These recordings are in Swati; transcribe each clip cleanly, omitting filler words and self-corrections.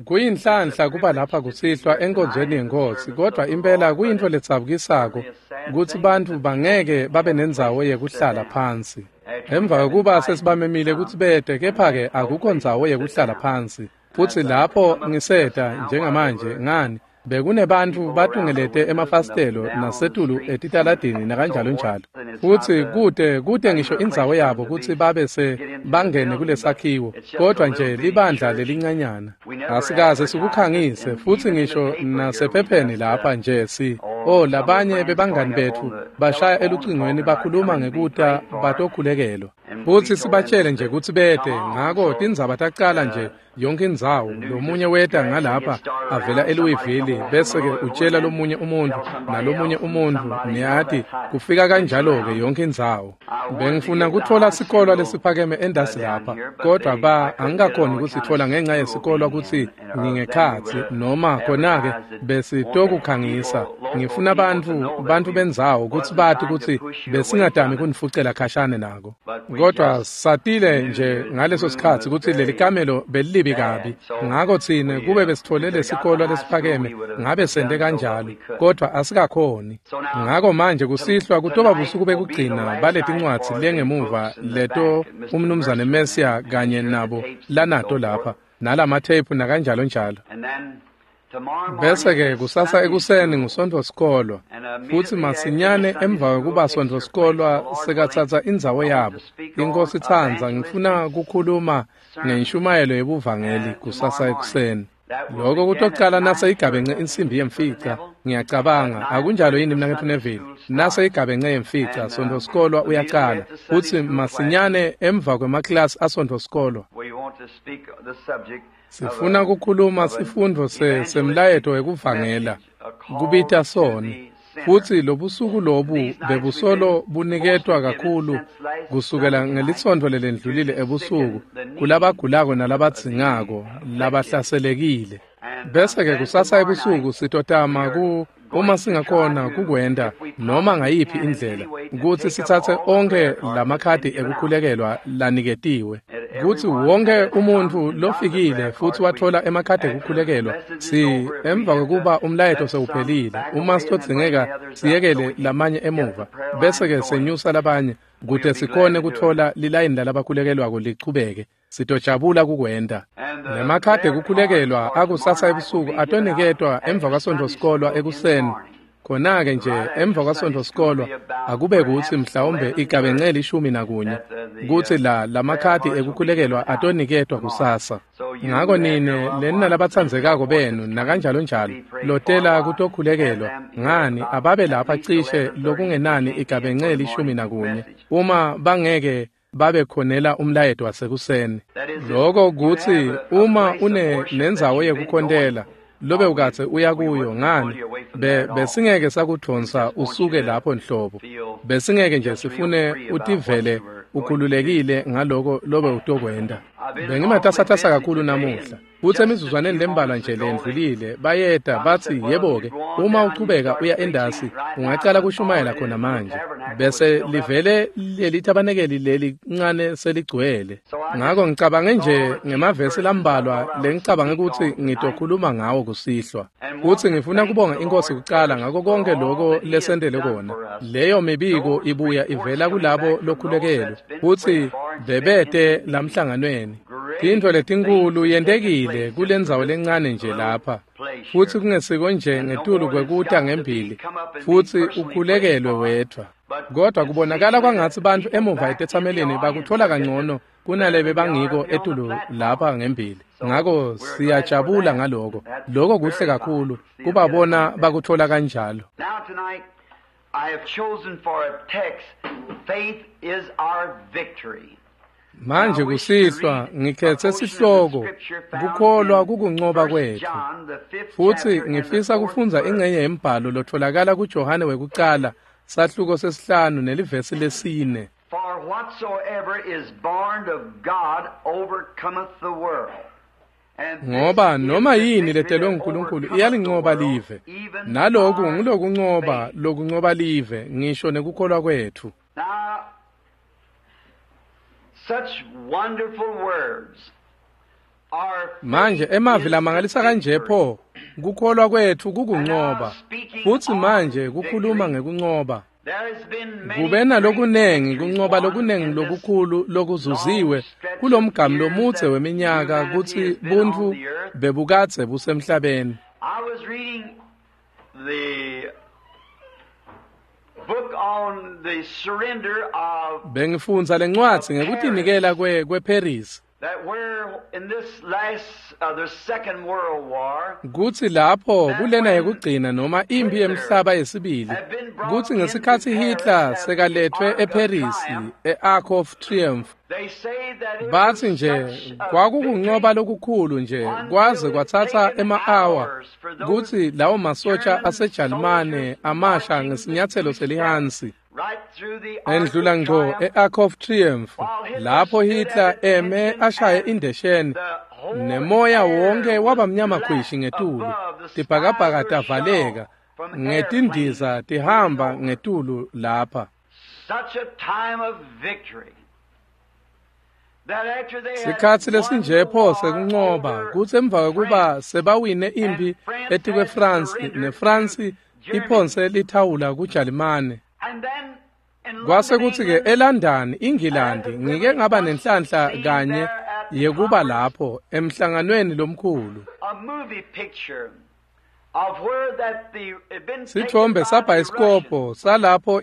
Kuyinhlanhla kuba lapha kusihlwa enkonzweni yeNkhosi, kodwa impela kuyintfo ledzabukisako kutsi bantfu bangeke babe nendzawo yekuhlala phansi. Emva kwekuba sesibamemile kutsi bete, kepha-ke akukho ndzawo yekuhlala phansi. Futsi lapho ngiseta njengamanje ngani bekunebantfu batungelete emafasitelo nasetulu etitaladini nakanjalonjalo. Futsi kute ngisho indzawo yabo kutsi babe se bangene kulesakhiwo, kodwa nje libandla lelincanyana. Asikaze sikukhangise futsi ngisho nasephepheni lapha nje si labanye bebangani betfu bashaya elucingweni bakhuluma ngekuta batokhulekelwa. Futsi sibatshele nje kutsi bete, ngako tindzaba tacala nje yonke indzawo. Lomunye weta ngalapha avela eLouisville, bese-ke utshela lomunye umuntfu nalomunye umuntfu, niyati kufika kanjalo-ke yonke indzawo. Bengifuna kutfola sikolwa lesiphakeme endasi lapha, kodwa angikakhoni kusitfola ngenxa yesikolwa kutsi ngingekhatsi noma khona-ke besitokukhangisa. Ngifuna bantfu bendzawo kutsi bati kutsi besingatami kunifucela khashane nako. Kodwa satile nje ngaleso sikhatsi kutsi leli kamelo belilibi kabi, ngako tsine kube besitfole lesikolwa lesiphakeme ngabe sente kanjalo, kodwa asikakhoni. Ngako manje kusihlwa kutoba busuku bekugcina baletincwadzi lengemuva leto umnumzane Messia kanye nabo lanato lapha nalamatheyiphu nakanjalo njalo. Bese-ke kusasa ekuseni nguSontfo sikolwa, futsi masinyane emva kwekuba Sontfo sikolwa sekatsatsa indzawo yabo. Inkosi itsandza, ngifuna kukhuluma ngenshumayelo yebuvangeli kusasa ekuseni. Lokho kutocala nase igabence insimbi yemfica, ngiyacabanga. Akunjalo yini mnaketfu Neville? Nase igabence yemfica, Sontfo sikolwa uyacala, futsi masinyane emva kwemaklasi aSontfo sikolwa. Sifuna kukhuluma sifundvo semlayeto wekuvangela, kubita soni. Futsi lobusuku lobu bebusolo buniketwa kakhulu kusukela ngelisonto lelendlulile ebusuku kulabagulako nalabadzingako labahlaselekile. Bese-ke kusasa ebusuku sitotama uma singakhona kukwenta noma ngayiphi indlela kutsi sitsatse onkhe lamakhadi ekukhulekelwa laniketiwe, kutsi wonke umuntfu lofikile futsi watfola emakhadi ekukhulekelwa emva kwekuba umlayeto sewuphelile, uma sitodzingeka siyekele lamanye emuva bese-ke senyusa labanye kute sikhone kutfola lilayini lalabakhulekelwako lichubeke. Sitojabula kukwenta. Nemakhadi ekukhulekelwa akusasa ebusuku atoniketwa emva kwaSontfo sikolwa ekuseni. Khona-ke nje emva kwaSontfo sikolwa akube kutsi mhlawumbe igabence 11 kutsi lamakhadi ekukhulekelwa atoniketwa kusasa. Ngako nine leni labatsandzekako benu nakanjalo njalo lotela kutokhulekelwa ngani ababe lapha cishe lokungenani igabence 11 uma bangeke babe khonela umlayeto wasekuseni. Lokho kutsi uma une nendzawo yekukhontela lobe ukatse uya kuyo, ngani besingeke sakudvonsa usuke lapho nhlobo. Besingeke nje sifune utivele ukhululekile ngaloko lobe utokwenta. Bengimatasatasa kakhulu namuhla. Futsi emizuzwaneni lembalwa nje lendlulile bayeta batsi yebo-ke, uma uchubeka uya endasi ungacala kushumayela khona manje. Bese livele leli thabanekeli leli ncane seligcwele. Ngako ngicabange nje ngemavesi lambalwa lengicabange kutsi ngitokhuluma ngawo kusihlwa. Futsi ngifuna kubonga iNkhosi kucala ngako konke loko lesentele kona. Leyo mibiko ibuya ivela kulabo lokhulekelwe futsi bebete lamhlanganweni. Tintfo letinkulu yentekile kulendzawo lencane nje lapha, futsi kungesiko nje ngetulu kwekuta ngembili futsi ukhulekelwe wedvwa. Kodwa kubonakala kwangatsi bantfu emuva etetsamelini bakutfola kangcono kunalebe bangiko etulu lapha ngembili. Ngako siyajabula ngaloko. Loko kuhle kakhulu kubabona bakutfola kanjalo. I have chosen for a text, faith is our victory. Manje kusihlwa ngikhethe sihloko kukholwa kukuncoba kwetfu. Futsi ngifisa kufundza ingcenye yembhalo lotholakala kuJohane wekucala sahluko 5 nelivesi 4. For whatsoever is born of God overcometh the world. Ngoba noma yini letelwe nguNkulunkulu iyalincoba live. Naloku ngulokuncoba lokuncoba live ngisho nekukholwa kwetfu. Such wonderful words. Manje emavi lamangalisa kanje pho, kukholwa kwethu kukuncoba. Futsi manje kukhuluma ngekuncoba. Kube nalokunengi kuncoba lokunengi lokukhulu lokuzuziwe kulomgamu lomudze weminyaka kutsi buntfu bebukadze busemhlabeni. I was reading the book on the surrender of Bengifundza lencwadzi ngekutinikela kweParis. that where in this last the Second World War Kutsi lapho kulena yekugcina noma impi yemhlaba yesibili, kutsi ngesikhatsi Hitler sekaletfwe eParis e-Arc of Triumph, they say that it batsi was nje such a kwakukuncoba lokukhulu nje kwaze kwatsatsa ema-awa kutsi lawo masotsha aseJalimane amasha ngesinyatselo selihansi right through the Arc endlula of ngco Triumph, e-Arc of Triumph lapho Hitler eme ashaye indesheni the whole nemoya air wonke waba was mnyama black khwishi ngetulu, above, the tibhakabhaka skies were shut tavaleka off from ngetindiza airplanes tihamba moving over. ngetulu lapha. Such a time of victory that after they had Sikhatsi won lesinje the pho war sekuncoba over kutsi emva kwekuba France, sebawine impi and France etikwe had France surrendered neFrance to Germany. iphonse lithawula kuJalimane. And then in Kwase London, kutsi ke England, eLondon, iNgilandi, ngike ngaba nenhlanhla kanye yekuba lapho emhlanganweni lomkhulu. a movie picture of where that the it been taken Sithombe by the sabhayisikobho Russians. salapho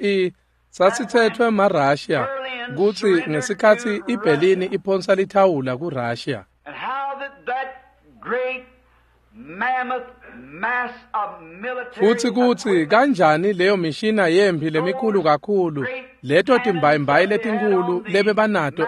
sasithethwe maRussia kutsi ngesikhatsi iBerlin iphonsa lithawula kuRussia. And how that great mammoth mass of military Futsi kutsi equipment kanjani leyo mishina yempi lemikhulu kakhulu leto timbayimbayi letinkulu lebebanato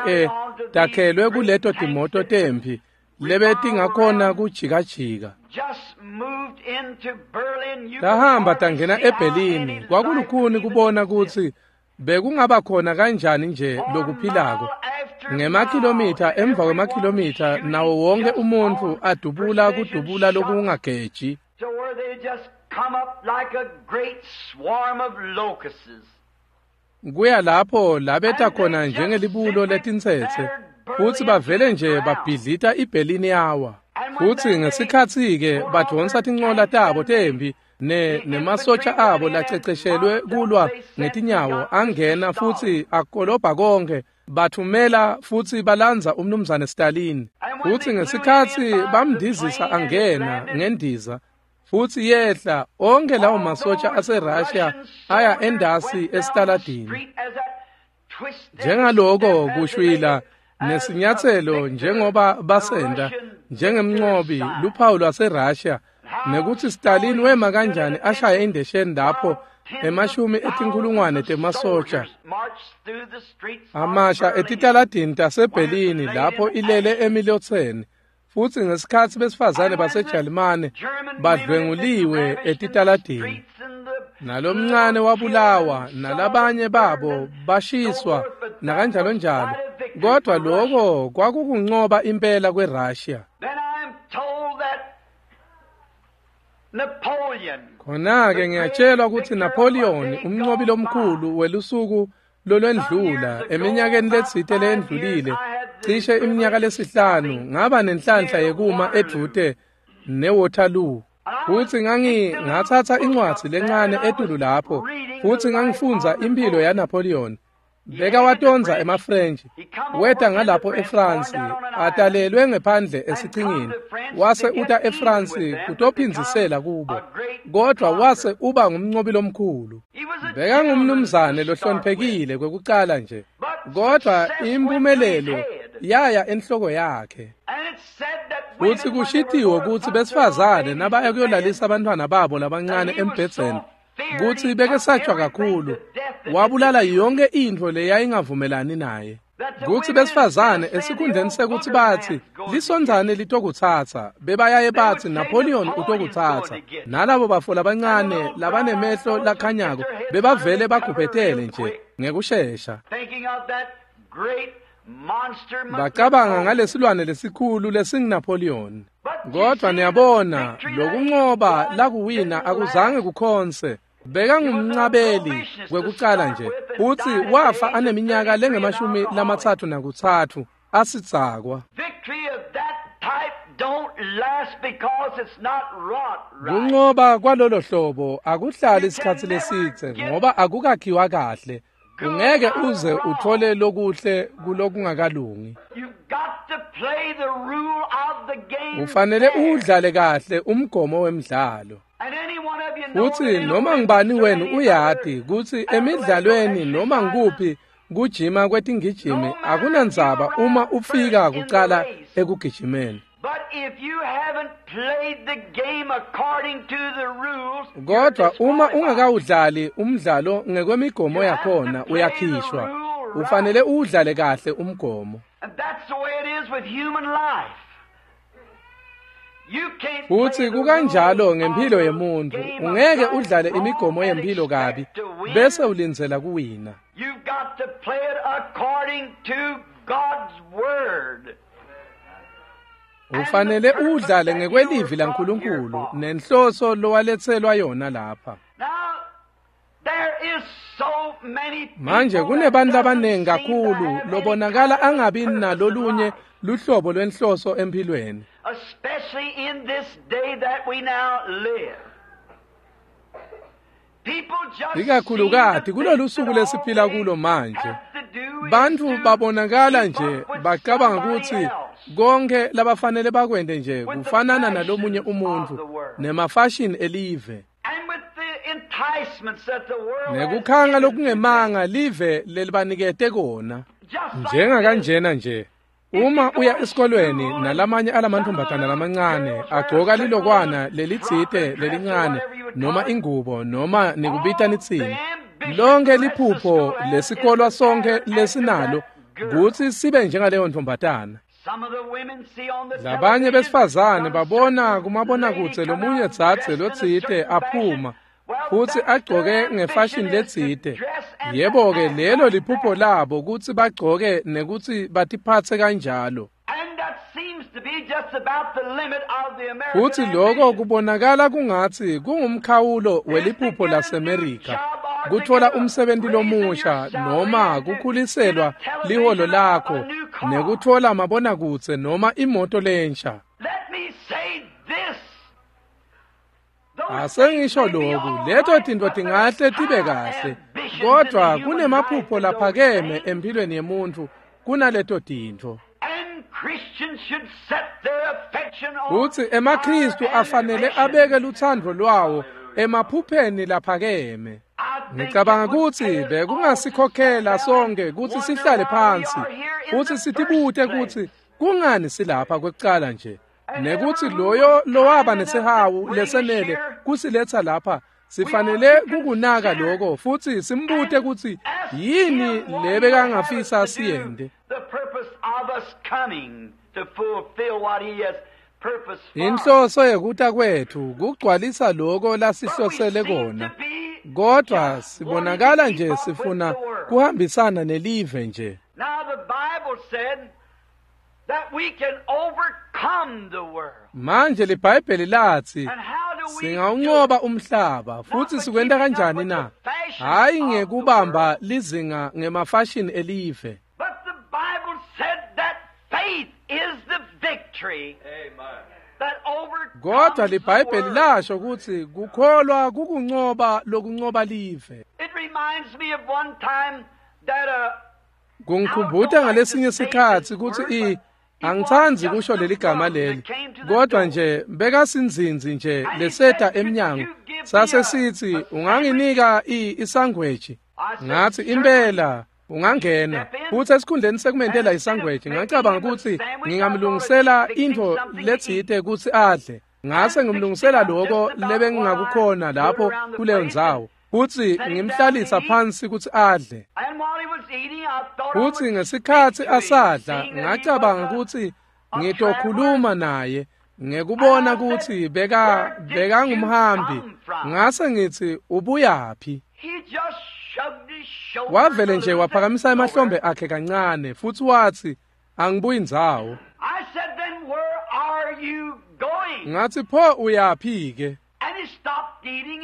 takhelwe kuleto timoto temphi lebetingakhona kujikajika. just moved into Berlin. You could Tahamba hardly tangena see how eBerlin any kwakulukhuni life kubona even kutsi bekungaba khona kanjani nje For lokuphilako. mile after Ngemakhilomitha mile, emva everyone kwemakhilomitha shooting nawo wonke just umuntfu on adubula precision kudubula shots lokungageji. to where they just come up like a great swarm of locusts. Kuya lapho labeta khona njengelibulo letintsetse futsi bavele nje babhidlita iBerlin yawa. Futsi ngesikhatsi-ke badvonsa tincola tabo temphi nemasotsha abo laceceshelwe kulwa ngetinyawo angena futsi akolobha konke bathumela futsi balandza umnumzane Stalin. Futsi ngesikhatsi bamndizisa angena ngendiza futsi yehla onke lawo masotsha aseRussia aya endasi esitaladini. Njengaloko kushwila nesinyatselo njengoba basenda njengemncobi luphawu lwaseRussia nekuthi Stalin wema kanjani ashaye indesheni lapho emashumi etinkhulungwane temasotsha amasha etitaladini taseBerlin lapho ilele emilotseni futsi ngesikhatsi besifazane baseJalimane badlwenguliwe etitaladini nalomncane wabulawa nalabanye babo bashiswa nakanjalo njalo kodwa lokho kwakukuncoba impela kweRussia. Then I'm told that Napoleon Khona-ke ngiyatshelwa ukuthi Napoleon umnqobi lomkhulu welusuku lolwendlula eminyakeni letsite leyendlulile cishe iminyaka lesihlanu ngaba nenhlanhla yekuma edvute neWaterloo futsi ngathatha incwadzi lencane etulu lapho futsi ngangifundza impilo yaNapoleon. Bekawatondza emaFrench weta ngalapho eFrance atalelwe ngephandle esichingini wase uta eFrance kutophindzisela kubo kodwa wase uba ngumnqobi lomkhulu. Bekangumnumzane lohloniphekile kwekucala nje kodwa impumelelo yaya enhloko yakhe. and it said that Futsi women, when they were kushitiwe going to kutsi put their besifazane little nabaya babies to bed, kuyolalisa abantwana babo labancane embhedzeni kutsi bekesatshwa kakhulu wabulala yonke intfo leyayingavumelani naye. Kutsi besifazane esikhundleni sekuthi batsi lisondzane litokutsatsa bebayaye batsi Napoleon utokutsatsa nalabo bafo labancane labanemehlo lakhanyako bebavele bagubhetele nje ngekushesha. thinking of that great monster Bacabanga ngalesilwane lesikhulu lesinguNapoleon. Kodwa niyabona lokuncoba lakuwina akuzange kukhonse. Bekangumncabeli kwekucala nje futsi wafa aneminyaka lengemashumi lamatsatfu nakutsatfu asidzakwa. Victory of that Kuncoba kwalolo hlobo akuhlali isikhatsi lesidze ngoba akukakhiwa kahle. Ungeke uze uthole lokuhle kulokungakalungi. Ufanele udlale kahle umgomo wemdlalo. Futsi noma ngubani wenu uyati kutsi emidlalweni noma ngukuphi kujima kwetingijimi akunandzaba uma ufika kucala ekugijimeni. Kodwa uma ungakawudlali umdlalo ngekwemigomo yakhona uyakhishwa. Ufanele uwudlale kahle umgomo. Futsi kukanjalo ngempilo yemuntfu, ungeke udlale imigomo yempilo kabi bese ulindzela kuwina. Ufanele udlale ngekwelivi laNkulunkulu nenhloso lowaletselwa yona lapha. Manje kunebantu labaningi kakhulu lobonakala angabi nalolunye luhlobo lwenhloso empilweni. Ikakhulukati kulolu suku lesiphila kulo manje, bantfu babonakala nje bacabanga kutsi konke labafanele bakwente nje kufanana nalomunye umuntfu nemafashini elive nekukhanga lokungemanga live lelibanikete kona. Njengakanjena nje, uma uya esikolweni nalamanye alamantfombatana lamancane agcoka lilokwana lelitsite lelincane noma ingubo noma nikubita nitsini, lonke liphupho lesikolwa sonke lesinalo kutsi sibe njengaleyo ntombatana. Labanye besifazane babona kumabonakudze lomunye dzadze lotsite aphuma futsi agcoke ngefashini letsite. Yebo-ke, lelo liphupho labo kutsi bagcoke nekutsi batiphatse kanjalo. Futsi loko kubonakala kungatsi kungumkhawulo weliphupho laseMerika, kutfola umsebenti lomusha noma kukhuliselwa liholo lakho nekutfola mabonakudze noma imoto lensha. Asengisho loku, leto tintfo tingahle tibe kahle, kodvwa kunemaphupho laphakeme empilweni yemuntfu kunaleto tintfo. Futsi emaKhristu afanele abeke lutsandvo lwawo emaphupheni laphakeme. Ngicabanga kutsi bekungasikhokhela sonke kutsi sihlale phansi futsi sitibute kutsi kungani silapha kwekucala nje, nekutsi loyo lowaba nesihawu lesenele kusiletsa lapha sifanele kukunaka lokho futsi simbute kutsi yini lebekangafisa siyente. Inhloso yekuta kwethu kugcwalisa lokho lasihlosele kona, kodwa sibonakala nje sifuna kuhambisana nelive nje. Manje liBhayibheli latsi singawunqoba umhlaba, futsi sikwenta kanjani na? Hhayi ngekubamba lizinga ngemafashini elive. Kodwa liBhayibheli lasho kutsi kukholwa kukunqoba lokunqoba live. Kungikhumbuta ngalesinye sikhatsi kutsi angitsandzi kusho leli gama leli, kodwa nje bekasinzinzi nje leseta emnyango sase sithi unganginika isangweji. Ngathi impela ungangena. Futsi esikhundleni sekumentela isangweji ngacabanga kutsi ngingamlungisela intfo letsite kutsi adle. Ngase ngimlungisela lokho lebengingakukhona lapho kuleyo ndzawo, futsi ngimhlalisa phansi kutsi adle. Futsi ngesikhatsi asadla ngacabanga kutsi ngitokhuluma naye ngekubona kutsi bekangumhambi. Ngase ngitsi ubuyaphi? Wavele nje waphakamisa emahlombe akhe kancane futsi watsi angibuyi ndzawo. Ngathi pho uyaphi ke?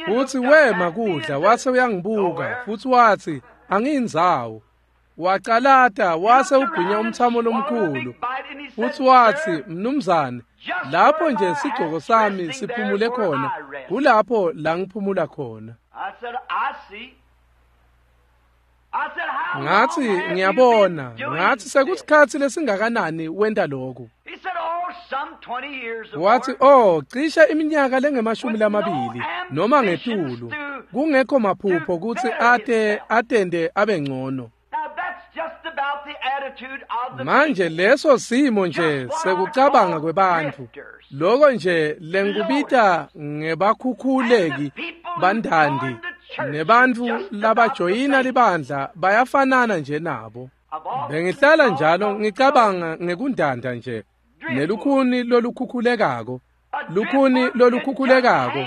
Futsi wema kudla wase uyangibuka futsi watsi angiyindzawo. Wacalata wase ugwinya umthamo lomkhulu. Futsi watsi, "Mnumzane, lapho nje sigcoko sami siphumule khona, kulapho la ngiphumula khona." Ngatsi, "Ngiyabona." Ngatsi, "Sekusikhatsi lesingakanani wenta lokhu?" Watsi, "Oh, cishe iminyaka lengemashumi lamabili noma ngetulu, kungekho maphupho kutsi ate atende abe ngcono." Manje leso simo nje sekucabanga kwebantfu, loko nje lengikubita ngebakhukhuleki bandandi, nebantfu labajoyina libandla bayafanana nje nabo. Bengihlala njalo ngicabanga ngekundanda nje nelukhuni lolukhukhulekako. Lukhuni lolukhukhulekako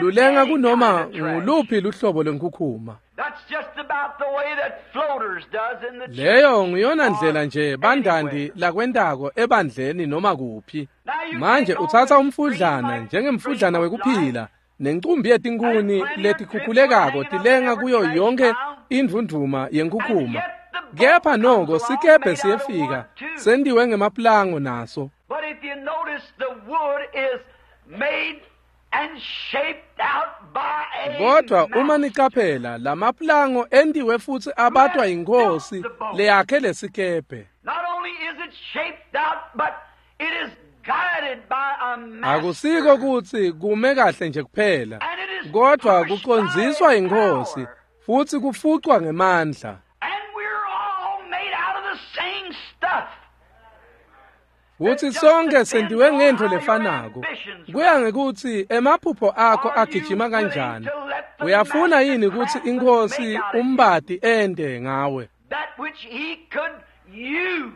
lulenga kunoma nguluphi luhlobo lwenkhukhuma. Leyo nguyona ndlela nje bandandi lakwentako ebandleni noma kuphi. Manje utsatsa umfudlana njengemfudlana wekuphila nencumbi yetinkhuni letikhukhulekako tilenga kuyo yonke indvundvuma yenkhukhuma. Kepha noko sikebhe siyefika sentiwe ngemaplango naso. But if you notice, the wood is made and shaped out by a Kodwa uma master. nicaphela, lamaplango entiwe futsi abatwa yinkhosi leyakhe lesikebhe. Not only is it shaped out, but it is guided by a master. Akusiko kutsi kume kahle nje kuphela, And it is kodwa pushed kucondziswa by yinkhosi power. futsi kufucwa ngemandla. And we're all made out of the same stuff. Futsi sonke sentiwe ngentfo lefanako. Kuya ngekutsi emaphupho akho agijima kanjani. Uyafuna yini kutsi inkhosi umbati ente ngawe That which he could use.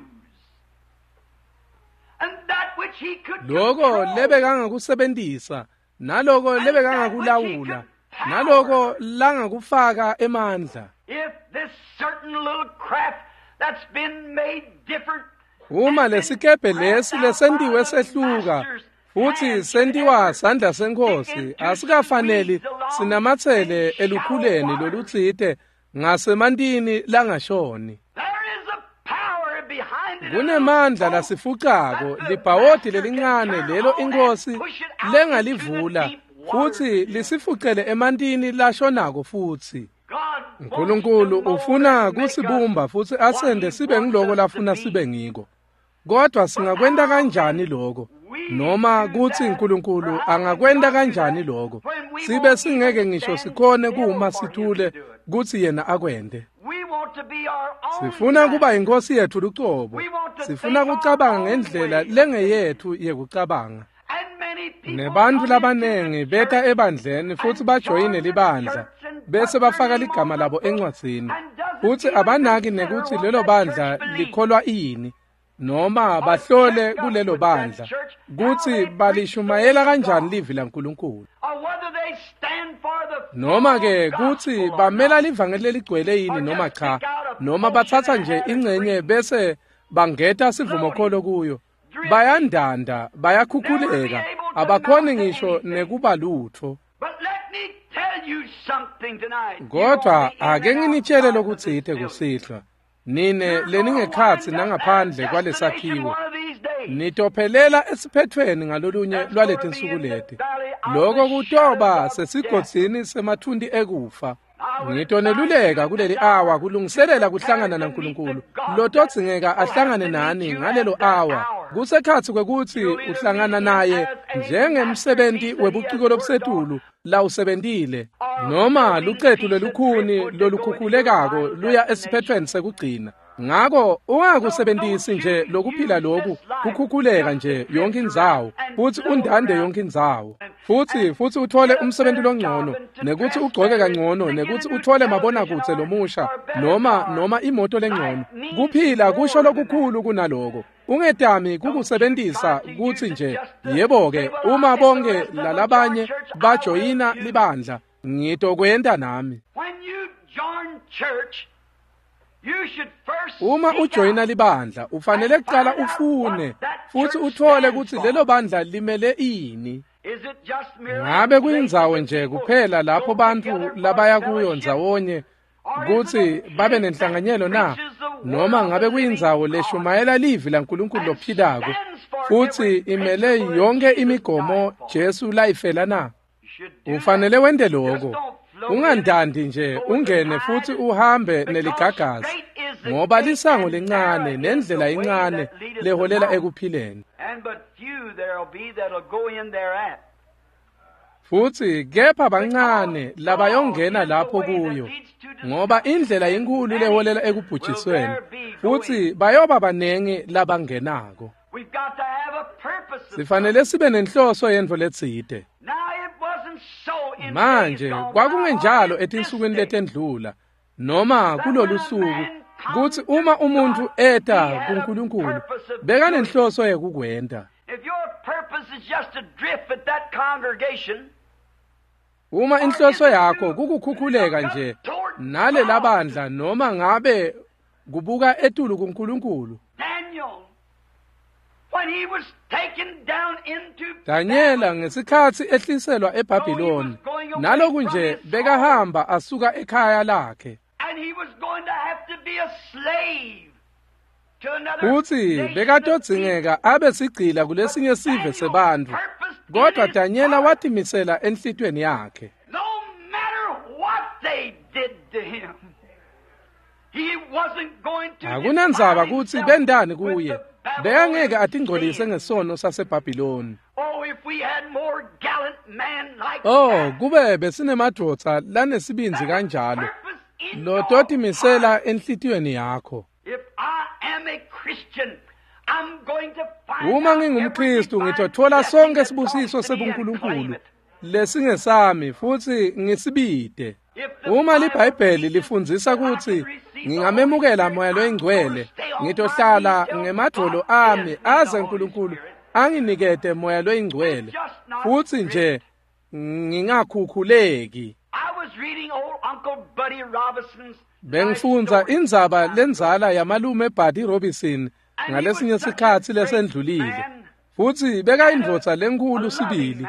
And that which he could loko control. lebekangakusebentisa, naloko lebekangakulawula, naloko langakufaka emandla? If this certain little craft that's been made different Uma lesikebhe lesi lesentiwe sehluka futsi sentiwa sandla senkhosi, asikafaneli sinamatsele elukhuleni lolutsite ngasemantini langashoni. There is a power behind it. Kunemandla lasifucako, libhawodi lelincane lelo inkhosi lengalivula futsi lisifucele emantini lashonako futsi. Nkulunkulu ufuna kusibumba futsi asende sibe ngiloko lafuna sibe ngiko. Kodwa singakwenta kanjani lokho? Noma kutsi Nkulunkulu angakwenta kanjani lokho? Sibe singeke ngisho sikhone kuma sithule kutsi yena akwente. We want to be our own Sifuna kuba man. inkosi yethu lucobo. Sifuna kucabanga ngendlela lengeyethu yekucabanga. And many people Nebantfu come labanengi into the beta church ebandleni futsi bajoyine libandla bese bafaka ligama labo encwadzini, futsi abanaki nekutsi lelo bandla likholwa ini, noma bahlole kulelo bandla kutsi balishumayela kanjani livi laNkulunkulu, or whether they stand for the noma ke full kutsi gospel or bamela not. livangeli leligcwele yini noma cha, noma batsatsa nje ingcenye bese bangeta sivumokholo kuyo. Bayandanda, bayakhukhuleka, abakhoni ngisho nekuba lutfo. But let me tell you something tonight. You Kodwa on the in ake and nginitshele outside of this lokutsite building. kusihlwa, nine You're gonna leningekhatsi wind up at a nangaphandle destination kwalesakhiwo, one of these days. nitophelela esiphethweni ngalolunye That's gonna be lwaletinsuku in the leti. valley of Loko the shadow kutoba of death. sesigodzini semathunti ekufa. I would Ngitoneluleka advise you kuleli this awa hour to kulungiselela prepare kuhlangana to meet the naNkulunkulu God that lotodzingeka will have ahlangane to meet nani you ngalelo at that awa. hour. Kusekhatsi kwekutsi You'll either meet uhlangana him naye as a njengemsebenti masterpiece that he has webuciko worked on, lobusetulu lawusebentile, or noma there'll be lucetu piece of lwelukhuni driftwood to go into your lolukhukhulekako final luya destination. esiphethweni sekugcina. Ngako So ungakusebentisi don't nje you lokuphila use loku this life kukhukhuleka just to nje drift yonke around indzawo and futsi float undande around yonke indzawo, and futsi and futsi uthole get a umsebenzi better longcono, job and to nekutsi dress ugcoke better and kangcono, to get a nekutsi new uthole television mabonakudze or lomusha or a better noma car. noma imoto lengcono. Life means Kuphila kusho more than that. lokukhulu kunaloko. Ungetami Don't you try kukusebentisa to kutsi use it nje just to yebo say, ke, well, uma if the bonke rest of them join lalabanye church, I will bajoyina too. libandla, ngitokwenta nami. When you join church, you should first Uma seek ujoyina out libandla, ufanele and kuqala find out ufune what that futsi church uthole stands kutsi for. lelo bandla limele ini. Is it just merely a Ngabe place that kuyindzawo the nje people kuphela lapho go bantfu together for labaya kuyo fellowship? ndzawonye Or is it kutsi a babe place that nenhlanganyelo na? preaches the noma ngabe kuyindzawo leshumayela livi laNkulunkulu lophilako futsi imele yonke imigomo Jesu layifela na? Ufanele wente lokho. Ungandandi nje ungene futhi uhambe neligagasi, ngoba lisango lencane nendlela incane leholela ekuphileni. Futhi kepha bancane labayongena lapho kuyo, ngoba indlela inkulu leholela ekubhujisweni, futhi bayoba banengi labangenako. Sifanele sibe nenhloso yentfo letsite. Manje kwakungenjalo etinsukwini letendlula noma kulolu suku, kutsi uma umuntfu eta kuNkulunkulu bekanenhloso yekukwenta. Uma inhloso yakho kukukhukhuleka nje nale labandla noma ngabe kubuka etulu kuNkulunkulu. Daniela ngesikhatsi ehliselwa eBhabhiloni, naloku nje bekahamba asuka ekhaya lakhe, futsi bekatodzingeka abe sigcila kulesinye sive sebantfu, kodwa Daniela watimisela enhlitiyweni yakhe. Akunandzaba kutsi bendani kuye, bekangeke atingcolise ngesono saseBhabhiloni. Oh, kube besinemadvodza lanesibindzi kanjalo lototimisela enhlitiyweni yakho. Uma ngingumKristu ngitothola sonke sibusiso sebuNkulunkulu lesingesami futsi ngisibide. Uma liBhayibheli lifundzisa kutsi ngingamemukela Moya loyiNgcwele, ngitohlala ngemadvolo ami aze uNkulunkulu anginikete Moya loyiNgcwele, futsi nje ngingakhukhuleki. Bengifundza indzaba lendzala yamalume Buddy Robinson ngalesinye sikhatsi lesendlulile, futsi bekayindvodza lenkhulu sibili,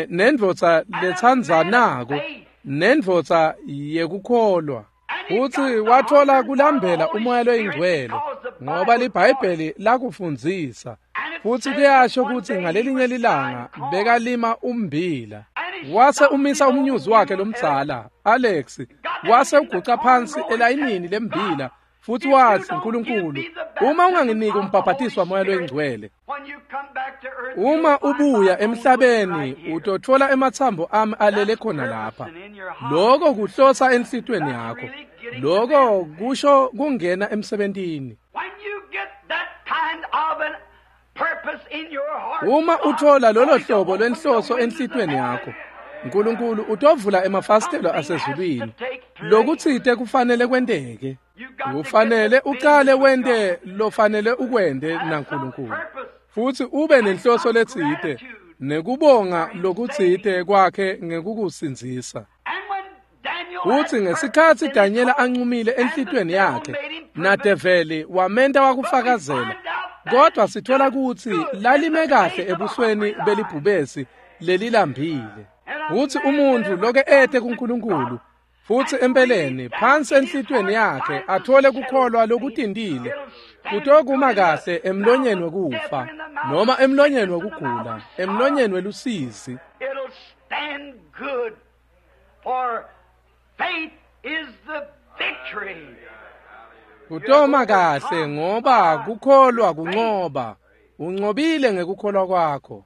nendvodza letsandzanako, nendvodza yekukholwa. Futsi wathola kulambela uMoya loyiNgcwele ngoba liBhayibheli lakufundzisa, futsi kuyasho kutsi ngalelinye lilanga bekalima ummbila. Wase umisa umnyuzi wakhe lomdzala Alex, wase uguca phansi elayinini lembila futsi watsi, "Nkulunkulu, uma unganginiki umbhabhatiso waMoya loyiNgcwele, uma ubuya emhlabeni utotfola ematsambo ami alele khona lapha." Lokho kuhlosa enhlitiyweni yakho. Lokho kusho kungena emsebentini. Uma uthola lolo hlobo lwenhloso enhlitiyweni yakho, uNkulunkulu utovula emafasitelo asezulwini. Lokutsite kufanele kwenteke. Ufanele uqale wente lofanele ukwente naNkulunkulu, futsi ube nenhloso letsite nekubonga lokutsite kwakhe ngekukusindzisa. Futsi ngesikhatsi Daniela ancumile enhlitiyweni yakhe, nadeveli wamenta wakufakazela, kodwa sithola kutsi lalime kahle ebusweni belibhubesi lelilambile. Futsi umuntfu loke ete kuNkulunkulu, futsi empeleni phansi enhlitiyweni yakhe athole kukholwa lokutintile, kutokuma kahle emlonyeni wekufa noma emlonyeni wekugula, emlonyeni welusizi. Kutoma kahle ngoba kukholwa kuncoba. Uncobile ngekukholwa kwakho.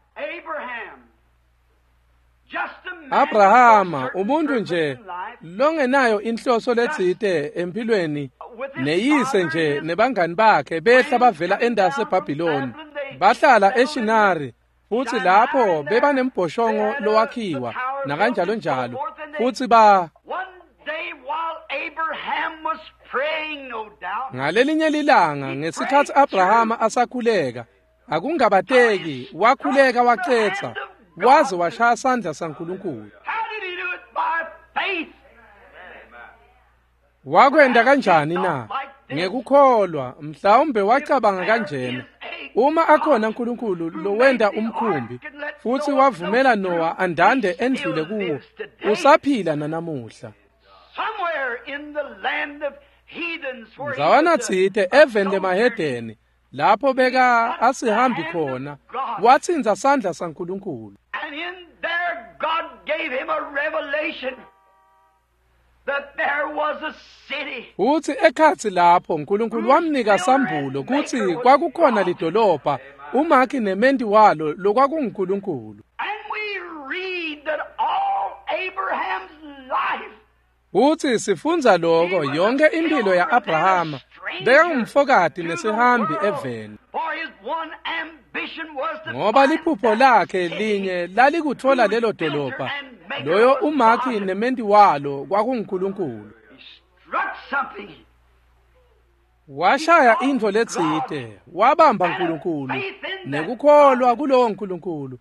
Abrahama, umuntu nje longenayo inhloso letsite empilweni, neyise nje nebangani bakhe behla bavela endasi eBhabhiloni, bahlala eShinari, futsi lapho bebanembhoshongo lowakhiwa nakanjalo njalo, futsi ba ngalelinye lilanga ngesikhatsi Abrahama asakhuleka, akungabateki wakhuleka wacetsa waze washaya sandla saNkulunkulu. Wakwenta kanjani na? Ngekukholwa. Mhlawumbe wacabanga kanjena: uma akhona uNkulunkulu lowenta umkhumbi futsi wavumela Noah andande endlule kuwo, usaphila nanamuhla. Ndzawana tsite eveni lemahedeni lapho beka asihambi khona, watsintsa sandla saNkulunkulu. And in there God gave him a revelation that there was a city. Futsi ekhatsi lapho uNkulunkulu wamnika sambulo kutsi kwakukhona lidolobha umakhi nementi walo lokwakunguNkulunkulu. And we read that all Abraham's life Futsi sifundza loko yonke impilo ya-Abrahama bekangumfokati nesihambi eveni. For his one ambition was to Ngoba find liphupho that lakhe city linye lalikutfola lelo dolobha loyo umakhi nementi walo kwakunguNkulunkulu. He struck something. Washaya intfo letsite, wabamba uNkulunkulu nekukholwa kulowo Nkulunkulu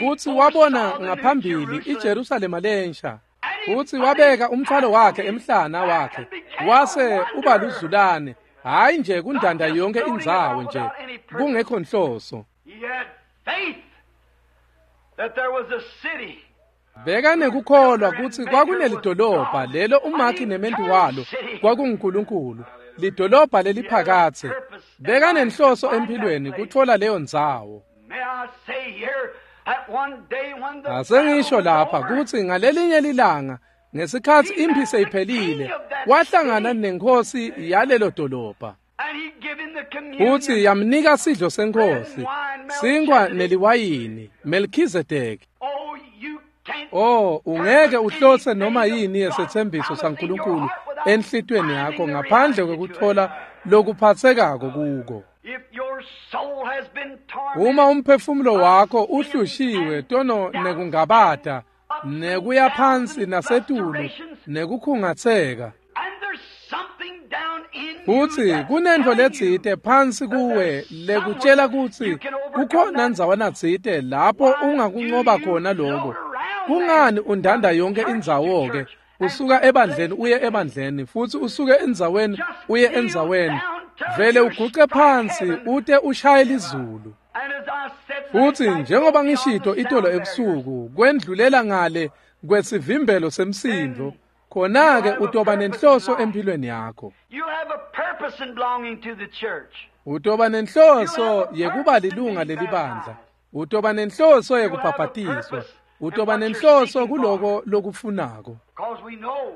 kutsi wabona ngaphambili iJerusalema lensha. Futsi wabeka umthwalo wakhe emhlana wakhe wase uba luzulane, hhayi nje kundanda yonke indzawo nje kungekho nhloso. He had faith that there was a city. Bekanekukholwa kutsi kwakunelidolobha lelo umakhi nementi walo kwakunguNkulunkulu, lidolobha leliphakadze. Bekanenhloso empilweni kutfola leyo ndzawo. May I say here that one day when the Asengisho battle was lapha over, kutsi ngalelinye lilanga ngesikhatsi imphi seyiphelile wahlangana nenkosi yalelo dolobha. and he gave him the communion. Futsi yamnika sidlo senkosi, sinkwa neliwayini, Melchizedek. Oh, you can't Oh, ungeke uhlose noma yini yesethembiso saNkulunkulu enhlitweni yakho ngaphandle kwekutfola lokuphatsekako kuko. If your soul has been tormented, Uma umphefumulo wakho uhlushiwe tono nekungabata, nekuya phansi nasetulu, nekukhungatseka, and there's something down in you futsi that's kunentfo telling you letsite phansi kuwe lekutshela kutsi kukhona ndzawana tsite lapho ungakuncoba khona loko. Kungani undanda yonke indzawo-ke usuka ebandleni uye ebandleni futsi usuke endzaweni uye endzaweni, vele uguce phansi ute ushaye lizulu. And as I said Futsi last night, njengoba beyond ngishito the itolo sound ebusuku kwendlulela ngale kwesivimbelo semsindvo, khona-ke utoba nenhloso empilweni yakho. You have a purpose in belonging to the church. Utoba nenhloso yekuba lilunga lelibandla. Utoba nenhloso yekubhabhatiswa. Utoba nenhloso kuloko lokufunako. Because we know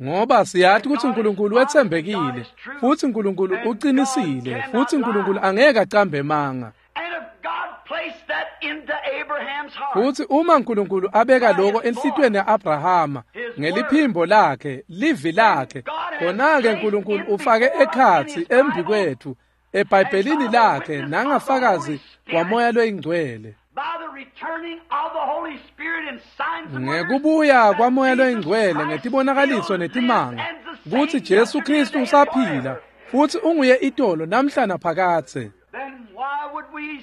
Ngoba siyati kutsi uNkulunkulu wetsembekile, futsi uNkulunkulu uqinisile, futsi uNkulunkulu angeke acambe emanga. And if God placed that into Abraham's heart, Futsi uma uNkulunkulu abeka loko enhlitiyweni ya-Abrahama ngeliphimbo lakhe, livi lakhe, khona-ke uNkulunkulu ufake ekhatsi embi kwethu eBhayibhelini lakhe nangafakazi waMoya loyiNgcwele. by the returning of the Holy Spirit in signs and wonders, Ngekubuya kwaMoya that loyiNgcwele Jesus ngetibonakaliso Christ netimanga still lives and the kutsi same Jesu yesterday, Kristu today, and usaphila forever. futsi unguye itolo namhla naphakadze. Then why would we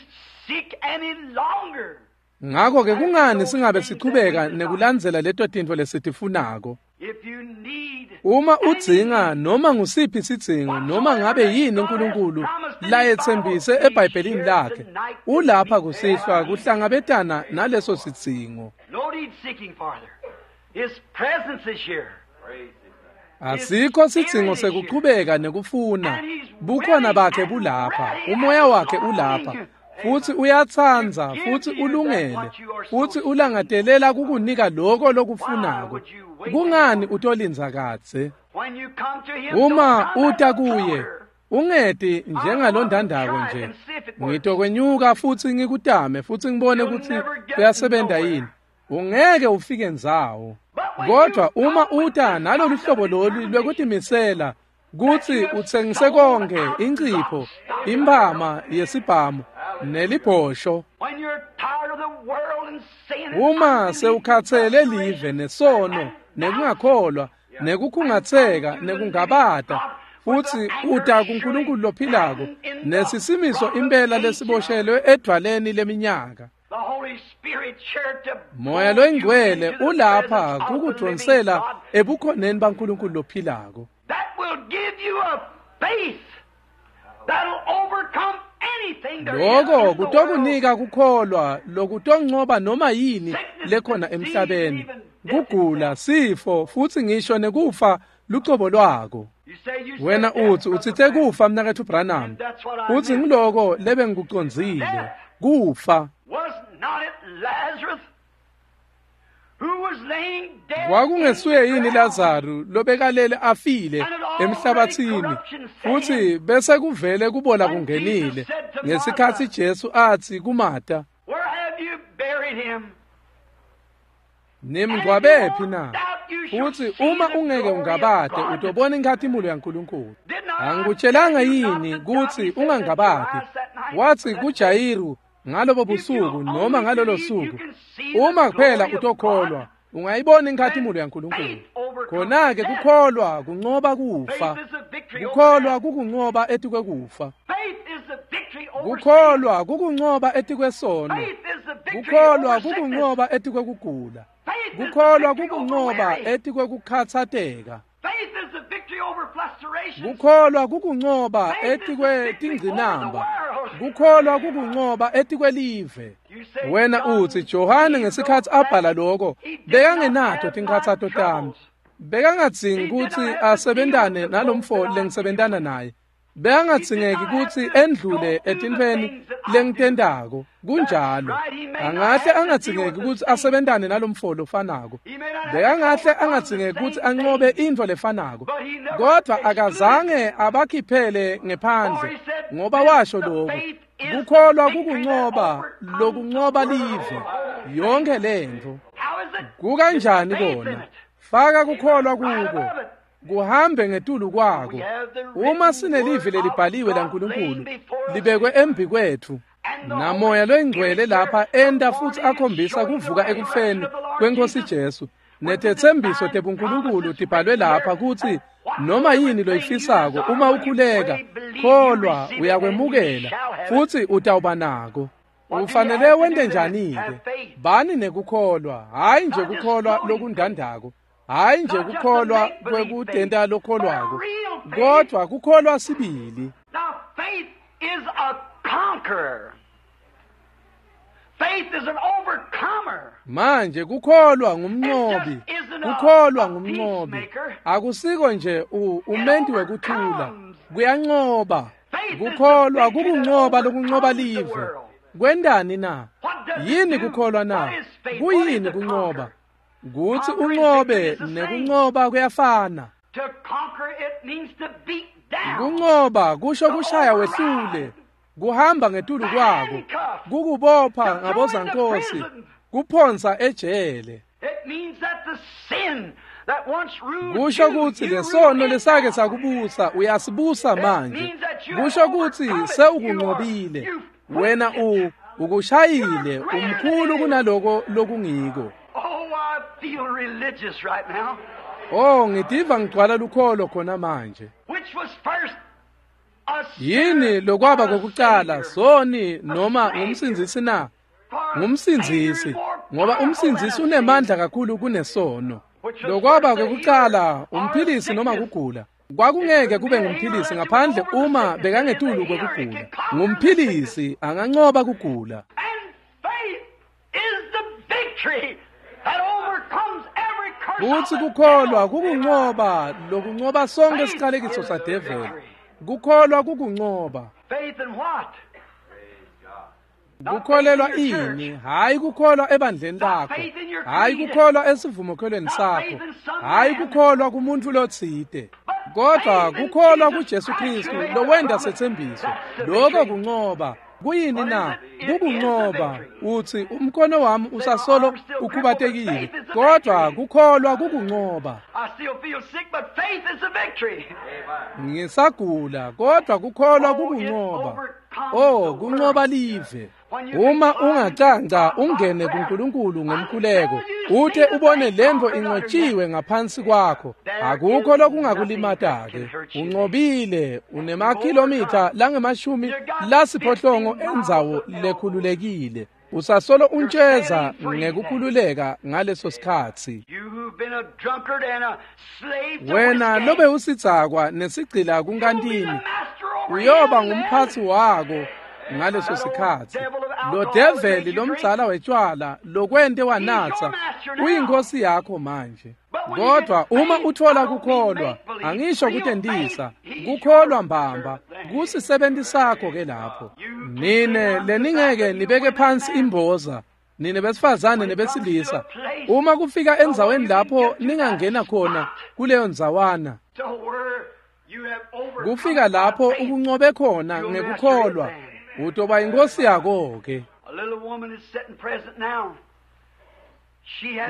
seek any longer? Ngakho-ke kungani singabe sichubeka nekulandzela leto tintfo lesitifunako? If you need Uma udzinga noma ngusiphi sidzingo noma ngabe yini uNkulunkulu layetsembise eBhayibhelini lakhe, ulapha kusihlwa kuhlangabetana naleso sidzingo. no need seeking farther. His presence is here. Asikho sidzingo sekuchubeka nekufuna. Bukhona bakhe bulapha, umoya wakhe ulapha. Futsi uyatsandza, futsi ulungele, futsi ulangatelela kukunika loko lokufunako. Kungani utolindza kadze? When you come to him, Uma don't come uta as a kuye, floater. ungeti njengalondandako nje. Ngitokwenyuka futsi ngikutame futsi ngibone kutsi kuyasebenta yini. Ungeke ufike ndzawo. Kodwa uma uta nalolu hlobo lolu lwekutimisela kutsi utsengise konke incipho, imphama yesibhamu nelibhosho. When you're tired of the world and sin and Uma unbelief, sewukhatsele live nesono nekungakholwa nekukhungatseka nekungabata futsi uta kuNkulunkulu lophilako nesisimiso impela lesiboshelwe edvwaleni leminyaka. the Holy Spirit here to Moya pull you loyingcwele into the ulapha presence of the living kukudvonsela God ebukhoneni baNkulunkulu lophilako. that will give you a faith that'll overcome anything there is Loko in the world. kutokunika kukholwa lokutoncoba noma yini lekhona emhlabeni. Kugula, sifo, futsi ngisho nekufa lucobo lwako. Wena uthi utsitse kufa mnaketfu Branham, uthi ngiloko lebe ngikucondzile, kufa. Kwakungesuye yini Lazaru lobekalele afile emhlabathini, futhi bese kuvele kubola kungenile ngesikhatsi Jesu atsi kuMata, nimngcwabephi na? Futhi uma ungeke ungabade utobona inkhatimulo yaNkulunkulu. Angikutshelanga yini kutsi ungangabadi? Wathi kuJayiru ngalobo busuku noma ngalolo suku, uma kuphela utokholwa ungayibona inkhatimulo yaNkulunkulu. Khona-ke kukholwa kuncoba kufa, kukholwa kukuncoba etikwekufa, kukholwa kukuncoba etikwesono, kukholwa kukuncoba etikwekugula, kukholwa kukuncoba etikwekukhatsateka, kukholwa kukuncoba etikwetingcinamba, kukholwa kukuncoba etikwelive. Wena uthi Johane ngesikhatsi abhala lokho bekangenato tinkhatsato tami, bekangadzingi kutsi asebentane nalomfo lengisebentana naye, bekangadzingeki kutsi endlule etintfweni lengitentako. Kunjalo, angahle angadzingeki kutsi asebentane nalomfo lofanako, bekangahle angadzingeki kutsi ancobe intfo lefanako, kodvwa akazange abakhiphele ngephandle, ngoba washo lokhu, kukholwa kukuncoba lokuncoba live yonke lentfo. Kukanjani kona? Faka kukholwa kuko, kuhambe ngetulu kwako. Uma sinelivi lelibhaliwe laNkulunkulu libekwe embi kwetfu, namoya loyingcwele lapha enta futsi akhombisa kuvuka ekufeni kweNkosi Jesu, netetsembiso tebuNkulunkulu tibhalwe lapha kutsi noma yini loyifisako uma ukhuleka, kholwa uyakwemukela futsi utawuba nako. Ufanele wente njani-ke? Bani nekukholwa, hhayi nje kukholwa lokundandako, hhayi nje kukholwa kwekutenta lokholwako, kodvwa kukholwa sibili. Manje kukholwa ngumnqobi, kukholwa ngumnqobi. Akusiko nje umenti wekuthula, kuyanqoba. Kukholwa kukunqoba lokunqoba live. Kwentani na? Yini kukholwa na? Kuyini kunqoba? Kutsi unqobe nekunqoba kuyafana. Kunqoba kusho kushaya wehlule, kuhamba ngetulu kwako, kukubopha ngabozankosi, kuphonsa ejele. Kusho kutsi lesono lesake sakubusa uyasibusa manje. Kusho kutsi sewukunqobile wena, ukushayile, umkhulu kunaloko lokungiko. Oh, ngitiva ngigcwala lukholo khona manje. Yini lokwaba kokucala, soni noma ngumsindzisi na? Ngumsindzisi, ngoba umsindzisi unemandla kakhulu kunesono. Lokwaba kokucala, umphilisi noma kugula. Kwakungeke kube ngumphilisi ngaphandle uma bekangetulu kwekugula. Ngumphilisi anganqoba kugula. Kutsi kukholwa kukunqoba lokunqoba sonke isiqalekiso sadeveli. Kukholwa kukunqoba. Kukholelwa ini? Hhayi kukholwa ebandleni lakho, hhayi kukholwa esivumokholweni sakho, hhayi kukholwa kumuntu lotsite, kodwa kukholwa kuJesu Kristu lowenta setsembiso. Lokho kunqoba. Kuyini na? Kukunqoba. Uthi umkhono wami usasolo ukhubatekile, kodwa kukholwa kukunqoba. Ngisagula, kodwa kukholwa kukunqoba. Oh, kunqoba live. Uma ungacanca ungene kuNkulunkulu ngomkhuleko, uthe ubone lento inqotshiwe ngaphansi kwakho, akukho lokungakulimata-ke. Unqobile, unemakhilomitha langemashumi lasiphohlongo endzawo lekhululekile. Usasolo untsheza ngekukhululeka ngaleso sikhatsi. Wena lobe usidzakwa nesigcila kunkantini, uyoba ngumphatsi wako ngaleso sikhatsi. Lo develi lomdzala wetshwala lokwente wanatsa uyinkosi yakho manje. Kodwa uma uthola kukholwa, angisho kutentisa, kukholwa mbamba, kusisebenti sakho ke lapho. Nine leningeke nibeke phansi imboza, nine besifazane nebesilisa, uma kufika endzaweni lapho ningangena khona kuleyo ndzawana, kufika lapho ukuncobe khona ngekukholwa, utoba inkosi yako ke.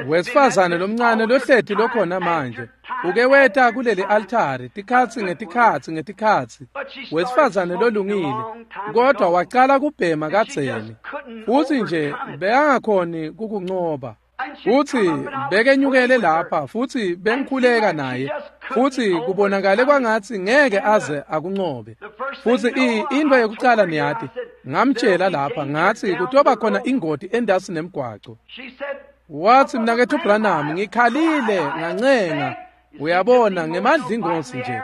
Wesifazane lomncane lohleti lokhona manje uke weta kuleli altari tikhatsi ngetikhatsi ngetikhatsi, wesifazane lolungile, kodwa wacala kubhema kadzeni futsi nje bekangakhoni kukuncoba. Futsi bekenyukele lapha futsi bengikhuleka naye, futsi kubonakale kwangatsi ngeke aze akuncobe. Futsi into yekucala niyati, ngamtshela lapha ngatsi kutoba khona ingoti endasi nemgwaco. Wathi mnaketfu Branham, ngikhalile ngancenga, uyabona ngemadlingozi nje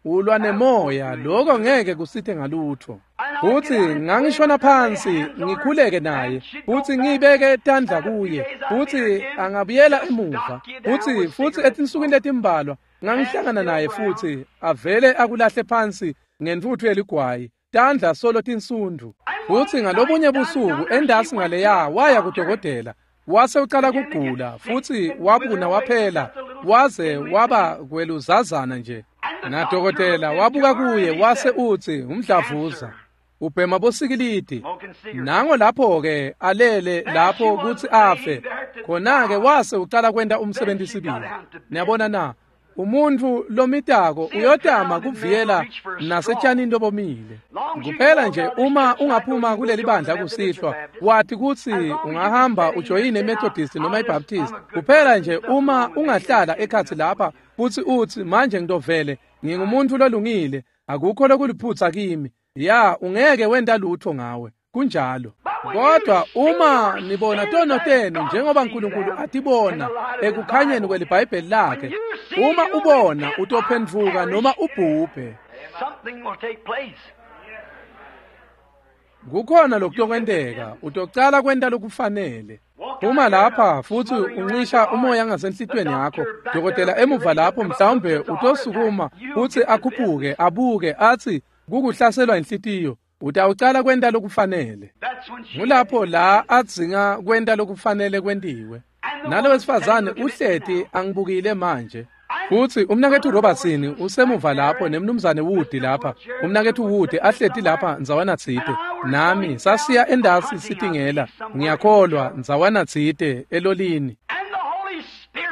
ulwa nemoya, lokho ngeke kusithe ngalutho. Futsi ngangishona phansi ngikhuleke naye, futsi ngibeke tandla kuye, futsi angabuyela emuva. Futsi etinsukwini letimbalwa ngangihlangana naye futsi avele akulahle phansi ngentfutfu yeligwayi, tandla solo tinsundu. Futsi ngalobunye busuku endasi ngaleya waya kudokotela, wase ucala kugula futsi wabuna waphela waze waba kweluzazana nje. Nadokotela wabuka kuye wase utsi umdlavuza, ubhema bosikilidi. Nango lapho ke alele lapho kutsi afe. Khona-ke wase ucala kwenta umsebenzi sibili. Niyabona na, umuntfu lomitako uyotama kuviyela nasetshanini lobomile. Kuphela nje uma ungaphuma kuleli bandla kusihlwa, wathi kutsi ungahamba ujoyine iMethodist noma iBaptist. Kuphela nje uma ungahlala ekhatsi lapha futsi utsi manje ngitovele ngingumuntu lolungile, akukho lokuliphutsa kimi. Ya, ungeke wenta lutho ngawe. Kunjalo. Kodwa uma nibona tono tenu njengoba uNkulunkulu atibona ekukhanyeni kweliBhayibheli lakhe, uma ubona utophendvuka noma ubhubhe. Kukhona lokutokwenteka, utocala kwenta lokufanele. Uma lapha futsi uncisha umoya ngasenhlitweni yakho, dokotela emuva lapho mhlawumbe utosukuma futsi akhuphuke abuke athi kukuhlaselwa inhlitiyo, utawucala kwenta lokufanele. Ngulapho la adzinga kwenta lokufanele kwentiwe. Nalo wesifazane uhleti angibukile manje. Futsi umnaketfu Robertson usemuva lapho nemnumzane Wood lapha. Umnaketfu Wood ahleti lapha ndzawana tsite. Nami sasiya endasi sitingela, ngiyakholwa ndzawana tsite elolini.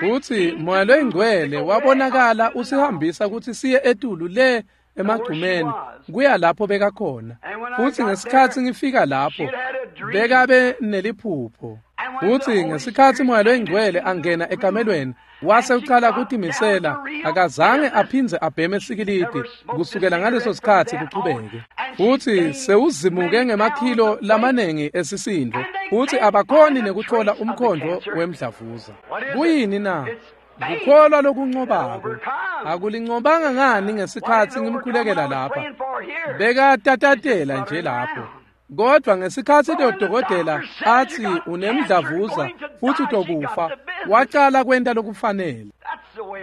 Futsi Moya loyiNgcwele wabonakala usihambisa kutsi siye etulu le emagcumeni kuya lapho bekakhona. Futsi ngesikhatsi ngifika lapho bekabe neliphupho. Futsi ngesikhatsi Moya loyiNgcwele angena ekamelweni wase ucala kutimisela, akazange aphindze abheme sikilidi kusukela ngaleso sikhatsi kuchubeke. Futsi sewuzimuke ngemakhilo lamanengi esisindvo, futsi abakhoni nekuthola umkhondvo wemdlavuza. Kuyini na? Kukholwa lokuncobako. Akulincobanga ngani ngesikhatsi ngimkhulekela lapha? Bekatatatela nje lapho. Kodwa ngesikhatsi dokotela athi unemdlavuza futsi utokufa, wacala kwenta lokufanele.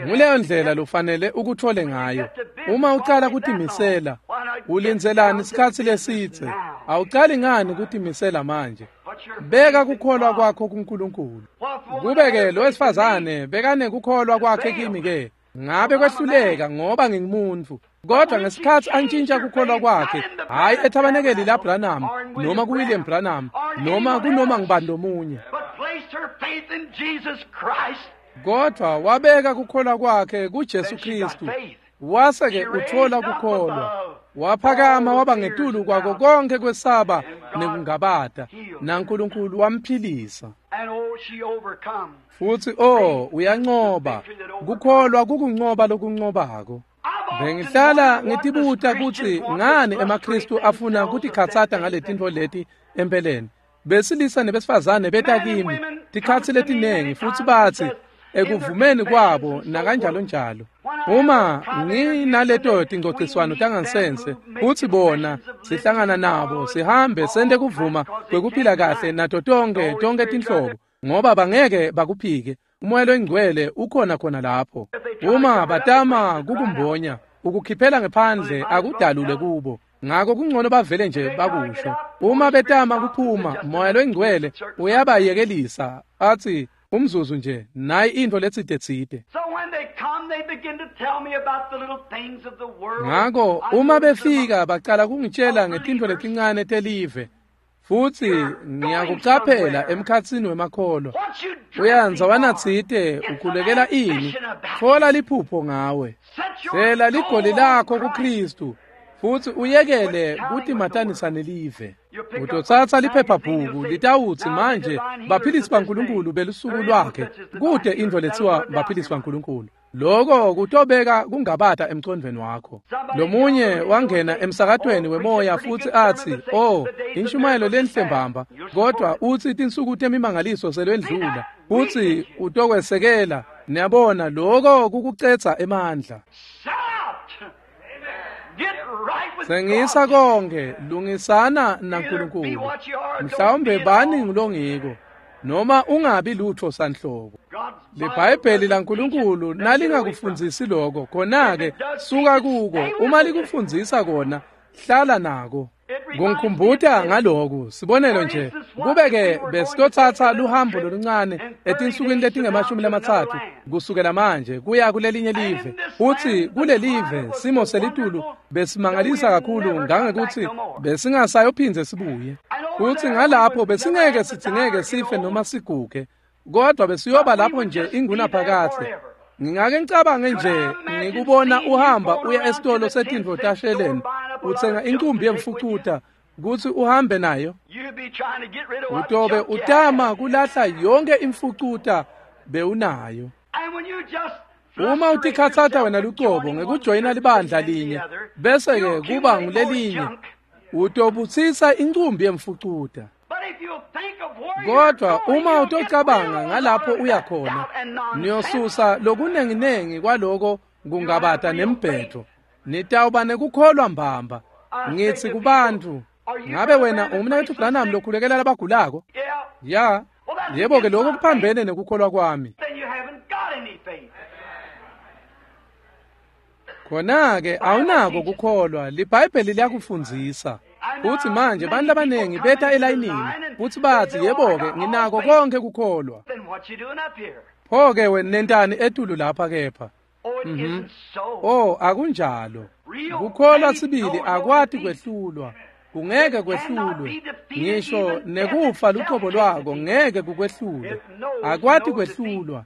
Nguleyo ndlela lofanele ukuthole ngayo. Uma ucala kutimisela, ulindzelani isikhatsi lesitse? Awucali ngani kutimisela manje? Beka kukholwa kwakho kuNkulunkulu. Kube-ke lo wesifazane bekanekukholwa kwakhe kimi-ke, ngabe kwehluleka ngoba ngingumuntu. Kodwa ngesikhatsi antshintsha kukholwa kwakhe, hhayi ethabanekeli laBranham noma kuWilliam Branham noma kunoma ngubani lomunye, kodwa wabeka kukholwa kwakhe kuJesu Kristu. Wase-ke uthola kukholwa, waphakama waba ngetulu kwako konke kwesaba nekungabata, naNkulunkulu wamphilisa. Futsi uyancoba. Kukholwa kukuncoba lokuncobako. Bengihlala ngitibuta kutsi ngani emaKristu afuna kutikhatsata ngaletintfo leti empeleni. Besilisa nebesifazane beta kimi tikhatsi letinengi futsi batsi ekuvumeni kwabo nakanjalo njalo. Uma nginaleto tingcociswano tangansense kutsi bona sihlangana nabo sihambe sente kuvuma kwekuphila kahle nato tonkhe tinhlobo, ngoba bangeke bakuphike. uMoya loyiNgcwele ukhona khona lapho. Uma batama kukumbonya, ukukhiphela ngephandle akudalule kubo. Ngako kungcono bavele nje bakusho. Uma betama kuphuma, Moya loyiNgcwele uyabayekelisa athi umzuzu nje nayi into letsite. Ngako uma befika bacala kungitshela ngetintfo letincane telive, futsi ngiyakucaphela emkhatsini wemakholwa. Uyanza tsite ukhulekela ini? Thola liphupho ngawe. Hlela ligoli lakho kuKristu futsi uyekele kutimatanisa nelive. Utotsatsa liphephabhuku litawutsi manje baphilisi baNkulunkulu belusuku lwakhe, kute intfo letsiwa baphilisi baNkulunkulu. Loko kutobeka kungabata emcondvweni wakho. Lomunye wangena emsakatweni wemoya futsi atsi, "Oh, inshumayelo lenhle mbamba, kodwa utsi tinsuku temimangaliso selwendlula." Futsi utokwesekela. Niyabona, loko kukucedza emandla. Sengisa konke, lungisana naNkulunkulu. Mhlawumbe bani ngulongiko, noma ungabi lutho sanhlobo. LiBhayibheli laNkulunkulu nalingakufundzisi lokho, khona-ke suka kuko. Uma likufundzisa kona, hlala nako. Kungikhumbuta ngaloku, sibonelo nje, kube-ke besitotsatsa luhambo loluncane etinsukwini letingama-30 kusukela manje kuya kulelinye live. Futsi kulelive simo selitulu besimangalisa kakhulu ngangekuthi besingasayophindze sibuye. Futsi ngalapho besingeke sidzingeke sife noma siguge, kodwa besiyoba lapho nje ingunaphakadze. Ngingake ngicabange nje ngikubona uhamba uya esitolo setintfo tasheleni, utsenga inkumbi yemfucuta kutsi uhambe nayo. Utobe utama kulahla yonke imfucuta bewunayo. Uma utikhatsata wena lucobo ngekujoyina libandla linye bese-ke kuba ngulelinye, utobutsisa incumbi yemfucuta. Kodwa uma utocabanga ngalapho uya khona, niyosusa lokunenginengi kwaloko kungabata nembhedvo. Nitawuba nekukholwa mbamba. Ngitsi kubantu, ngabe wena ungumnaketfu Branham lokhulekela labagulako? Ya, yebo-ke lokho kuphambene nekukholwa kwami. Khona-ke awunako kukholwa, liBhayibheli liyakufundzisa. Futsi manje bantu labanengi beta elayinini futsi batsi, yebo-ke nginako konkhe kukholwa. Pho-ke wena nentani etulu lapha kepha? Oh, akunjalo. Kukholwa sibili akwati kwehlulwa. Kungeke kwehlulwe. Ngisho nekufa lucobo lwako ngeke kukwehlule. Akwati kwehlulwa.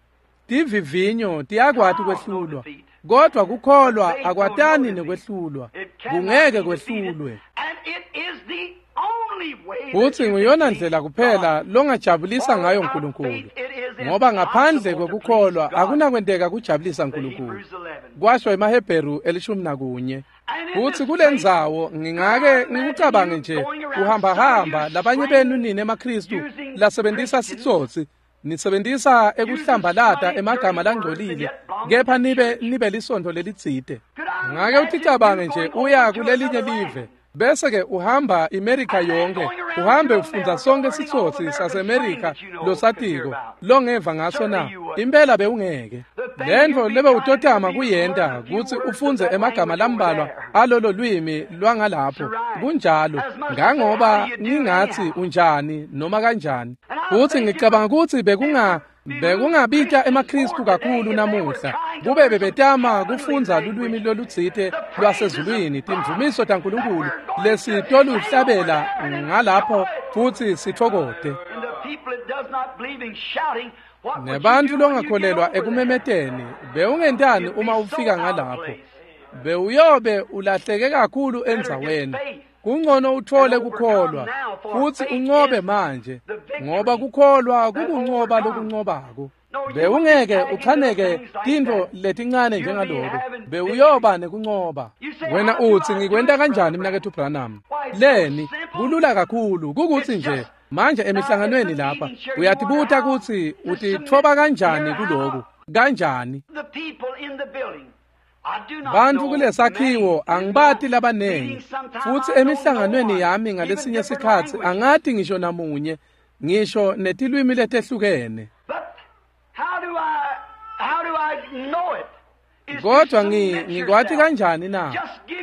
Tivivinyo tiyakwati kwehlulwa. Kodwa kukholwa akwatani nekwehlulwa. Kungeke kwehlulwe. Futsi nguyona ndlela kuphela longajabulisa ngayo uNkulunkulu, ngoba ngaphandle kwekukholwa akunakwenteka kujabulisa uNkulunkulu, kwasho emaHebheru 11. Futsi kulendzawo ngingake ngikucabange nje uhambahamba labanye benu nine emaKristu lasebentisa sitsotsi, nisebentisa ekuhlambalata emagama langcolile, kepha nibe lisontfo lelitsite. Ngake uticabange nje uya kulelinye live, bese-ke uhamba iMerika yonke, uhambe ufundza sonke sitsotsi saseMerika losatiko longeva ngaso na? Impela bewungeke. Lentfo lebe utotama kuyenta kutsi ufundze emagama lambalwa alolo lwimi lwangalapho. Kunjalo, ngangoba ngingatsi unjani noma kanjani. Futsi ngicabanga kutsi bekungabita emaKristu kakhulu namuhla kube bebetama kufundza lulwimi lolutsite lwasezulwini, timvumiso taNkulunkulu lesitoluhlabela ngalapho futsi sitfokote. Nebantfu longakholelwa ekumemeteni, bewungentani uma ufika ngalapho? Bewuyobe ulahleke kakhulu endzaweni. Kungcono uthole kukholwa futsi uncobe manje, ngoba kukholwa kukuncoba lokuncobako. Bewungeke uchaneke tintfo letincane njengaloko, bewuyoba nekuncoba. Wena utsi, ngikwenta kanjani mnaketfu Branham? Leni, kulula kakhulu, kukutsi nje manje emihlanganweni lapha uyatibuta kutsi utitfoba kanjani kuloku, kanjani? Bantfu kulesakhiwo angibati labanengi, futsi emihlanganweni yami ngalesinye sikhatsi angati ngisho namunye, ngisho netilwimi letehlukene. Kodwa ngikwati kanjani na?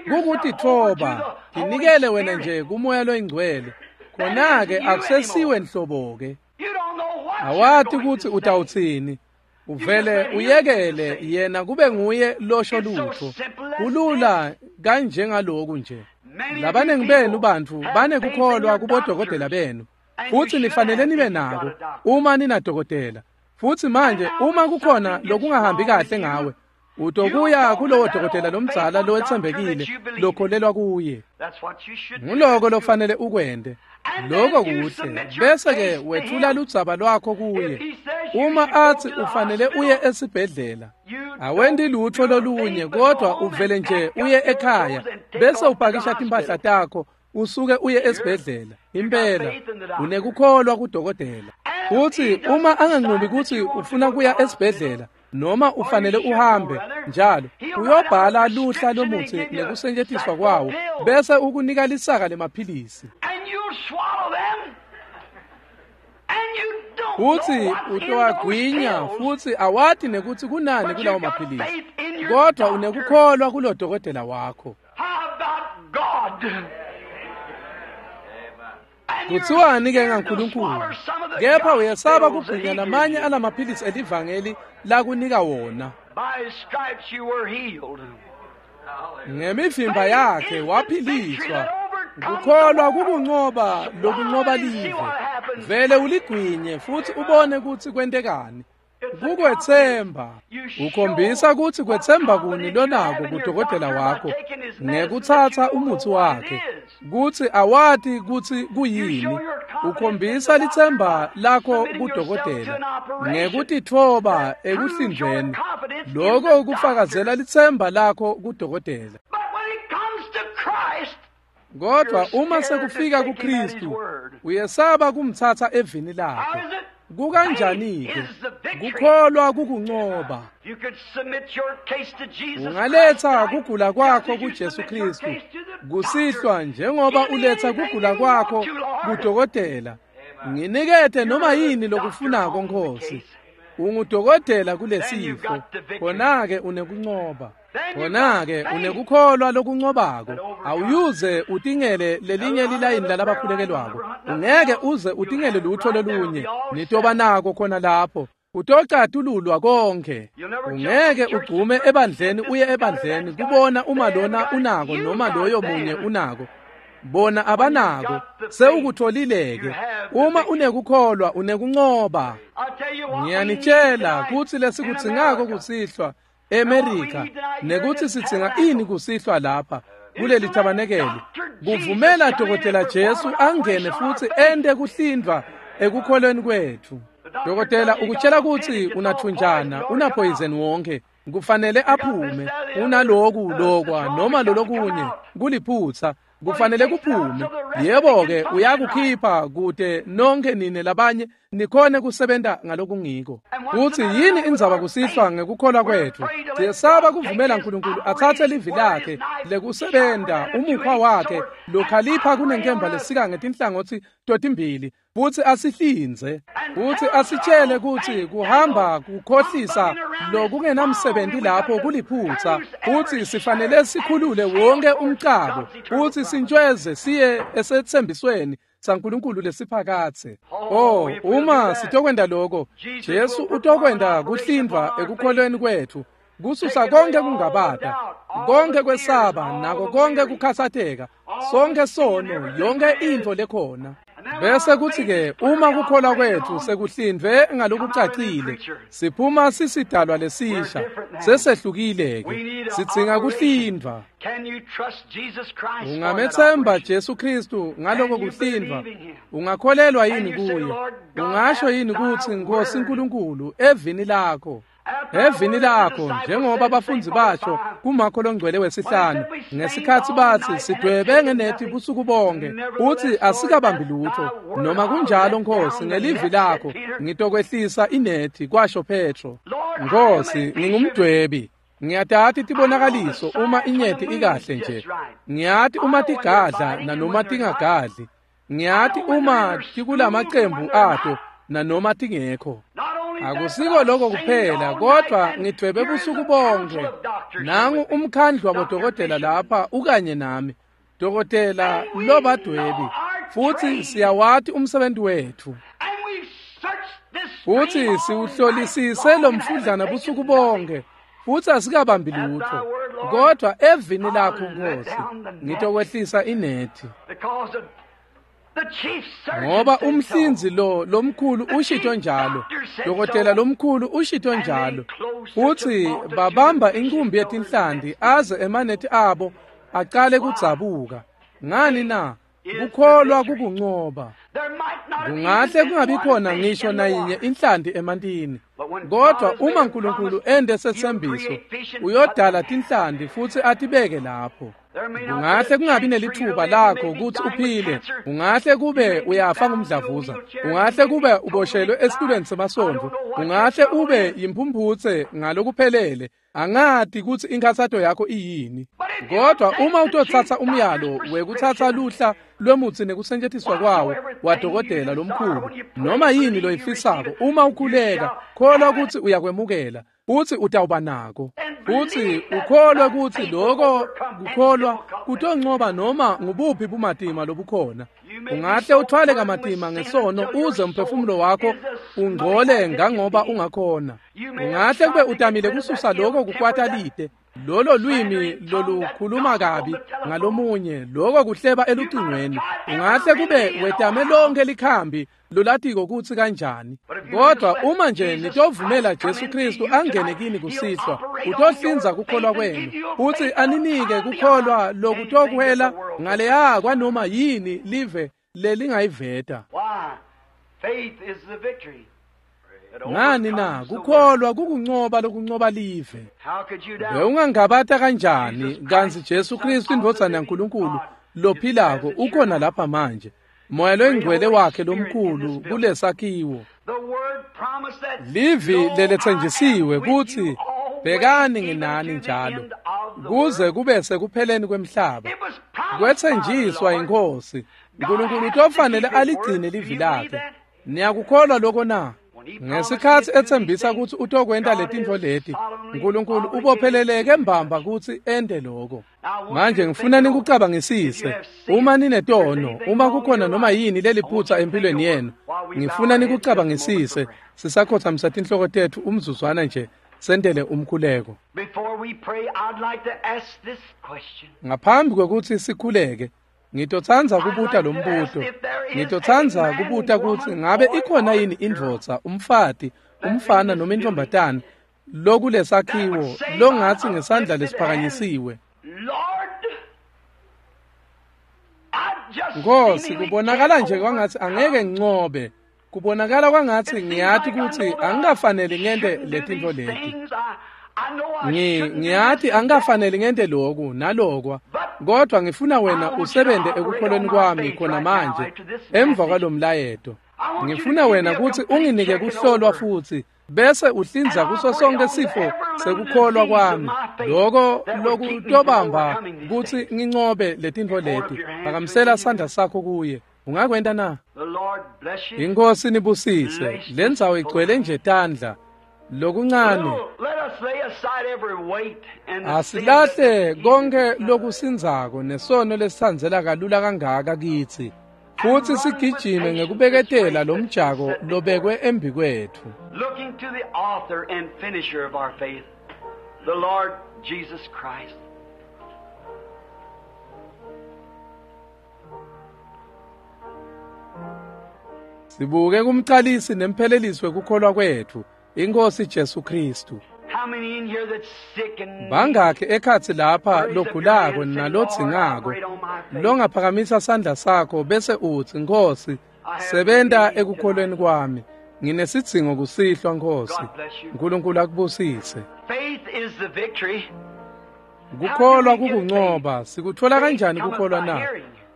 Kukutitfoba, tinikele wena nje kuMoya loyiNgcwele. Khona-ke akusesiwe nhlobo-ke. Awati kutsi utawutsini. Uvele uyekele yena kube nguye losho lutho. Kulula kanjengaloku nje. Labanengi benu bantfu banekukholwa kubodokotela benu, futsi nifanele nibe nako uma ninadokotela. Futsi manje uma kukhona lokungahambi kahle ngawe, utokuya kulowo dokotela lomdzala lowetsembekile lokholelwa kuye. Nguloko lofanele ukwente. Lokho kuhle. Bese-ke wethula ludzaba lwakho kuye. Uma atsi ufanele uye esibhedlela, awendi lutho lolunye kodwa uvele nje uye ekhaya bese upakisha timpahla takho usuke uye esibhedlela. Impela unekukholwa kudokotela. Futsi uma anganqumi kutsi ufuna kuya esibhedlela noma ufanele uhambe njalo, uyobhala luhla lomutsi nekusetjentiswa kwawo bese ukunika lisaka lemaphilisi. Futsi utowagwinya futsi awati nekutsi kunani kulawo maphilisi, kodwa unekukholwa kulo dokotela wakho. Kutsiwani-ke ngaNkulunkulu? Kepha uyesaba kugwinya lamanye alamaphilisi elivangeli lakunika wona. Ngemivimba yakhe waphiliswa. Kukholwa kukuncoba lokuncoba live. Vele uligwinye futsi ubone kutsi kwentekani. Kukwetsemba. Ukhombisa kutsi kwetsemba kuni lonako kudokotela wakho ngekutsatsa umutsi wakhe, kutsi awati kutsi kuyini. Ukhombisa litsemba lakho kudokotela ngekutitfoba ekuhlinzweni. Lokho kufakazela litsemba lakho kudokotela. Kodwa uma sekufika kuKristu, uyesaba kumtsatsa evini lakhe. Kukanjani-ke? Kukholwa kukuncoba. Ungaletha kugula kwakho kuJesu Kristu kusihlwa njengoba uletha kugula kwakho kudokotela. Nginikete noma yini lokufunako Nkosi. Ungudokotela kulesifo. Khona-ke unekuncoba. Khona-ke unekukholwa lokuncobako. Awuyuze utingele lelinye lilayini lalabakhulekelwako. Ungeke uze utingele lutho lolunye. Nitoba nako khona lapho. Utocatululwa konke. Ungeke ugcume ebandleni uye ebandleni kubona uma lona unako noma loyo munye unako. Bona abanako. Sewukutholile-ke. Uma unekukholwa unekuncoba. Ngiyanitshela kutsi lesikudzingako kusihlwa eMerika, nekutsi sidzinga ini kusihlwa lapha kuleli tabanekeli, kuvumela Dokotela Jesu angene futsi ente kuhlindvwa ekukholweni kwetfu. Dokotela ukutshela kutsi unathunjana, unaphoyizeni wonke, kufanele aphume, unaloku lokwa noma lolokunye, kuliphutsa, kufanele kuphume. Yebo-ke uyakukhipha kute nonke nine labanye nikhone kusebenta ngalokungiko. Kutsi yini indzaba kusihlwa ngekukholwa kwetfu? Siyesaba kuvumela Nkulunkulu atsatse livi lakhe lekusebenta, umukhwa wakhe lokhalipha kunenkemba lesika ngetinhlangotsi totimbili, futsi asihlinze, futsi asitshele kutsi kuhamba kukhohlisa lokungenamsebenti lapho kuliphutsa, futsi sifanele sikhulule wonke umcabo, futsi sintshweze siye esetsembisweni saNkulunkulu lesiphakatse. Oh, uma sitokwenta lokho, Jesu utokwenta kuhlindvwa ekukholweni kwetfu, kususa konke kungabata, konke kwesaba, nako konke kukhatsateka, sonke sono, yonke intfo lekhona. Bese kuthi-ke uma kukholwa kwetfu sekuhlindvwe ngalokucacile, siphuma sisidalwa lesisha, sesehlukile-ke, sidzinga kuhlindvwa. Ungamethemba Jesu Kristu ngaloko kuhlindvwa? Ungakholelwa yini kuye? Ungasho yini kutsi Nkosi Nkulunkulu evini lakho? Evini lakho, njengoba abafundzi basho kuMakho longcwele wesihlanu, ngesikhatsi batsi sidwebe ngenethi busuku bonke, uthi asikabambi lutho. Noma kunjalo Nkosi, ngelivi lakho ngitokwehlisa inethi, kwasho Petro. Nkosi, ngingumdwebi. Ngiyatati tibonakaliso uma inyeti ikahle nje. Ngiyati uma tigadla nanoma tingagadli. Ngiyati uma tikulamacembu ato nanoma tingekho. Akusiko lokho kuphela, kodwa ngidwebe busuku bonke. Nangu umkhandlu wabodokotela lapha ukanye nami, dokotela lobadwebi, futhi siyawati umsebenzi wethu. Futhi siwuhlolisise lo mfudlana busuku bonke, futhi asikabambi lutho. Kodwa evini lakho Nkosi, ngitokwehlisa inethi. Ngoba umhlinzi lo lomkhulu ushito njalo, dokotela lomkhulu ushito njalo, futhi babamba inkumbi yetinhlanti aze emanethi abo aqale kudzabuka. Ngani na? Kukholwa kukuncoba. Kungahle kungabi khona ngisho nayinye inhlanti emantini, kodwa uma uNkulunkulu ende sethembiso, uyodala tinhlanti futhi atibeke lapho. Ungahle kungabi nelithuba lakho ukuthi uphile, ungahle kube uyafa ngumdlavuza, ungahle kube uboshelwe esitulweni semasondo, ungahle ube yimpumphutse ngalokuphelele. Angati ukuthi inkathato yakho iyini. Kodwa uma utothatha umyalo wekuthatha luhla lwemutsi nekusetshenziswa kwawo wadokotela lomkhulu, noma yini loyifisako, uma ukhuleka, kholwa ukuthi uyakwemukela, uthi utawuba nako. Futhi ukholwe ukuthi lokho kukholwa kutoncoba noma ngubuphi bumatima lobukhona. Ungahle uthwale kamatima ngesono uze umphefumulo wakho ungcole ngangoba ungakhona. Ungahle kube utamile kususa lokho kukwata lide, lolo lwimi lolukhuluma kabi ngalomunye, lokho kuhleba elucingweni. Ungahle kube wetame lonke likhambi lolatiko kutsi kanjani. Kodwa uma nje nitovumela Jesu Kristu angene kini kusihlwa, utohlinza kukholwa kwenu, futhi aninike kukholwa lokutokuhela ngaleya kwanoma yini live lelingayiveta. Ngani na? Kukholwa kukuncoba lokuncoba live. Bewungangabata kanjani kantsi Jesu Kristu indvodzana yaNkulunkulu lophilako ukhona lapha manje, Moya loyingcwele wakhe lomkhulu kulesakhiwo. Livi leletsenjisiwe kutsi bhekani nginani njalo kuze kube sekupheleni kwemhlaba. Kwetsenjiswa iNkhosi. uNkulunkulu utofanele aligcine livi lakhe. Niyakukholwa lokho na? Ngesikhathi ethembisa ukuthi utokwenta letintfo leti, uNkulunkulu ubopheleleke mbamba kutsi ente lokho. Manje ngifuna nikucabangisise. Uma ninetono, uma kukhona noma yini leliphutsa empilweni yenu, ngifuna nikucabangisise. Sisakhothamisa tinhloko tetfu umzuzwana nje, sentele umkhuleko. Ngaphambi kwekutsi sikhuleke, ngitotsandza kubuta lo mbuto. Ngitotsandza kubuta kutsi ngabe ikhona yini indvodza, umfati, umfana noma intombatana lokulesakhiwo longatsi ngesandla lesiphakanyisiwe, Nkosi, kubonakala nje kwangatsi angeke ngincobe. Kubonakala kwangatsi ngiyati kutsi angikafaneli ngente letintfo leti. Ngiyati angikafaneli ngente loku nalokwa, kodwa ngifuna wena usebente ekukholweni kwami khona manje emva kwalomlayeto. Ngifuna wena kutsi unginike kuhlolwa futhi bese uhlinza kuso sonke sifo sekukholwa kwami, lokho lokutobamba kutsi ngincobe letintfo leti. Phakamisela sandla sakho kuye. Ungakwenta na? Inkosi nibusise. Lendzawo igcwele nje tandla. Lokuncane asilahle konke lokusindzako nesono lesitsandzela kalula kangaka kitsi, futhi sigijime ngekubeketela lo mjako lobekwe embikwetfu. Looking to the author and finisher of our faith, the Lord Jesus Christ. Sibuke kumcalisi nemphelelisi wekukholwa kwetfu, iNkhosi Jesu Kristu. Bangakhi ekhatsi lapha logulako nalodzingako longaphakamisa sandla sakho bese utsi, Nkhosi, sebenta ekukholweni kwami. Nginesidzingo kusihlwa, Nkhosi. uNkulunkulu akubusise. Kukholwa kukuncoba. Sikutfola kanjani kukholwa na?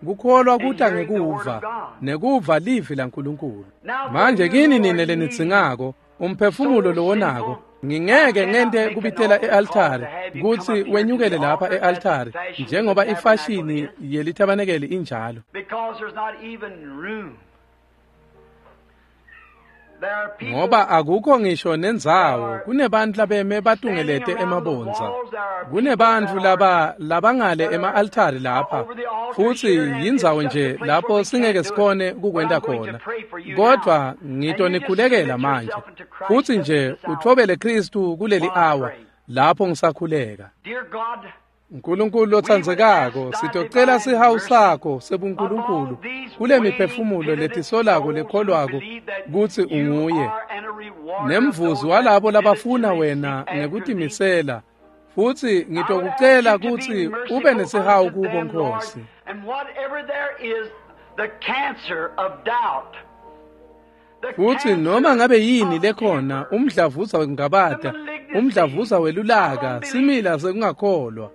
Kukholwa kuta ngekuva, nekuva livi laNkulunkulu. Manje kini nine lenidzingako umphefumulo lowonako, ngingeke ngente kubitela e-altari kutsi wenyukele lapha e-altari njengoba ifashini yelithabanekeli injalo. Ngoba akukho ngisho nendzawo, kunebantu labeme batungelete emabondza. Kunebantu labangale ema-altari lapha, futsi yindzawo nje lapho singeke sikhone kukwenta khona. Kodwa ngitonikhulekela manje, futsi nje uthobele Kristu kuleli awa lapho ngisakhuleka. Nkulunkulu lotsandzekako, sitocela sihawu sakho sebuNkulunkulu kule miphefumulo letisolako lekholwako kutsi unguye nemvuzi walabo labafuna wena ngekutimisela, futsi ngitokucela kutsi ube nesihawu kubo, Nkosi. Futsi noma ngabe yini lekhona, umdlavuza wekungabata, umdlavuza welulaka, simila sekungakholwa,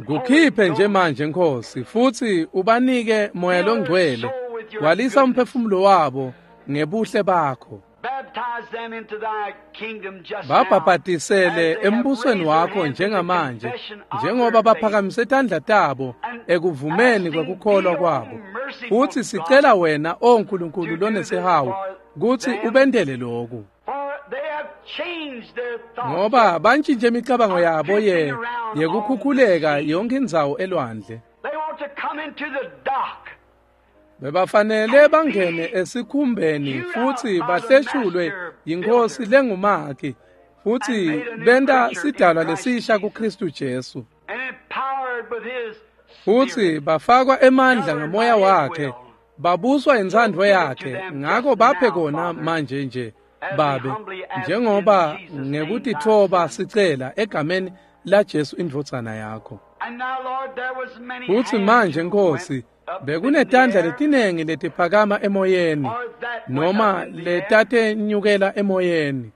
kukhiphe nje manje, Nkosi, futsi ubanike Moya loNgcwele. Gwalisa umphefumulo wabo ngebuhle bakho. Babhabhatisele embusweni wakho njengamanje, njengoba baphakamise tandla tabo ekuvumeni kwekukholwa kwabo. Futsi sicela wena, O Nkulunkulu lonesihawu, kutsi ubentele loku. Ngoba bantshintshe imicabango yabo yekukhukhuleka yonke indzawo elwandle. Bebafanele bangene esikhumbeni futsi bahleshulwe yiNkosi lengumakhi, futsi benta sidalwa lesisha kuKristu Jesu. Futsi bafakwa emandla ngamoya wakhe, babuswa intsandvo yakhe. Ngako baphe kona manje nje, Babe, njengoba ngekutitfoba sicela egameni laJesu indvodzana yakho. Futsi manje, Nkosi, bekunetandla letinengi letiphakama emoyeni, noma letatenyukela emoyeni.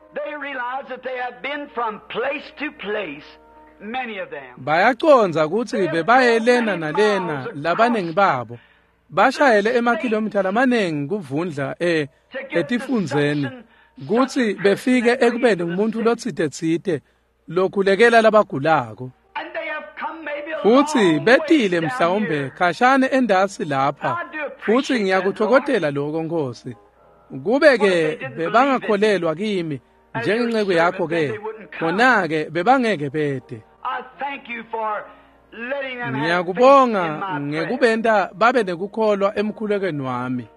Bayacondza kutsi bebaye lena nalena, labanengi babo bashayele emakhilomitha lamanengi kuvundla etifundzeni kutsi befike ekubeni ngumuntu lotsite-tsite lokhulekela labagulako. Futsi betile mhlawumbe khashane endasi lapha, futsi ngiyakuthokozela lokho, Nkosi. Kube-ke bebangakholelwa kimi njengenceku yakho-ke, khona-ke bebangeke bede. Ngiyakubonga ngekubenta babe nekukholwa emkhulekweni wami.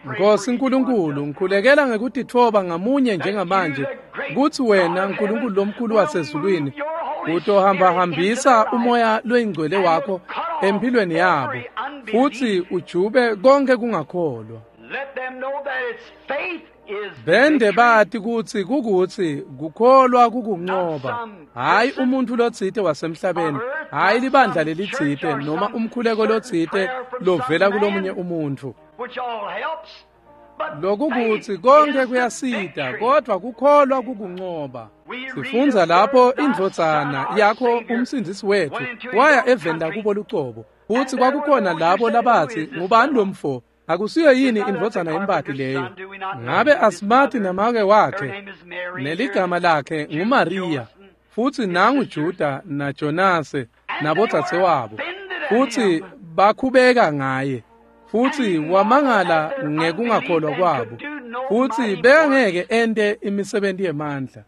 Nkosi Nkulunkulu, ngikhulekela ngekutitfoba ngamunye njengamanje kutsi wena, Nkulunkulu lomkhulu wasezulwini, utohambahambisa umoya loyingcwele wakho empilweni yabo, futsi ujube konke kungakholwa. Bende bati kutsi kukutsi kukholwa kukunqoba, hayi umuntfu lotsite wasemhlabeni, hayi libandla lelitsite noma umkhuleko lotsite lovela kulomunye umuntfu. Lokukutsi konke kuyasita, kodwa kukholwa kukunqoba. Sifundza lapho indvodzana yakho umsindzisi wethu waya eveni lakubo lucobo, futsi kwakukhona labo labatsi, ngubani lo mfo? Akusiyo yini indvodzana yembati leyo? Ngabe asimati namake wakhe, neligama lakhe nguMariya, futsi nangu Juda naJonase nabodzadzewabo. Futsi bakhubeka ngaye, futsi wamangala ngekungakholwa kwabo, futsi bekangeke ente imisebenti yemandla.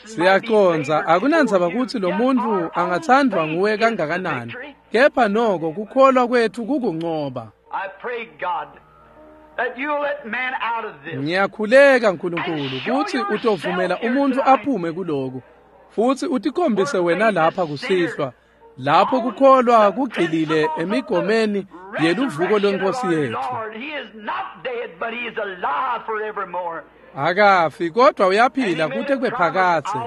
Siyacondza akunandzaba kutsi lo muntfu angatsandvwa nguwe kangakanani, kepha noko kukholwa kwethu kukunqoba. Ngiyakhuleka, Nkulunkulu, kutsi utovumela umuntfu aphume kuloku, futsi utikhombise wena lapha kusihlwa, lapho kukholwa kugcilile emigomeni yeluvuko lwenkosi yethu. Akafi kodwa uyaphila kute kube phakadze,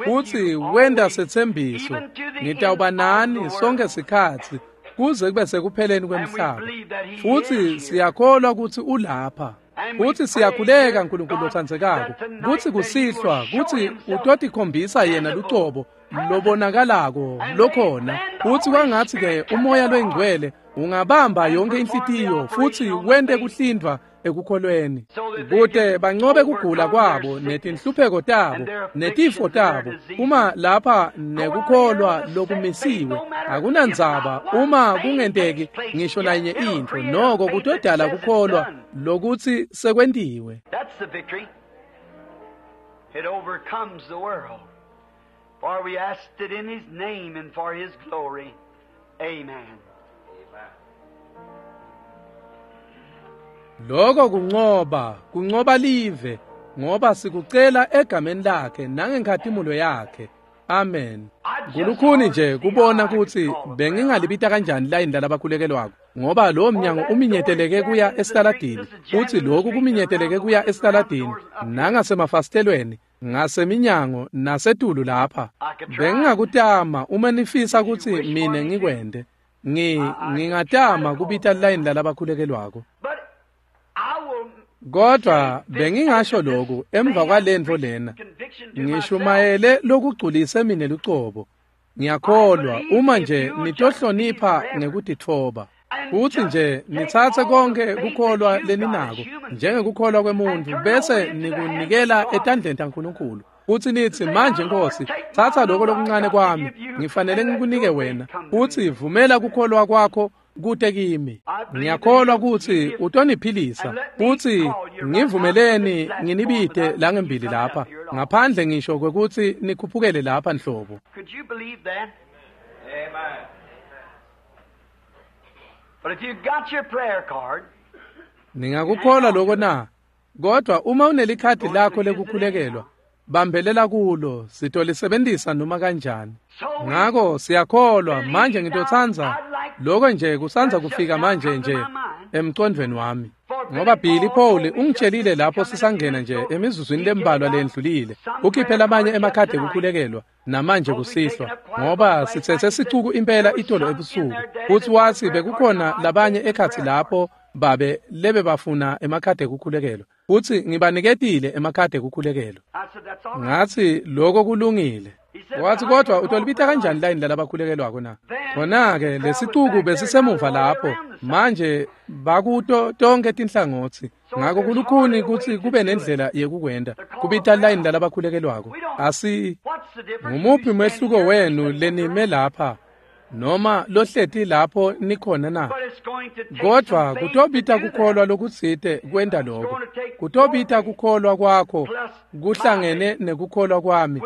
futsi wenta setsembiso, ngitawuba nani sonke sikhatsi kuze kube sekupheleni kwemhlaba. Futsi siyakholwa kutsi ulapha. Futsi siyakhuleka, Nkulunkulu lotsandzekako, kutsi kusihlwa kutsi utotikhombisa yena lucobo lobonakalako lokhona, futsi kwangatsi-ke umoya loyingcwele ungabamba yonke inhlitiyo futsi wente kuhlindvwa ekukholweni, kute bancobe kugula kwabo netinhlupheko tabo netifo tabo. Uma lapha nekukholwa lokumisiwe, akunandzaba uma kungenteki ngisho nanye intfo, noko kutodala kukholwa lokutsi sekwentiwe. That's the victory. It overcomes the world. For we asked it in His name and for His glory. Amen. Lokho kuncoba, kuncoba live, ngoba sikucela egameni lakhe nangenkhatimulo yakhe. Amen. Kulukhuni nje kubona kutsi bengingalibita kanjani layini lalabakhulekelwako, ngoba lowo mnyango uminyeteleke kuya esitaladini, futsi lokhu kuminyeteleke kuya esitaladini nangasemafasitelweni, ngaseminyango nasetulu lapha. Bengingakutama uma nifisa kutsi mine ngikwente. Ngingatama kubita layini lalabakhulekelwako. But I will Kodwa bengingasho lokhu emva kwalentfo lena, ngishumayele lokugculise mine lucobo. Ngiyakholwa uma nje nitohlonipha ngekutitfoba, futsi nje nitsatse konke kukholwa leninako njengekukholwa kwemuntfu, bese nikunikela etandleni taNkulunkulu, futsi nitsi, manje Nkosi, tsatsa lokho lokuncane kwami, ngifanele ngikunike wena, futsi vumela kukholwa kwakho kute kimi. Ngiyakholwa kutsi utoniphilisa, futsi ngivumeleni nginibite langembili lapha, ngaphandle ngisho kwekutsi nikhuphukele lapha nhlobo. Could you believe that? Amen. But if you got your prayer card, Ningakukholwa lokho na? Kodwa uma unelikhadi lakho lekukhulekelwa, bambelela kulo, sitolisebentisa noma kanjani. Ngako siyakholwa. Manje ngitotsandza lokho nje kusandza kufika manje nje emcondvweni wami, ngoba Billy Paul ungitshelile lapho sisangena nje emizuzwini lembalwa lendlulile, ukhiphe lamanye emakhadi ekukhulekelwa namanje kusihlwa, ngoba sitsetse sicuku impela itolo ebusuku, futsi watsi bekukhona labanye ekhatsi lapho babe lebe bafuna emakhadi ekukhulekelwa, futsi ngibaniketile emakhadi ekukhulekelwa. I said, that's all right. Ngatsi lokho kulungile. Wathi, kodwa utolibita kanjani layini lalabakhulekelwako na? Khona-ke lesicuku besisemuva lapho, manje bakuto tonke tinhlangotsi. Ngako kulukhuni kutsi kube nendlela yekukwenta, kubita layini lalabakhulekelwako. Asi What's the difference? ngumuphi umehluko wenu lenime lapha noma lohleti lapho nikhona na? But it's going to take Kodwa some faith kutobita to do that. kukholwa lokutsite kwenta lokho. Kutobita kukholwa kwakho kuhlangene nekukholwa kwami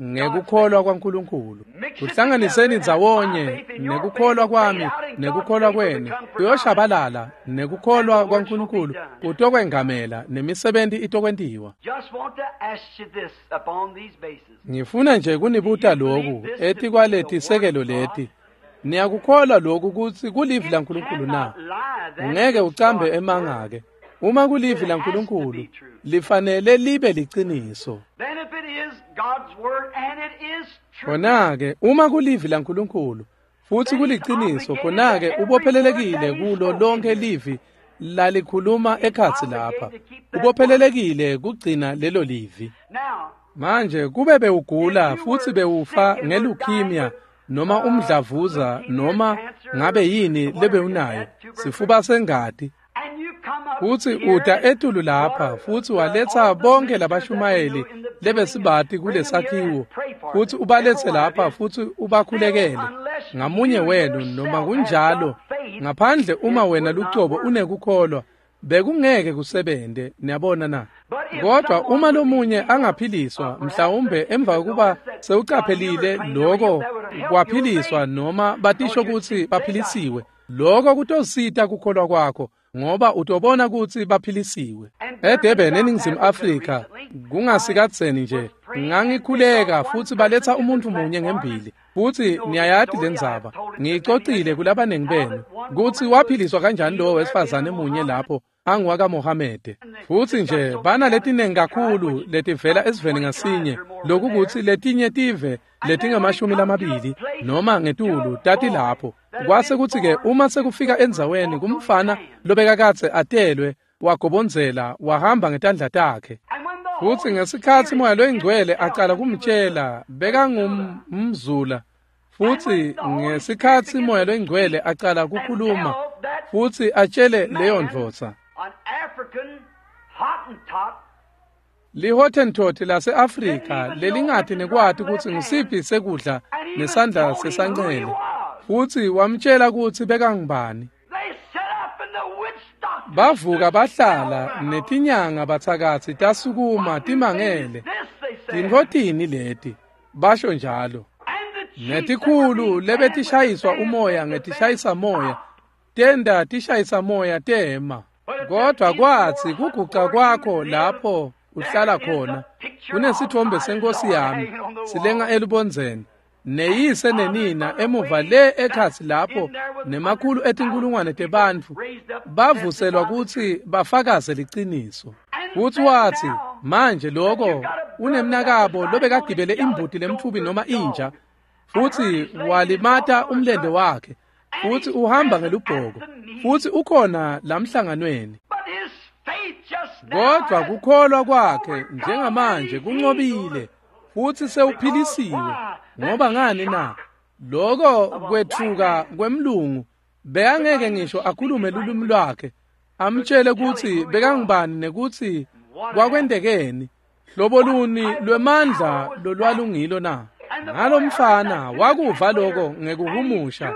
ngekukholwa kwaNkulunkulu. Kuhlanganiseni ndzawonye nekukholwa kwami nekukholwa kwenu kuyoshabalala, nekukholwa kwaNkulunkulu kutokwengamela nemisebenti itokwentiwa. Just want to ask you this upon these bases. Ngifuna nje kunibuta lokhu etikwaletisekelo leti. Niyakukholwa lokhu kutsi kulivi laNkulunkulu na? Ungeke ucambe emanga-ke. Uma kulivi laNkulunkulu, lifanele libe liciniso. Then if it is God's word and it is true, Khona-ke uma kulivi laNkulunkulu futsi kuliciniso, khona-ke ubophelelekile kulo lonke livi lalikhuluma ekhatsi lapha. Ubophelelekile kugcina lelo livi. now Manje kube bewugula futsi bewufa nge-leukemia noma umdlavuza noma ngabe yini lebewunayo, sifuba sengati, and you come up futsi here uta and etulu lapha futsi waletsa bonke labashumayeli lebesibati kulesakhiwo, futsi ubaletse lapha futsi ubakhulekele ngamunye wenu, noma kunjalo, ngaphandle uma wena lucobo unekukholwa, bekungeke kusebente. Niyabona na? Kodwa uma lomunye angaphiliswa, mhlawumbe emva kokuba sewucaphelile lokho kwaphiliswa noma batisho kutsi baphilisiwe, lokho kutosita kukholwa kwakho, ngoba utobona kutsi baphilisiwe. eDurban eNingizimu Afrika kungasikadzeni nje ngangikhuleka futsi baletsa umuntfu munye ngembili, futsi niyayati lendzaba, ngiyicocile kulabanengi benu kutsi waphiliswa kanjani lowo wesifazane munye lapho anguwakaMohamede. Futsi nje banaletinengi kakhulu letivela esiveni ngasinye, lokukutsi letinye tive letingamashumi lamabili noma ngetulu tati lapho. Kwase kutsi-ke uma sekufika endzaweni kumfana lobekakadze atelwe wagobondzela wahamba ngetandla takhe. and when the Futsi Holy ngesikhatsi Spirit Moya loyiNgcwele began to acala tell him he was kumtshela, bekangumzula. Futsi ngesikhatsi Moya loyiNgcwele acala kukhuluma futsi atshele leyo ndvodza, an African Lihottentot lase-Afrika lelingati nekwati kutsi ngusiphi sekudla nesandla sesancele, futsi wamtjela kutsi bekangubani. Bavuka bahlala netinyanga batsakatsi tasukuma timangele. Tintfo tini leti? Basho njalo. Netikhulu lebetishayiswa umoya ngetishayisa moya tenda tishayisa moya tema. Kodwa kwatsi kuguca kwakho lapho uhlala khona kunesithombe senkosi yami silenga elubondzeni, neyise nenina emuva le ekhatsi lapho nemakhulu etinkulungwane tebantfu bavuselwa kutsi bafakaze liciniso. Futsi watsi manje lokho unemnakabo lobekagibele imbuti lemtfubi noma inja, futsi walimata umlente wakhe, futsi uhamba ngelubhoko, futsi ukhona lamhlanganweni. Kodwa kukholwa kwakhe njengamanje kuncobile, futsi sewuphilisiwe. Ngoba ngani na? Lokho kwethuka kwemlungu bekangeke ngisho akhulume lulwimi lwakhe, amtjele kutsi bekangubani nekutsi kwakwentekeni, hlobo luni lwemandla lolwalungilo na. Ngalomfana wakuva lokho ngekuhumusha,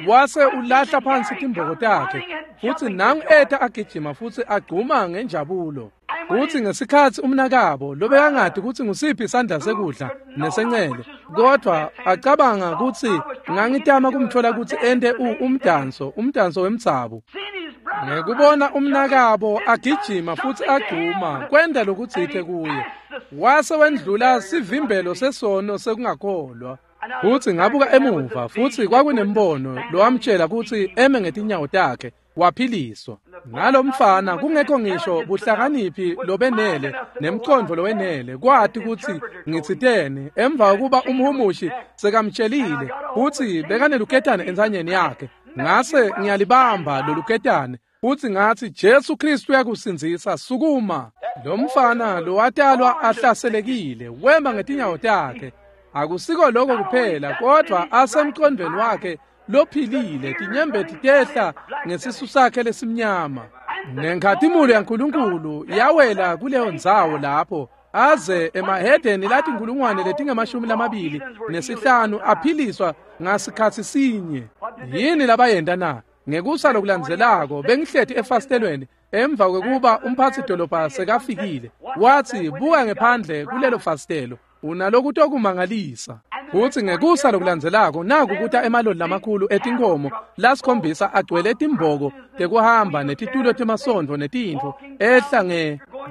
wase ulahla phansi timboko takhe, futsi nangu eta agijima futsi agcuma ngenjabulo. Futsi ngesikhatsi umnakabo lobekangati kutsi ngusiphi isandla sekudla nesencele, kodwa acabanga kutsi ngangitama kumtfola kutsi ente umdanso wemdzabu. Ngekubona umnakabo agijima futsi agcuma kwenta lokutsite kuye, wase wendlula sivimbelo sesono sekungakholwa. Futsi ngabuka emuva, futsi kwakunembono lowamtjela kutsi eme ngetinyawo takhe, waphiliswa. Ngalomfana kungekho ngisho buhlakaniphi lobenele nemcondvo lowenele kwati kutsi ngitsiteni emva kokuba umhumushi sekamtshelile kutsi bekaneluketane entsanyeni yakhe. Ngase ngiyalibamba loluketane futsi ngatsi Jesu Kristu uyakusindzisa, sukuma. Lo mfana lowatalwa ahlaselekile wema ngetinyawo takhe. Akusiko lokho kuphela, kodwa asemcondvweni wakhe lophilile, tinyembeti tehla ngesisu sakhe lesimnyama. Nenkhatimulo yaNkulunkulu yawela kuleyo ndzawo lapho aze emahedeni latinkulungwane letingama-25 aphiliswa ngasikhatsi sinye. Yini labayenta na? Ngekusa lokulandzelako bengihleti efasitelweni emva kwekuba umphatsi dolobha sekafikile, watsi buka ngephandle kulelo fasitelo, unalokutokumangalisa. Futsi ngekusa lokulandzelako naku kuta emaloli lamakhulu etinkomo lasikhombisa agcwele timboko tekuhamba netitulo temasondvo netintfo, ehla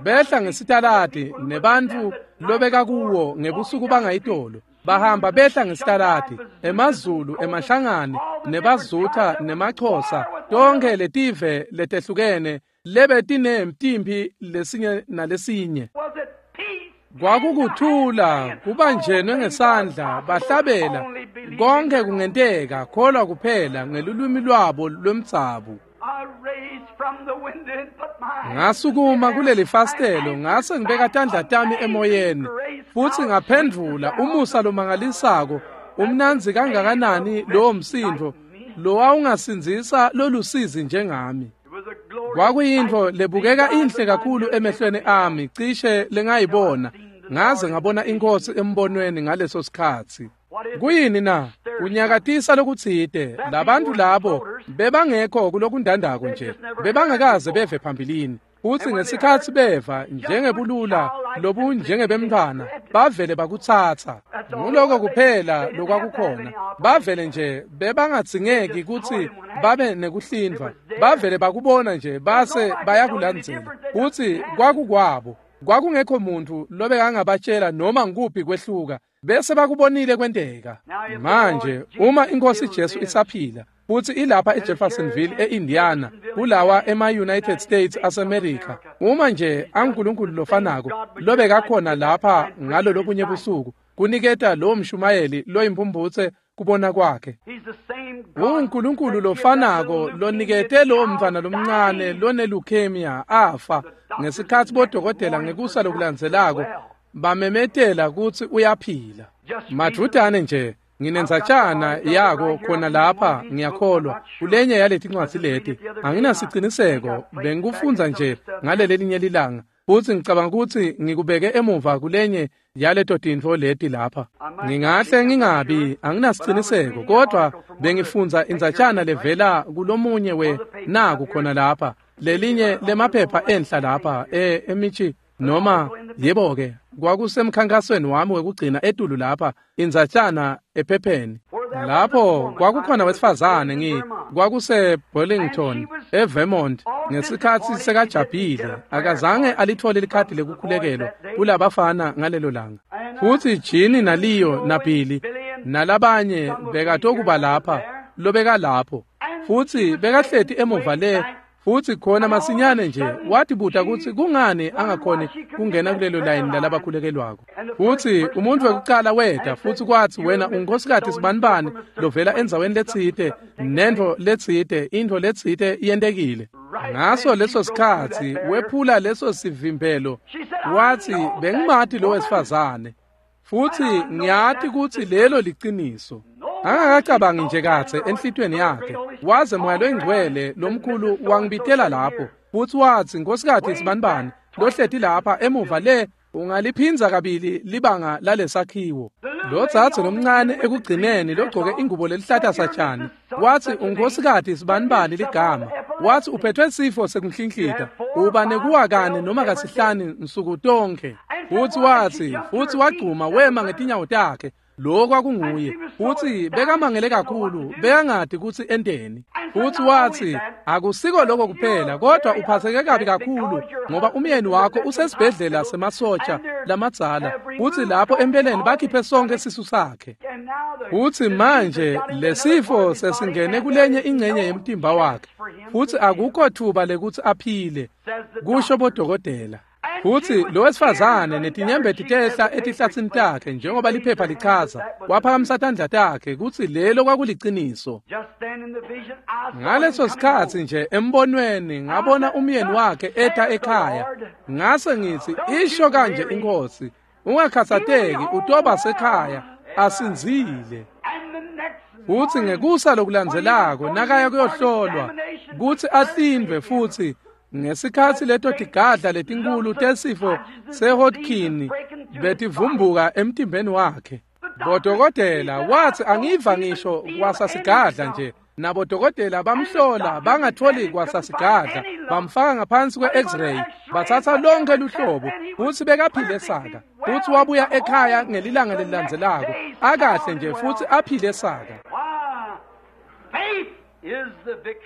behla ngesitaladi nebantfu lobeka kuwo ngebusuku bangayitolo. Bahamba behla ngesitaladi, emaZulu, emaShangane, nebaZutha, nemaXhosa, tonkhe letive letehlukene lebetinemtimpi lesinye nalesinye. Kwakukuthula kubanjenwe ngesandla bahlabela, konke kungenteka, kholwa kuphela ngelulwimi lwabo lwemdzabu. Ngasukuma kuleli fastelo ngase ngibeka tandla tami emoyeni, futsi ngaphendvula umusa lomangalisako, umnandzi kangakanani lowo msindvo lowawungasindzisa lolusizi njengami. Kwakuyintfo lebukeka inhle kakhulu emehlweni ami cishe lengayibona, ngaze ngabona inkosi embonweni ngaleso sikhatsi. Kuyini na? Unyakatisa lokutsite. Labantu labo bebangekho kulokundandako nje, bebangakaze beve phambilini. Futsi ngesikhatsi beva njengebulula lobunjengebemntfwana, bavele bakutsatsa. Nguloko kuphela lokwakukhona. Bavele nje bebangadzingeki kutsi babe nekuhlindvwa, bavele bakubona nje base bayakulandzela. Futsi kwakukwabo, kwakungekho muntfu lobekangabatjela noma ngukuphi kwehluka, bese bakubonile kwenteka. Manje uma inkosi Jesu isaphila futsi ilapha eJeffersonville eIndiana, kulawa ema-United States aseMerica, uma nje anguNkulunkulu lofanako lobekakhona lapha ngalo lobunye busuku kuniketa lowo mshumayeli loyimpumphutse kubona kwakhe, unguNkulunkulu lofanako lonikete lowo mntfwana lomncane lone-leukemia afa ngesikhatsi bodokotela ngekusa lokulandzelako bamemetela kutsi uyaphila. Madvutane nje Nginendzatjana yako khona lapha, ngiyakholwa, kulenye yaletincwadzi leti. Anginasiciniseko, bengikufundza nje ngalelelinye lilanga, futsi ngicabanga kutsi ngikubeke emuva kulenye yaleto tintfo leti lapha. Ngingahle ngingabi, anginasiciniseko, kodwa bengifundza indzatjana levela kulomunye we naku khona lapha, lelinye lemaphepha enhla lapha emichi noma yebo-ke kwakusemkhankasweni wami wekugcina etulu lapha, indzatjana ephepheni. Lapho kwakukhona wesifazane kwakuse Burlington eVermont ngesikhatsi sekajabhile, akazange alithole likhadi lekukhulekelwa kulabafana ngalelo langa. Futsi Jini naLeo naBilly nalabanye bekatokuba lapha lobekalapho, futsi bekahleti emuva le. Futsi khona masinyane nje watibuta kutsi kungani angakhoni kungena kulelo layini lalabakhulekelwako. Futsi umuntfu wekucala weta futsi kwatsi, wena unkosikati sibanibani lovela endzaweni letsite, nentfo letsite, intfo letsite yentekile. Ngaso leso sikhatsi wephula leso sivimbelo, watsi, bengimati lo wesifazane, futsi ngiyati kutsi lelo liciniso. Angakacabangi nje katse enhlitiyweni yakhe, waze Moya loyiNgcwele lomkhulu wangibitela lapho, futsi watsi, nkosikati sibanibani lohleti lapha emuva le, ungaliphindza kabili libanga lalesakhiwo. Lo dzadze lomncane ekugcineni logcoke ingubo lelihlata satjani, watsi, unkosikati sibanibani ligama, watsi uphethwe sifo sekunhlinhlita, uba nekuwa kane noma kasihlanu nsuku tonkhe. Futsi watsi, futsi wagcuma wema ngetinyawo takhe. Lo kwakunguye, futsi bekamangele kakhulu, bekangati kutsi enteni. Futsi watsi, akusiko lokho kuphela, kodwa uphatheke kabi kakhulu ngoba umyeni wakho usesibhedlela semasotsha lamadzala, futsi lapho empeleni bakhiphe sonke sisu sakhe. Futsi manje lesifo sesingene kulenye ingcenye yemtimba wakhe, futsi akukho thuba lekutsi aphile, kusho bodokotela. Futsi lo wesifazane netinyembeti tehla etihlatsini takhe njengoba liphepha lichaza, waphakamisa tandla takhe kutsi lelo kwakuliciniso. Ngaleso sikhatsi nje embonweni ngabona umyeni wakhe eta ekhaya. Ngase ngitsi, isho kanje inkosi, ungakhatsateki, utoba sekhaya asinzile. Futsi ngekusa lokulandzelako nakaya kuyohlolwa kutsi ahlindvwe, futsi ngesikhatsi leto tigadla letinkulu tesifo seHodgkin betivumbuka emtimbeni wakhe, bodokotela watsi, angiva ngisho kwasasigadla nje. Nabodokotela bamhlola bangatholi kwasasigadla, bamfaka ngaphansi kwe-X-ray, batsatsa lonke luhlobo, futsi bekaphile saka. Futsi wabuya ekhaya ngelilanga lelilandzelako akahle nje futsi aphile saka.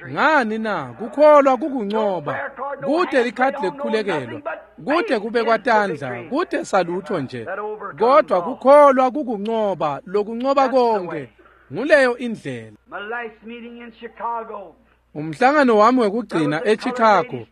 Ngani na? Kukholwa kukuncoba. Kude likhadi lekukhulekelwa, kude kubekwa tandla, kude salutho nje, kodwa kukholwa kukuncoba, lokuncoba konke. Nguleyo indlela. Umhlangano wami wekugcina eChicago,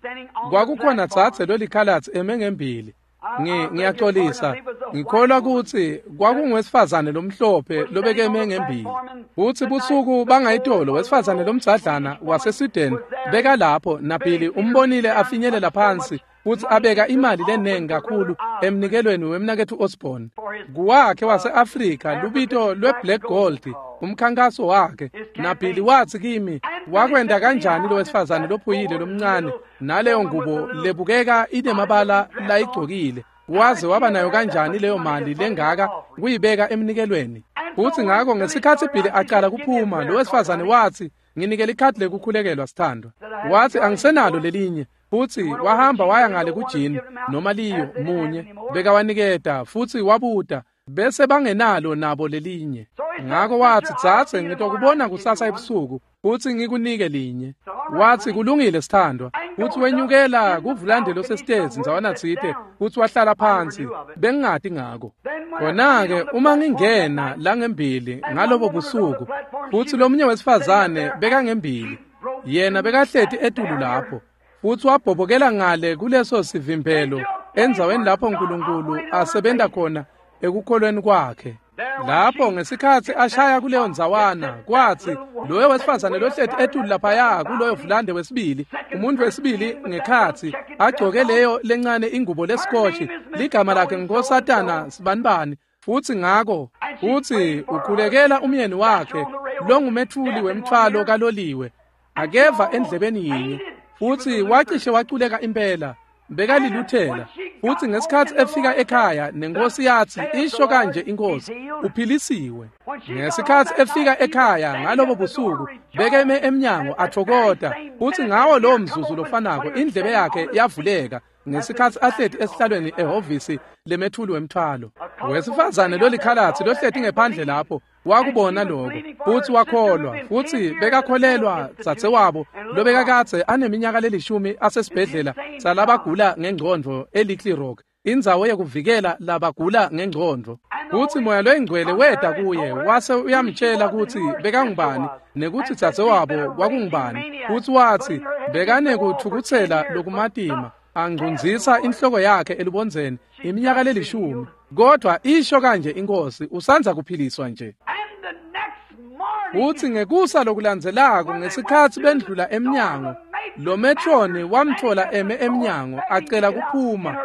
kwakukhona dzadze lolikhalatsi eme ngembili. Ngiyaxolisa, ngikholwa kutsi kwakungwesifazane lomhlophe lobekeme ngembili. Futsi busuku bangayitolo wesifazane lomdzadlana waseSweden bekalapho, naBilly umbonile afinyelela phansi futsi abeka imali lenengi kakhulu emnikelweni wemnaketfu Osborne. Kuwakhe wase-Afrika lubito lwe-Black Gold, umkhankaso wakhe. NaBilly watsi kimi, wakwenta kanjani lo wesifazane lophuyile lomncane naleyo ngubo lebukeka inemabala layigcokile, waze waba nayo kanjani leyo mali lengaka kuyibeka emnikelweni? Futsi ngako ngesikhatsi Billy acala kuphuma, lo wesifazane watsi, nginike likhadi lekukhulekelwa sithandwa. Watsi, angisenalo lelinye. Futsi wahamba waya ngale kuJini noma Leo munye bekawaniketa, futsi wabuta bese bangenalo nabo lelinye. Ngako watsi, dzadze, ngitokubona kusasa ebusuku futsi ngikunike linye. Watsi, kulungile sithandwa. Futsi wenyukela kuvulande losesitezi ndzawana tsite, futsi wahlala phansi. Bengingati ngako. Khona-ke uma ngingena langembili ngalobo busuku, futsi lomunye wesifazane bekangembili, yena bekahleti etulu lapho, futsi wabhobokela ngale kuleso sivimbelo endzaweni lapho Nkulunkulu asebenta khona ekukholweni kwakhe. Lapho ngesikhatsi ashaya kuleyo ndzawana, kwatsi loyo wesifazane lohleti etulu laphaya kuloyo vulande wesibili, umuntu wesibili ngekhatsi, agcoke leyo lencane ingubo lesikotshi, ligama lakhe nguNkosatana Sibanibani. Futsi ngako Futsi ukhulekela umyeni wakhe longumethuli wemthwalo kaloliwe, akeva endlebeni yinye, futsi wacishe waculeka impela. Bekaliluthela. Futsi ngesikhatsi efika ekhaya nenkosi yatsi, isho kanje inkosi, uphilisiwe. Ngesikhatsi efika ekhaya ngalobo busuku, bekeme emnyango athokota, futsi ngawo lowo mzuzu lofanako indlebe yakhe yavuleka ngesikhatsi ahleti esihlalweni ehhovisi lemethuli wemthwalo. Wesifazane lolikhalatsi lohleti ngephandle lapho wakubona lokho, futsi wakholwa, futsi bekakholelwa dzadzewabo lobekakadze aneminyaka lelishumi asesibhedlela salabagula ngengcondvo eLittle Rock, indzawo yekuvikela labagula ngengcondvo. Futsi Moya loyiNgcwele weta kuye wase uyamtshela kutsi bekangubani nekutsi dzadzewabo kwakungubani, futsi watsi bekanekutfukutsela lokumatima, angcunzisa inhloko yakhe elubondzeni iminyaka lelishumi, kodwa isho kanje inkosi, usandza kuphiliswa nje. Futsi ngekusa lokulandzelako ngesikhatsi bendlula emnyango, lo metroni wamtfola eme emnyango acela kuphuma,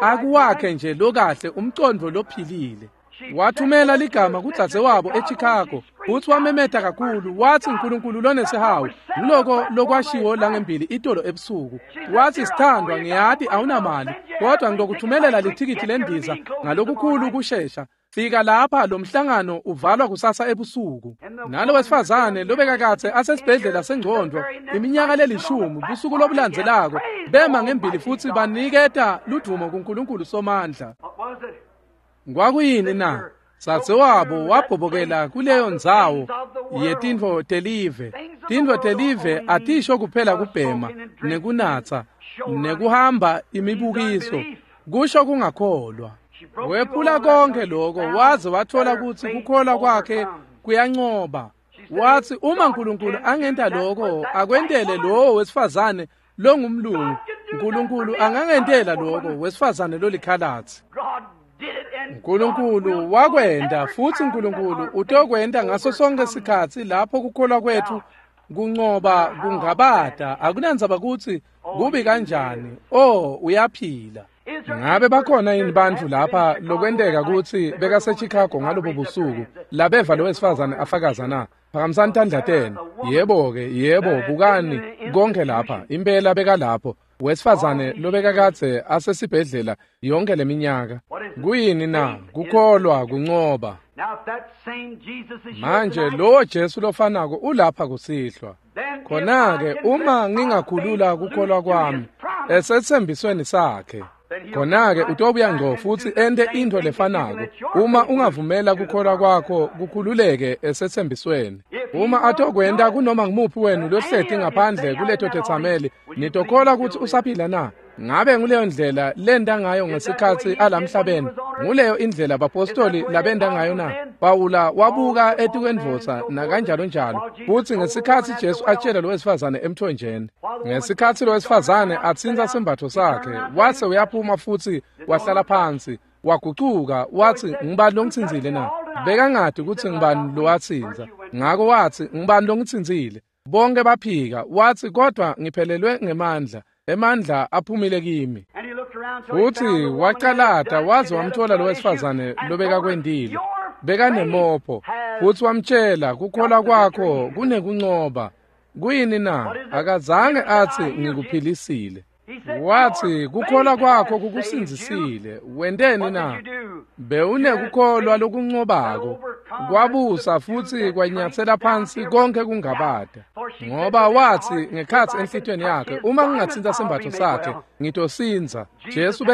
akuwakhe nje lokahle umcondvo lophilile. Wathumela ligama kudzadzewabo eChicago, futsi wamemeta kakhulu, watsi uNkulunkulu lonesihawu, ngiloko lokwashiwo langembili itolo ebusuku. Watsi, sithandwa, ngiyati awunamali, kodwa ngitokuthumelela lithikithi lendiza ngalokukhulu kushesha. Fika lapha, lo mhlangano uvalwa kusasa ebusuku. Nalo wesifazane lobekakadze asesibhedlela sengcondvo iminyaka lelishumi, busuku lobulandzelako bema ngembili futsi baniketa ludvumo kuNkulunkulu Somandla. Kwakuyini na? Dzadzewabo wabhobokela kuleyo ndzawo yetintfo telive. Tintfo telive atisho kuphela kubhema nekunatsa nekuhamba imibukiso, kusho kungakholwa. Wephula konke lokho waze wathola kutsi kukholwa kwakhe kuyancoba. Watsi uma uNkulunkulu angenta lokho akwentele lowo wesifazane longumlungu, uNkulunkulu angangentela lokho wesifazane lolikhalatsi. uNkulunkulu wakwenta, futsi uNkulunkulu utokwenta ngaso sonke sikhatsi lapho kukholwa kwethu kuncoba kungabata. Akunandzaba kutsi kubi kanjani, oh, uyaphila. Ngabe bakhona yini bantfu lapha lokwenteka kutsi bekaseChicago ngalobo busuku labeva lo wesifazane afakaza na? Phakamisani tandla tenu. Yebo-ke, yebo, bukani konke lapha, impela bekalapho wesifazane lobekakadze asesibhedlela yonke leminyaka. Kuyini na? Kukholwa kuncoba. Manje lowo Jesu lofanako ulapha kusihlwa. Khona-ke uma ngingakhulula kukholwa kwami esetsembisweni sakhe, khona-ke utobuya ngco futsi ente intfo lefanako. Uma ungavumela kukholwa kwakho kukhululeke esetsembisweni, uma atokwenta kunoma ngumuphi wenu lohleti ngaphandle kuleto tetsameli, nitokholwa kutsi usaphila na? Ngabe nguleyo ndlela lenta ngayo ngesikhatsi alamhlabeni? Nguleyo indlela bapostoli labenta ngayo na? Pawula wabuka etikwendvodza nakanjalo njalo, futsi ngesikhatsi Jesu atshela lo wesifazane emthonjeni, ngesikhatsi lo wesifazane atsintsa sembatfo sakhe, wase uyaphuma futsi wahlala phansi, wagucuka watsi, ngubani longitsintsile na? Bekangati kutsi ngubani lowatsintsa, ngako watsi, ngubani longitsintsile? Bonke baphika, watsi, kodwa ngiphelelwe ngemandla, emandla aphumile kimi. Futsi wacalata waze wamthola lo wesifazane lobekakwentile, bekanemopho, futsi wamtshela kukholwa kwakho kunekuncoba. Kuyini na? Akazange atsi ngikuphilisile. Watsi kukholwa kwakho kukusindzisile. Wenteni na? Bewunekukholwa lokuncobako, kwabusa futsi kwanyatsela phansi konke kungabata. Ngoba watsi ngekhatsi enhlitiyweni yakhe, uma ngingatsintsa sembatfo sakhe ngitosindza. Jesu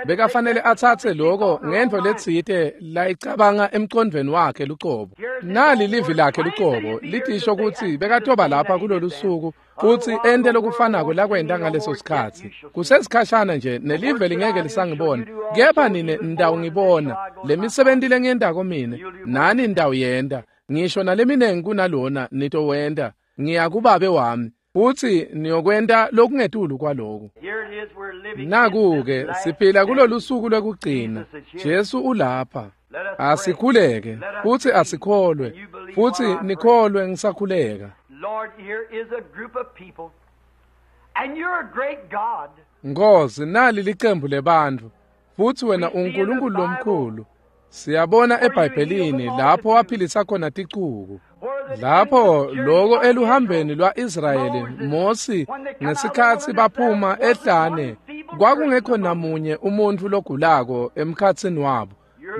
bekafanele atsatse lokho ngentfo letsite layicabanga emcondvweni wakhe lucobo. Nali livi lakhe lucobo litisho kutsi bekatoba lapha kulolu suku futsi ente lokufanako lakwenta ngaleso sikhatsi. Kusesikhashana nje nelive lingeke lisangibona, kepha nine nitawungibona. Lemisebenti lengiyentako mine nani nitawuyenta, ngisho naleminengi kunalona nitowenta. Ngiya kuBabe wami, futsi niyokwenta lokungetulu kwaloku. Naku-ke siphila kulolu suku lwekugcina. Jesu ulapha. Asikhuleke futsi asikholwe, futsi nikholwe ngisakhuleka. Lord, here is a group of people, and you're a great God. Nkosi, nali licembu lebantfu, futsi wena uNkulunkulu lomkhulu. Siyabona eBhayibhelini lapho waphilisa khona ticuku. Lapho loko eluhambeni lwa-Israyeli Mosi ngesikhatsi baphuma ehlane kwakungekho namunye umuntfu logulako emkhatsini wabo.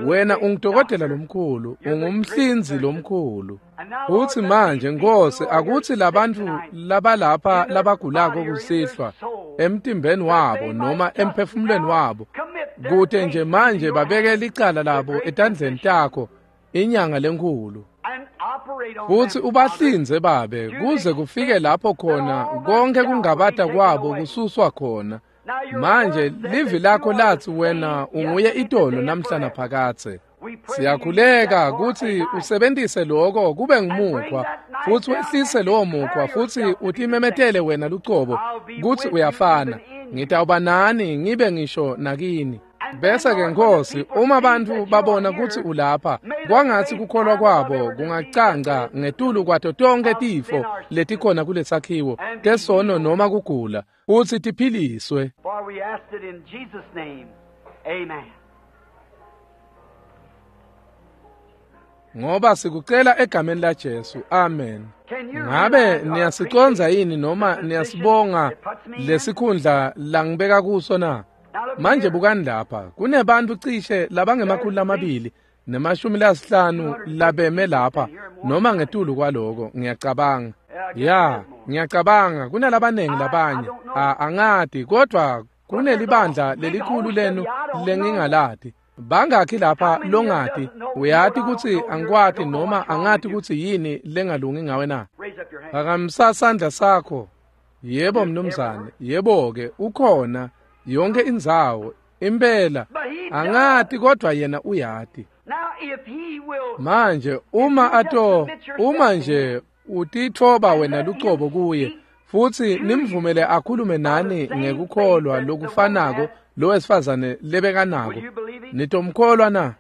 Wena ungudokotela lomkhulu, ungumhlinzi lomkhulu. Futsi manje Nkosi akutsi labantfu labalapha labagulako kusihlwa emtimbeni wabo noma emphefumulweni wabo kute nje manje babeke licala labo etandleni takho inyanga lenkhulu. Futsi ubahlinze babe kuze kufike lapho khona konke kungabata kwabo kususwa khona. Manje livi lakho latsi wena unguye itolo namhla naphakadze. Siyakhuleka kutsi usebentise lokho kube ngumukhwa futsi wehlise lowo mukhwa futsi utimemetele wena lucobo kutsi uyafana. Ngitawuba nani ngibe ngisho nakini. Bese-ke Nkosi uma bantfu babona kutsi ulapha kwangatsi kukholwa kwabo kungacanca ngetulu kwato tonkhe tifo letikhona kulesakhiwo tesono noma kugula futsi tiphiliswe. For we asked it in Jesus' name. Amen. Ngoba sikucela egameni laJesu. Amen. Ngabe niyasiconza yini noma niyasibonga lesikhundla langibeka kuso na? Manje bukani lapha kunebantfu cishe labangema-250 labeme lapha noma ngetulu kwaloko ngiyacabanga. Ya, ngiyacabanga kunalabanengi labanye. Angati kodwa kunelibandla lelikhulu lenu lengingalati. Bangakhi lapha longati uyati kutsi angikwati noma angati kutsi yini lengalungi ngawe na? Raise up your hand. Phakamisa sandla sakho. Yebo mnumzane, yebo-ke ukhona yonke indzawo impela angati kodwa yena uyati. Now if he will Manje uma nje utitfoba wena lucobo kuye futsi nimvumele akhulume nani ngekukholwa lokufanako lo wesifazane lebekanako, nitomkholwa na?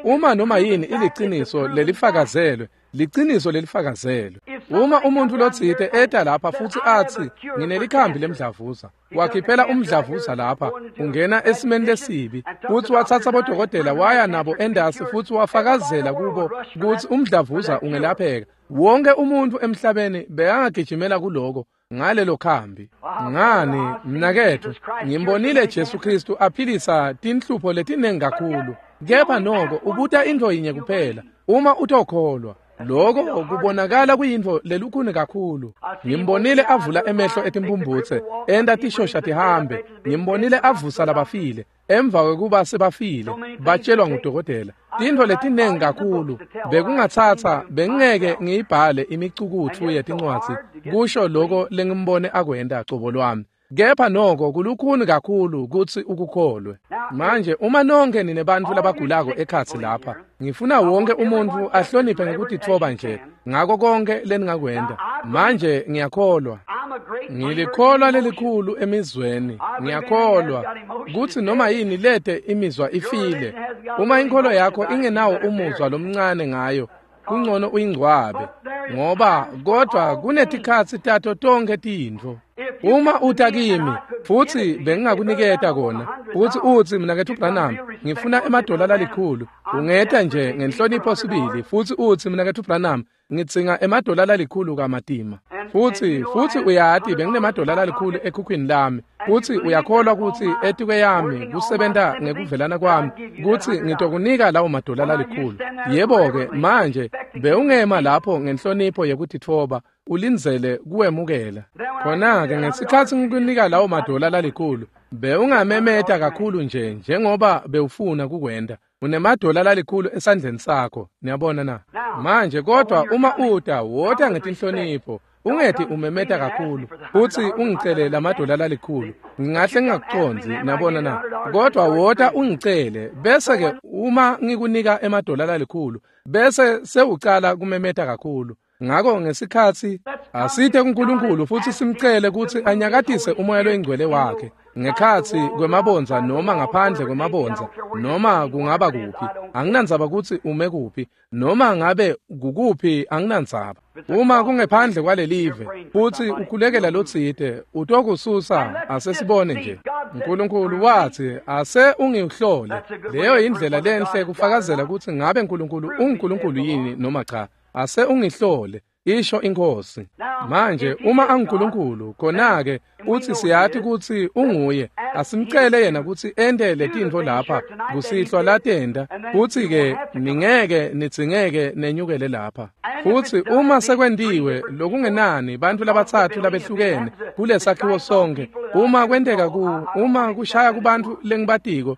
Uma noma yini iliciniso lelifakazelwe, liciniso lelifakazelwe. Uma umuntu lotsite eta lapha futsi atsi nginelikhambi lemdlavuza, wakhiphela umdlavuza lapha, ungena esimeni lesibi, futsi watsatsa bodokotela waya nabo endasi futsi wafakazela kubo kutsi umdlavuza ungelapheka. Wonke umuntu emhlabeni bekangagijimela kuloko ngalelo khambi. Ngani mnaketfu, ngimbonile Jesu Kristu aphilisa tinhlupho letinengi kakhulu. Kepha noko ubuta intfo yinye kuphela, uma utokholwa. Lokho kubonakala kuyintfo lelukhuni kakhulu. Ngimbonile avula emehlo etimphumphutse, enta tishosha tihambe. Ngimbonile avusa labafile emva kwekuba sebafile, batshelwa ngudokotela. Tintfo letinengi kakhulu bekungatsatsa bengingeke ngiyibhale imicukutfu yetincwadzi kusho lokho lengimbone akwenta cobo lwami. Kepha noko kulukhuni kakhulu kutsi ukukholwe. Manje uma nonke ninebantfu labagulako ekhatsi lapha, ngifuna wonke umuntfu ahloniphe ngekutitfoba nje ngako konke leningakwenta. Manje ngiyakholwa. I'm a great believer Ngilikholwa in emotion. lelikhulu emizweni. Ngiyakholwa kutsi noma yini lete imizwa ifile. Uma inkholo yakho ingenawo umuzwa lomncane ngayo, kungcono uyingcwabe, ngoba kodwa kunetikhatsi tato tonkhe tintfo. Uma uta kimi futsi bengingakuniketa kona, futsi utsi mnaketfu Branham ngifuna emadola lalikhulu, ungeta nje ngenhlonipho sibili futsi utsi mnaketfu Branham ngidzinga emadola lalikhulu kamatima. Futsi uyati benginemadola lalikhulu ekhukhwini lami, futsi uyakholwa kutsi etikwe yami kusebenta ngekuvelana kwami kutsi ngitokunika lawo madola lalikhulu. Yebo-ke manje bewungema lapho ngenhlonipho yekutitfoba ulindzele kuwemukela. Khona-ke ngesikhatsi ngikunika lawo madola lalikhulu, bewungamemeta kakhulu nje njengoba bewufuna kukwenta. Unemadola lalikhulu esandleni sakho, niyabona na? Manje kodwa uma uta, wota ngetinhlonipho. Ungeti umemeta kakhulu futsi ungicele lamadola lalikhulu. Ngingahle ngingakucondzi, niyabona na? Kodwa wota ungicele, bese-ke uma ngikunika emadola lalikhulu, bese sewucala kumemeta kakhulu. Ngako ngesikhatsi asite kuNkulunkulu futsi simcele kutsi anyakatise umoya loyingcwele wakhe ngekhatsi kwemabondza noma ngaphandle kwemabondza noma kungaba kuphi. Anginandzaba kutsi ume kuphi noma ngabe kukuphi, anginandzaba. Uma kungephandle kwalelive futsi ukhulekela lotsite, utokususa. Asesibone nje. Nkulunkulu wathi, ase ungihlole. Leyo indlela lenhle kufakazela kutsi ngabe Nkulunkulu unguNkulunkulu yini noma cha. Ase ungihlole, isho iNkhosi. Manje uma anguNkulunkulu, khona-ke uthi siyati kutsi unguye. Asimcele yena kutsi ente letintfo lapha kusihlwa latenta, futsi-ke ningeke nidzingeke nenyukele lapha. Futsi uma sekwentiwe lokungenani bantfu labatsatfu labehlukene kulesakhiwo sonkhe, uma kwenteka uma kushaya kubantfu lengibatiko,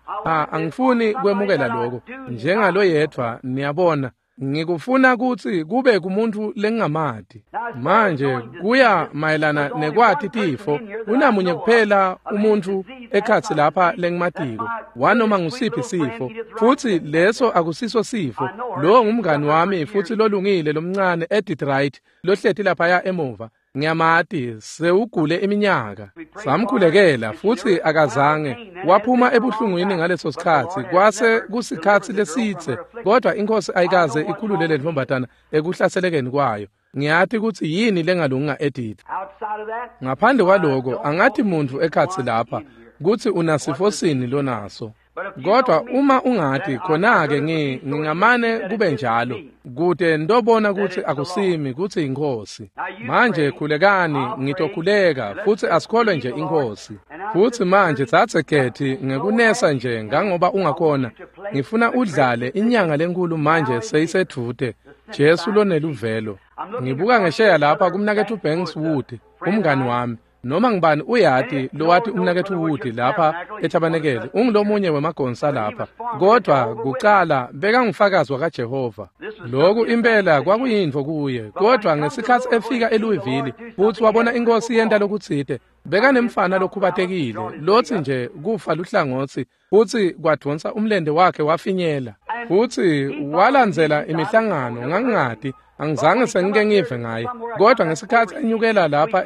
angifuni kwemukela lokho njengaloyedvwa, niyabona. Ngikufuna kutsi kube kumuntu lengingamati. Manje kuya mayelana nekwati tifo, kunamunye kuphela umuntfu ekhatsi lapha lengimatiko wanoma ngusiphi sifo, futsi leso akusiso sifo. Lowo ngumngani wami futsi lolungile lomncane Edith Wright lohleti laphaya emuva. Ngiyamati, sewugule iminyaka. Samkhulekela futsi akazange waphuma ebuhlungwini ngaleso sikhatsi. Kwase kusikhatsi lesitse, kodwa iNkhosi ayikaze ikhulule le ntfombatana ekuhlaselekeni kwayo. Ngiyati kutsi yini lengalunga Edith. Ngaphandle kwaloko, angathi muntfu ekhatsi lapha kutsi unasifo sini lonaso. Kodwa uma ungati, khona-ke ngingamane kube njalo, kute ndobona kutsi akusimi, kutsi iNkhosi. Manje khulekani, ngitokhuleka, futsi asikholwe nje iNkhosi. Futsi manje tsatse Gethi ngekunesa nje ngangoba ungakhona. Ngifuna udlale inyanga lenkulu manje seyisedvute, Jesu loneluvelo. Ngibuka ngesheya lapha kumnaketfu Banks Wood, umngani wami. Noma ngibani uyati lowati umnaketfu Wood lapha ethabanekele, ungulomunye wemagonsa lapha. Kodwa kucala bekangufakazi wakaJehova. Lokhu impela kwakuyintfo kuye. Kodwa ngesikhatsi efika eLouisville futsi wabona iNkhosi yenta lokutsite, bekanemfana lokhubatekile lotsi nje kufa luhlangotsi, futsi kwadvonsa umlente wakhe wafinyela. Futsi walandzela imihlangano, ngangingati, angizange sengike ngive ngaye. Kodwa ngesikhatsi enyukela lapha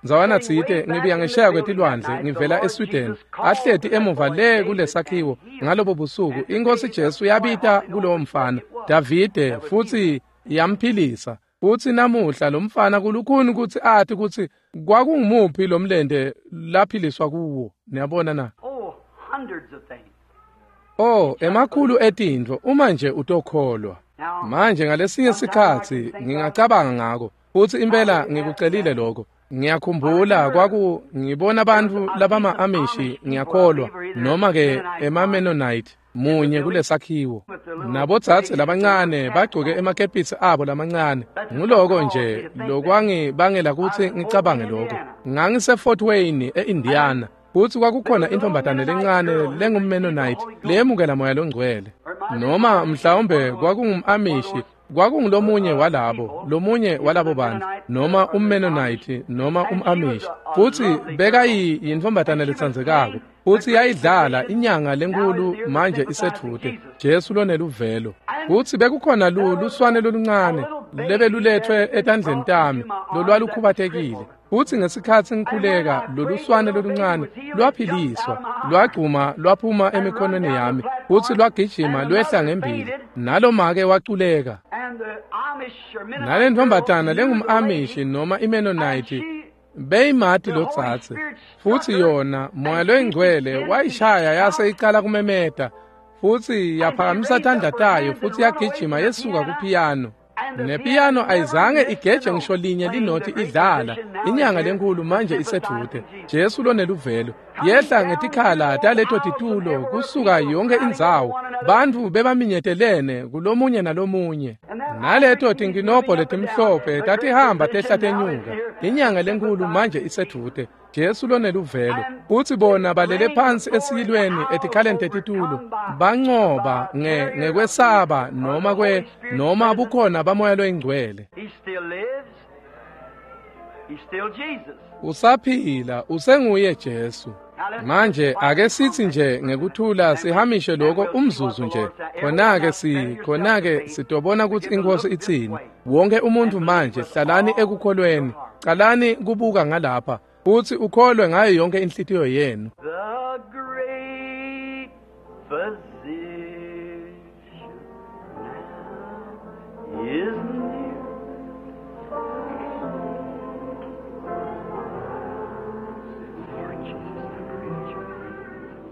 ndzawana tsite, ngibuya ngesheya kwetilwandle ngivela eSweden, ahleti emuva le kulesakhiwo ngalobo busuku, iNkhosi Jesu yabita kulowo mfana Davide futsi yamphilisa. Futsi namuhla lo mfana kulukhuni kutsi ati kutsi kwakungumuphi lo mlente laphiliswa kuwo. Niyabona na? Oh, emakhulu etintfo uma nje utokholwa. Manje ngalesinye sikhatsi ngingacabanga ngako, futsi impela ngikucelile lokho. Ngiyakhumbula kwaku ngibona bantfu labama-Amishi, ngiyakholwa, noma-ke ema-Mennonite, munye kulesakhiwo. Nabodzadze labancane bagcoke emakepisi abo lamancane. Nguloko nje lokwangibangela kutsi ngicabange lokho. Ngangise-Fort Wayne e-Indiana, futsi kwakukhona intfombatane lencane lengum-Mennonite leyemukela moya longcwele. Noma mhlawumbe kwakungum-Amishi, kwakungulomunye walabo, lomunye walabo bantfu, noma umMennonite noma umAmish. Futsi bekayintfombatana letsandzekako, futsi yayidlala inyanga lenkulu manje isedvute, Jesu loneluvelo. Futsi bekukhona luswane loluncane lebelulethwe etandleni tami lolwalukhubatekile. Futsi ngesikhatsi ngikhuleka, loluswane loluncane lwaphiliswa, lwagcuma lwaphuma emikhonweni yami, futsi lwagijima lwehla ngembili, nalomake waculeka. Nalentfombatana lengum-Amishi noma iMennonite beyimati lotsatse, futsi yona moya loyingcwele wayishaya yase icala kumemeta, futsi yaphakamisa tandla tayo futsi yagijima yesuka kupiyano. Nepiyano ayizange igeje ngisho linye linoti idlala. Inyanga lenkulu manje isedvute, Jesu loneluvelo. Yehla ngetikhala taleto titulo kusuka yonke indzawo, bantfu bebaminyetelene kulomunye nalomunye. Naleto tinkinobho letimhlophe tatihamba tehla tenyuka. Inyanga lenkulu manje isedvute, Jesu loneluvelo. Futsi bona balele phansi esiyilweni etikhaleni tetitulo, bancoba ngekwesaba noma noma bukhona bamoya loyingcwele. Usaphila, usenguye Jesu. Manje ake sithi nje ngekuthula sihamishe lokho umzuzu nje. Khona-ke sitobona kutsi iNkhosi itsini. Wonke umuntu manje hlalani ekukholweni. Calani kubuka ngalapha futsi ukholwe ngayo yonke inhlitiyo yenu. The great physician now is near. Lord Jesus, I pray that you.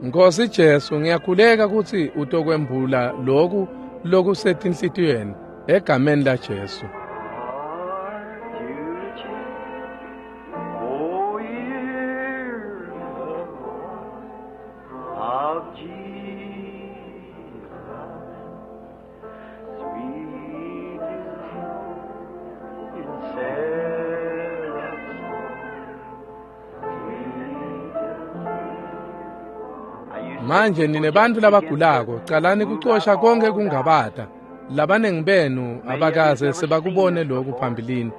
Nkosi Jesu, ngiyakhuleka kutsi utokwembula loku lokusetinhlitiyweni egameni la Jesu. Oh, hear the voice of Jesus. Sweet is in seraphs. Manje nine bantfu labagulako, calani kucosha konke kungabata. Labanengi benu abakaze sebakubone lokhu phambilini.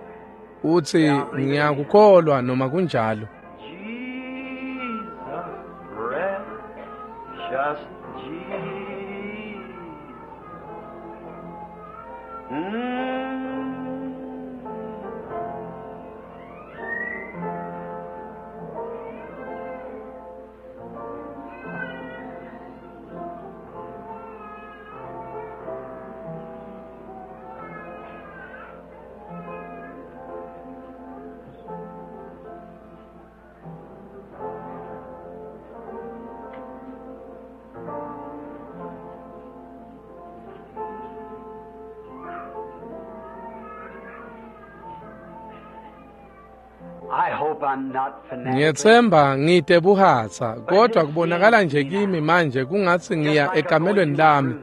Uthi ngiyakukholwa noma kunjalo. Jesus, precious Jesus. I hope I'm not fanatic. Ngiyethemba ngide buhatsa, kodwa kubonakala nje kimi manje kungatsi ngiya ekamelweni lami,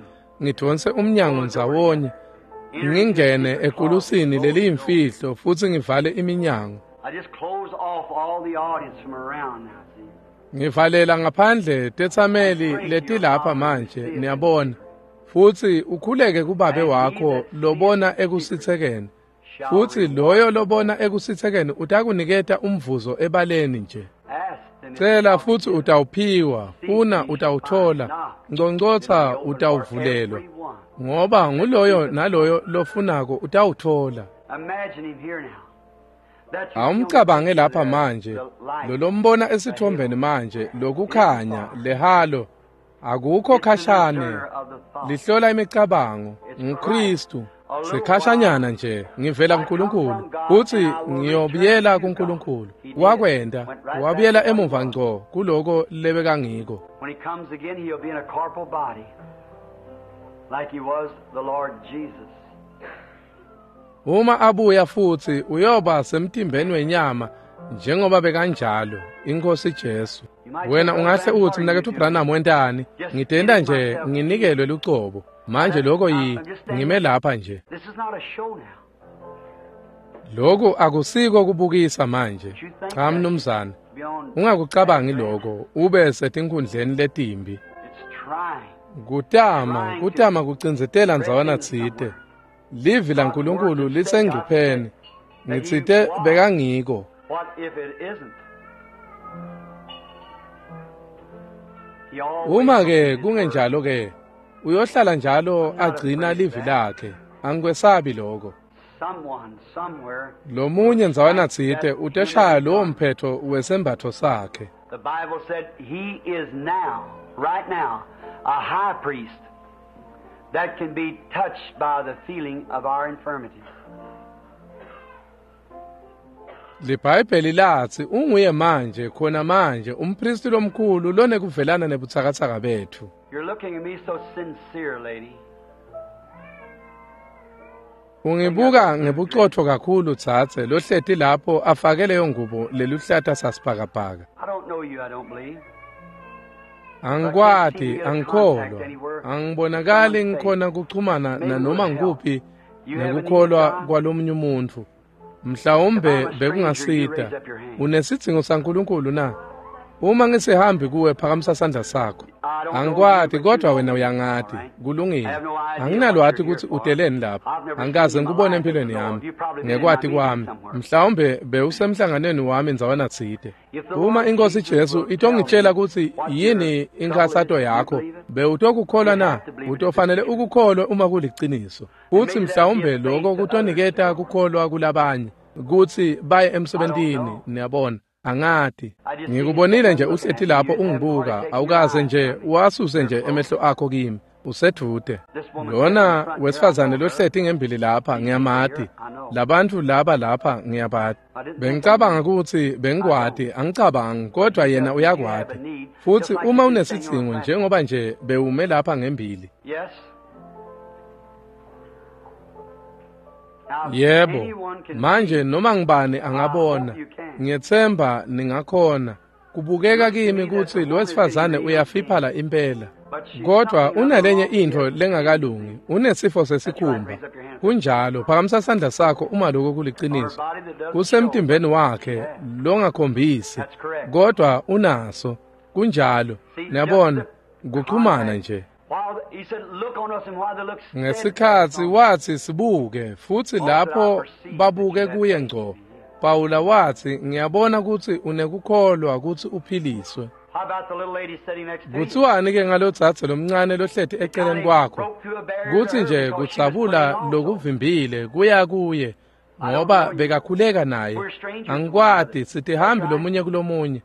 ngidonse umnyango ndzawonye, ngingene ekulusini leliyimfihlo futsi ngivale iminyango. I just close off all the audience from around now, see. Ngivalela ngaphandle tetsameli letilapha manje, niyabona. Futsi ukhuleke kubabe wakho lobona ekusitsekeni. Shall Futsi loyo lobona ekusitsekeni utakuniketa umvuzo ebaleni nje. ask and it Cela shall futsi be given. utawuphiwa, funa utawuthola, Knock, ngcongcotsa and it will be opened for utawuvulelwa. everyone. Ngoba nguloyo naloyo lofunako utawuthola. Imagine him here now. That's Awumcabange lapha manje, the light. lolombona esithombeni manje, lokukhanya, lehalo, akukho It's the khashane. discerner of the thought. Lihlola imicabango, nguKristu. Sikhashanyana nje, ngivela kuNkulunkulu, futsi ngiyobuyela kuNkulunkulu. Wakwenta, wabuyela emuva ngco kuloko lebekangiko. When he comes again, he'll be in a corporal body, like he was the Lord Jesus. Uma abuya futsi uyoba semtimbeni wenyama njengoba bekanjalo inkosi Jesu. Wena ungahle uthi mnaketfu Branham wentani? Ngitenda nje nginikelwe lucobo. Manje lokho yi ngime lapha nje. This is not a show now. Lokhu akusiko kubukisa manje. Cha mnumzane, Be on. ungakucabangi lokho ube setinkhundleni letimbi. It's trying. Kutama, kutama kucindzetela ndzawana tsite. Livi laNkulunkulu lisengcupheni. Ngitsite bekangiko. What if it isn't? He always Uma ke keeps his word. kungenjalo ke uyohlala njalo agcina livi lakhe. Angikwesabi lokho. Someone somewhere. Lomunye ndzawana tsite uteshaya lowo mphetho wesembatho sakhe. The Bible said he is now, right now, a high priest that can be touched by the feeling of our infirmities. LiBhayibheli latsi unguye manje khona manje umpristi lomkhulu lonekuvelana nebutsakatsaka bethu. You're looking at me so sincere, lady. Ungibuka ngebucotho kakhulu tsatse lohleti lapho afake leyo ngubo leluhlata sasibhakabhaka. I don't know you, I don't believe. Angikwati, angikholwa, angibonakali ngikhona kuchumana nanoma ngikuphi You have a need, nekukholwa God? kwalomunye umuntfu. Mhlawumbe bekungasita. Unesidzingo saNkulunkulu na? Uma ngisihambi kuwe phakamisa sandla sakho. Angikwati kodwa wena uyangati. Kulungile. Anginalwati kutsi uteleni lapha. Angikaze ngikubone empilweni yami. Ngekwati kwami, mhlawumbe bewusemhlanganweni wami ndzawana tsite. Uma inkosi Jesu itongitshela kutsi yini inkhatsato yakho, bewutokukholwa na? Utofanele ukukholwe uma kuliciniso. Futsi mhlawumbe lokho kutoniketa kukholwa kulabanye kutsi baye emsebentini, niyabona. Angati. Ngikubonile nje uhleti lapho ungibuka, awukaze nje wasuse nje emehlo akho kimi. Usedvute. Lona wesifazane lohleti ngembili lapha ngiyamati. Labantfu laba lapha ngiyabati. Bengicabanga kutsi bengikwati, angicabangi, kodwa yena uyakwati. Futsi uma unesidzingo njengoba nje bewume lapha ngembili. Yebo, manje noma ngibani angabona. Ngiyetsemba ningakhona. Kubukeka kimi kutsi lo wesifazane uyafiphala impela. Kodwa unalenye intfo lengakalungi, unesifo sesikhumba. Kunjalo, phakamisa sandla sakho uma lokho kuliciniso. Kusemtimbeni wakhe longakhombisi, kodwa unaso. Kunjalo, niyabona, kuchumana nje. Ngesikhatsi watsi sibuke, futsi lapho babuke kuye ngco, Pawula watsi, ngiyabona kutsi unekukholwa kutsi uphiliswe. Kuthiwani ke ngalodzadze lomncane lohleti eceleni kwakho? Kutsi nje kudzabula lokuvimbile kuya kuye, ngoba bekakhuleka naye. Angikwati, sitihambi lomunye kulomunye.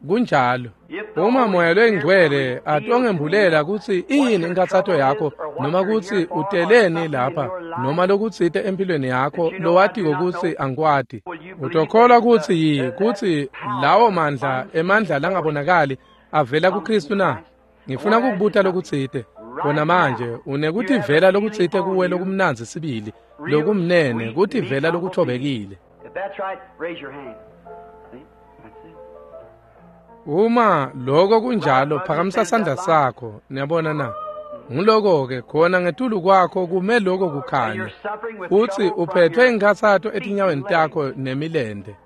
Kunjalo. Uma Moya loyiNgcwele atongembulela kutsi iyini inkhatsato yakho, noma kutsi uteleni lapha, noma lokutsite empilweni yakho lowatiko kutsi angikwati, utokholwa kutsi kutsi lawo mandla, emandla langabonakali avela kuKristu na? Ngifuna kukubuta lokutsite. Kona manje unekutivela lokutsite kuwe lokumnandzi sibili, lokumnene, kutivela lokuthobekile. Uma lokho kunjalo, phakamisa sandla sakho. Niyabona na? Nguloko-ke khona ngetulu kwakho kume lokho kukhanya. Futsi uphethwe inkhatsato etinyaweni takho nemilente.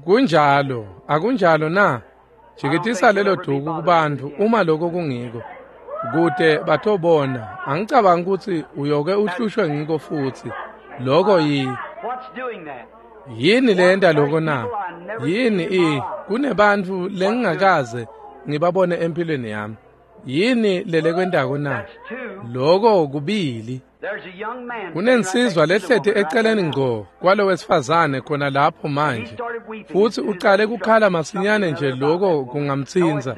Kunjalo, akunjalo na? Jikitisa lelo duku kubantfu uma lokho kungiko, kute batobona. Angicabangi kutsi uyoke uhlushwe ngiko futsi. Lokho yini leyenta lokho na? Yini kunebantfu lengingakaze ngibabone empilweni yami. Yini lelekwentako na? Lokho kubili. Kunensizwa lehleti eceleni ngco kwalo wesifazane khona lapho manje, futsi ucale kukhala masinyane nje lokho kungamtsinza.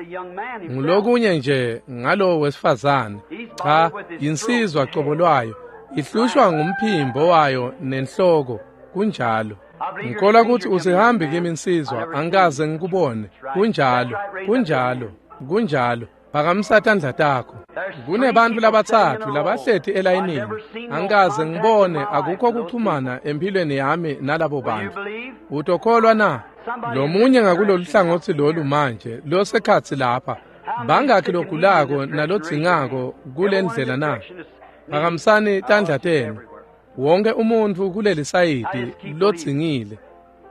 Ngulokunye nje ngalo wesifazane. Cha, yinsizwa cobo lwayo, ihlushwa ngumphimbo wayo nenhloko. Kunjalo. Ngikholwa kutsi usihambi kimi insizwa, angikaze ngikubone. Kunjalo, kunjalo, kunjalo. Phakamisa tandla takho. Kunebantfu labatsatfu labahleti elayinini. Angikaze ngibone, akukho kuchumana empilweni yami nalabo bantfu. Utokholwa na? Lomunye ngakulolu hlangotsi lolu manje, losekhatsi lapha. Bangakhi logulako nalodzingako kulendlela na? Phakamisani tandla tenu. Wonke umuntfu kuleli sayidi lodzingile.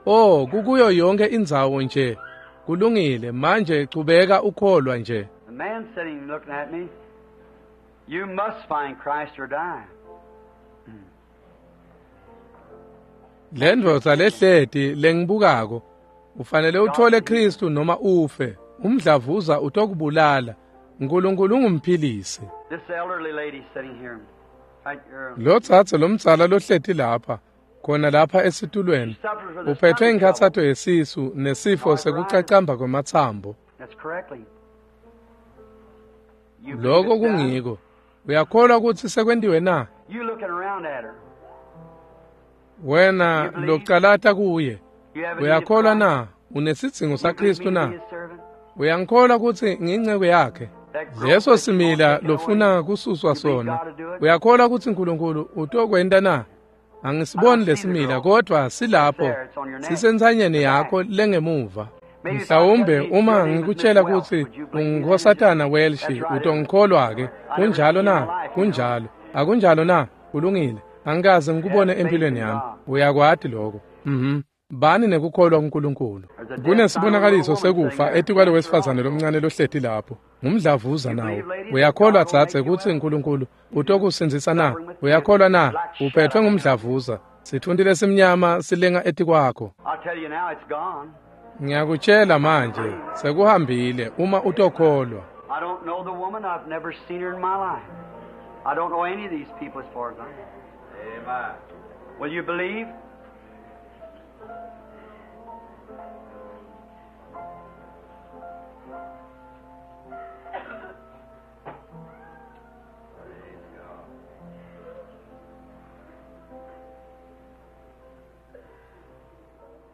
Oh, kukuyo yonke indzawo nje. Kulungile, manje chubeka ukholwa nje. The man sitting looking at me, you must find Christ or die. Lendvodza lehleti lengibukako, ufanele uthole Kristu noma ufe. Umdlavuza utokubulala. Nkulunkulu ungumphilisi. This elderly lady sitting here, right here. Lotsatse lomdzala lohleti lapha, khona lapha esitulweni, uphethwe inkhatsato yesisu nesifo sekucacamba kwematsambo. That's correctly. Lokho kungiko. Uyakholwa kutsi sekwentiwe na? You looking around at her. Wena localata kuye. Uyakholwa na? Unesidzingo saKristu na? Uyangikholwa kutsi ngiyinceku yakhe? Leso simila lofuna kususwa sona. Uyakholwa kutsi Nkulunkulu utokwenta na? Angisiboni lesimila, kodwa silapho, sisentsanyeni yakho lengemuva. Mhlawumbe uma ngikutshela kutsi ungunkosatana Welsh, utongikholwa-ke. Kunjalo na? Kunjalo. Akunjalo na? Kulungile. Angikaze ngikubone empilweni yami. Uyakwati lokho. Bani nekukholwa kuNkulunkulu. Kunesibonakaliso sekufa etikwalo wesifazane lomncane lohleti lapho. Ngumdlavuza nawo. Uyakholwa dzadze kutsi uNkulunkulu utokusindzisa na? Uyakholwa na? Uphethwe ngumdlavuza. Sitfunti lesimnyama silenga etikwakho. I'll tell you now, it's gone. Ngiyakutshela manje, sekuhambile uma utokholwa. I don't know the woman. I've never seen her in my life. I don't know any of these people as far as I know. Amen. Will you believe?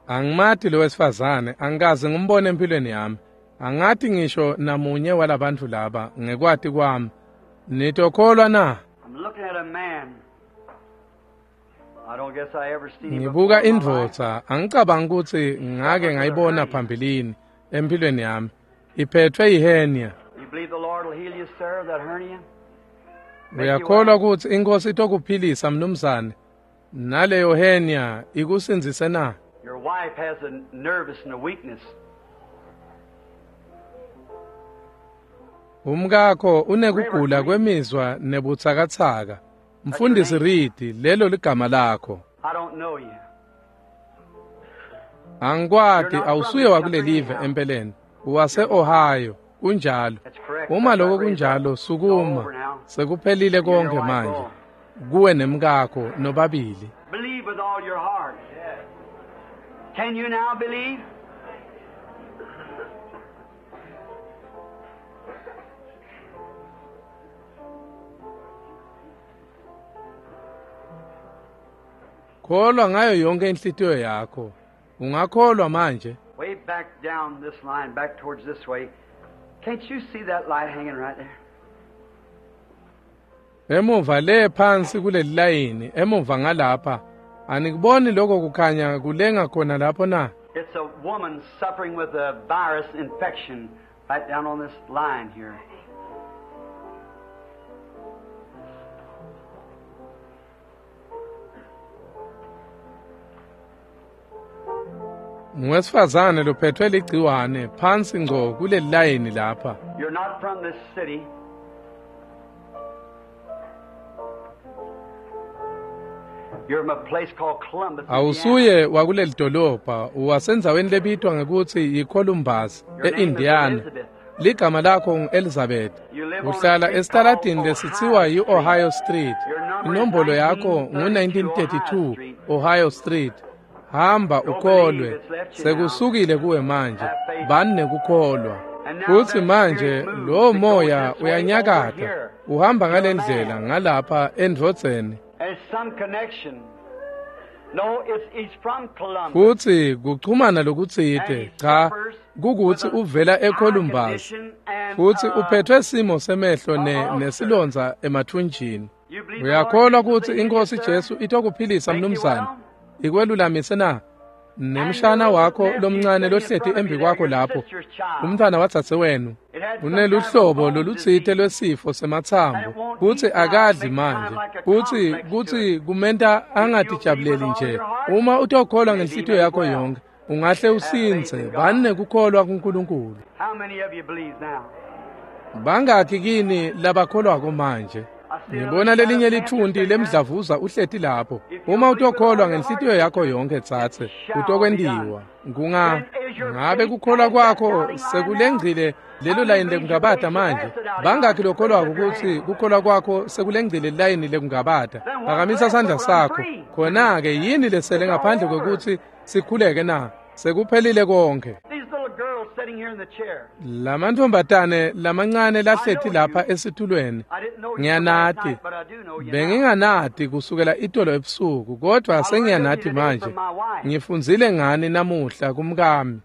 Angimati lo wesifazane, angikaze ngimbone empilweni yami. Angati ngisho namunye walabantfu laba ngekwati kwami. Nitokholwa na? Ngibuka indvodza, angicabangi ukuthi ngake ngayibona phambilini empilweni yami. Iphethwe yihenia. Uyakholwa ukuthi inkosi itokuphilisa mnumzane? Naleyo hernia ikusindzise na? Your wife has a nervous and a weakness. Umkakho unekugula kwemizwa nebutsakatsaka. Mfundisi Reed, lelo ligama lakho. I don't know you. Angikwati, awusuye wakulelive empeleni. Uwase Ohio, kunjalo. Uma lokho kunjalo, sukuma. Sekuphelile konke manje. Kuwe nemkakho nobabili. Believe with all your heart. Can you now believe? Kholwa ngayo yonke inhlitiyo yakho. Ungakholwa manje? Way back down this line, back towards this way. Can't you see that light hanging right there? Emuva le phansi kuleli layini, emuva ngalapha. Anikuboni lokho kukhanya kulenga khona lapho na? It's a woman suffering with a virus infection right down on this line here. Ngowesifazane lophethwe ligciwane phansi ngco kuleli layini lapha. You're not from this city. You're from a place called Columbus. Awusuye wakuleli dolobha, uwasendzaweni lebitwa ngekuthi yiColumbus eIndiana. Ligama lakho ngu-Elizabeth. Uhlala esitaladini lesithiwa yi-Ohio Street. Inombolo yakho ngu-1932 Ohio Street. Hamba ukholwe, sekusukile kuwe manje. Bani nekukholwa. Futhi manje lo moya uyanyakata, uhamba ngalendlela ngalapha endvodzeni. Futhi kuchumana lokutsite, cha, kukuthi uvela eColumbus. Futhi uphethwe simo semehlo nesilonza emathunjini. Uyakholwa ukuthi inkosi Jesu itokuphilisa mnumzane? Ikwelulamise na? Nemshana wakho lomncane lohleti embi kwakho lapho, umntwana watsatse wenu, uneluhlobo lolutsite lwesifo sematsambo, kutsi akadli manje, kutsi kutsi kumenta angatijabuleli nje. Uma utokholwa ngenhlitiyo yakho yonke, ungahle usindze. Bani nekukholwa kuNkulunkulu. Bangakhi kini labakholwako manje? Ngibona lelinye lithunti lemdlavuza uhleti lapho. Uma utokholwa ngenhlitiyo yakho yonke tsatse, utokwentiwa. Ngabe kukholwa kwakho sekulengcile lelo layini lekungabata manje? Bangakhi lokholwako ukuthi kukholwa kwakho sekulengcile layini lekungabata? Phakamisa sandla sakho. Khona-ke yini lesele ngaphandle kwekuthi sikhuleke na? Sekuphelile konke. Lamantfombatane lamancane lahleti lapha esitulweni, ngiyanati. Benginganati kusukela itolo ebusuku, kodwa sengiyanati manje. Ngifundzile ngani namuhla kumkami.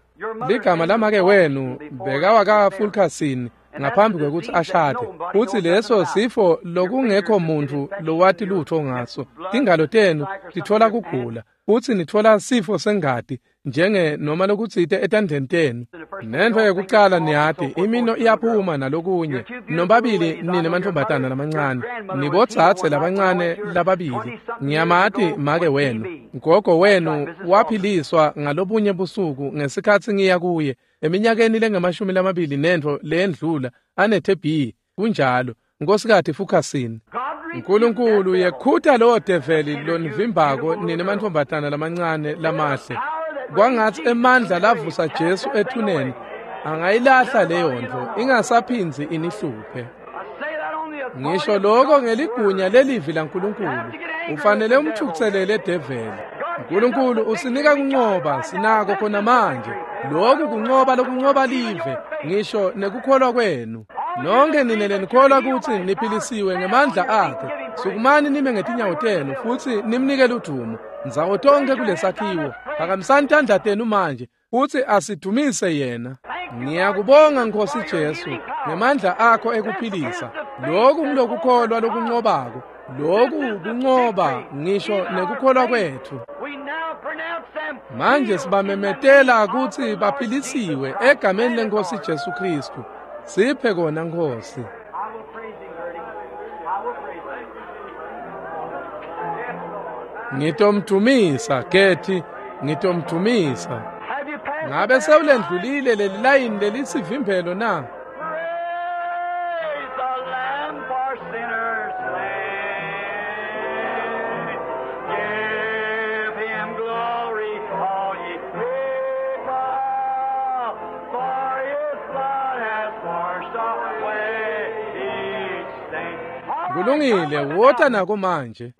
Ligama lamake wenu bekawaka-Fulkerson ngaphambi kwekuthi ashade. Futhi leso sifo lokungekho muntu lowati lutho ngaso. Tingalo tenu titfola kugula, futhi nitfola sifo sengati njenge noma lokutsite etandleni tenu. Nentfo yekucala niyati, imino iyaphuma nalokunye. Nobabili nine mantfombatana lamancane, nibotsatse labancane lababili. Ngiyamati make wenu. Gogo wenu waphiliswa ngalobunye busuku ngesikhatsi ngiya kuye eminyakeni lengamashumi lamabili nentfo leyendlula ane-TB. Kunjalo, Nkosikati Fulkerson. Nkulunkulu yekhuta lowo develi lonivimbako nine mantfombatana lamancane lamahle. Kwangatsi emandla lavusa Jesu ethuneni angayilahla leyo ntfo, ingasaphindzi inihluphe. Ngisho lokho ngeligunya lelivi laNkulunkulu. Ufanele umthukutselele develi. Nkulunkulu usinika kuncoba, sinako khona manje. Lokhu kuncoba lokuncoba live, ngisho nekukholwa kwenu. Nonke nine lenikholwa kutsi niphilisiwe ngemandla akhe. Sukumani nime ngetinyawo tenu futsi nimnike ludumo. Ndzawo tonkhe kulesakhiwo. Phakamisani tandla tenu manje futsi asidumise yena. Ngiyakubonga Nkosi Jesu ngemandla akho ekuphilisa. Lokhu ngilokukholwa lokunqobako. Lokhu kunqoba ngisho nekukholwa kwethu. Manje sibamemetela kutsi baphilisiwe egameni leNkosi Jesu Kristu. Siphe kona Nkosi. Ngitomdumisa Gethi, ngitomdumisa. Ngabe sewulendlulile leli layini lelisivimbelo na? Kulungile, wota nako manje.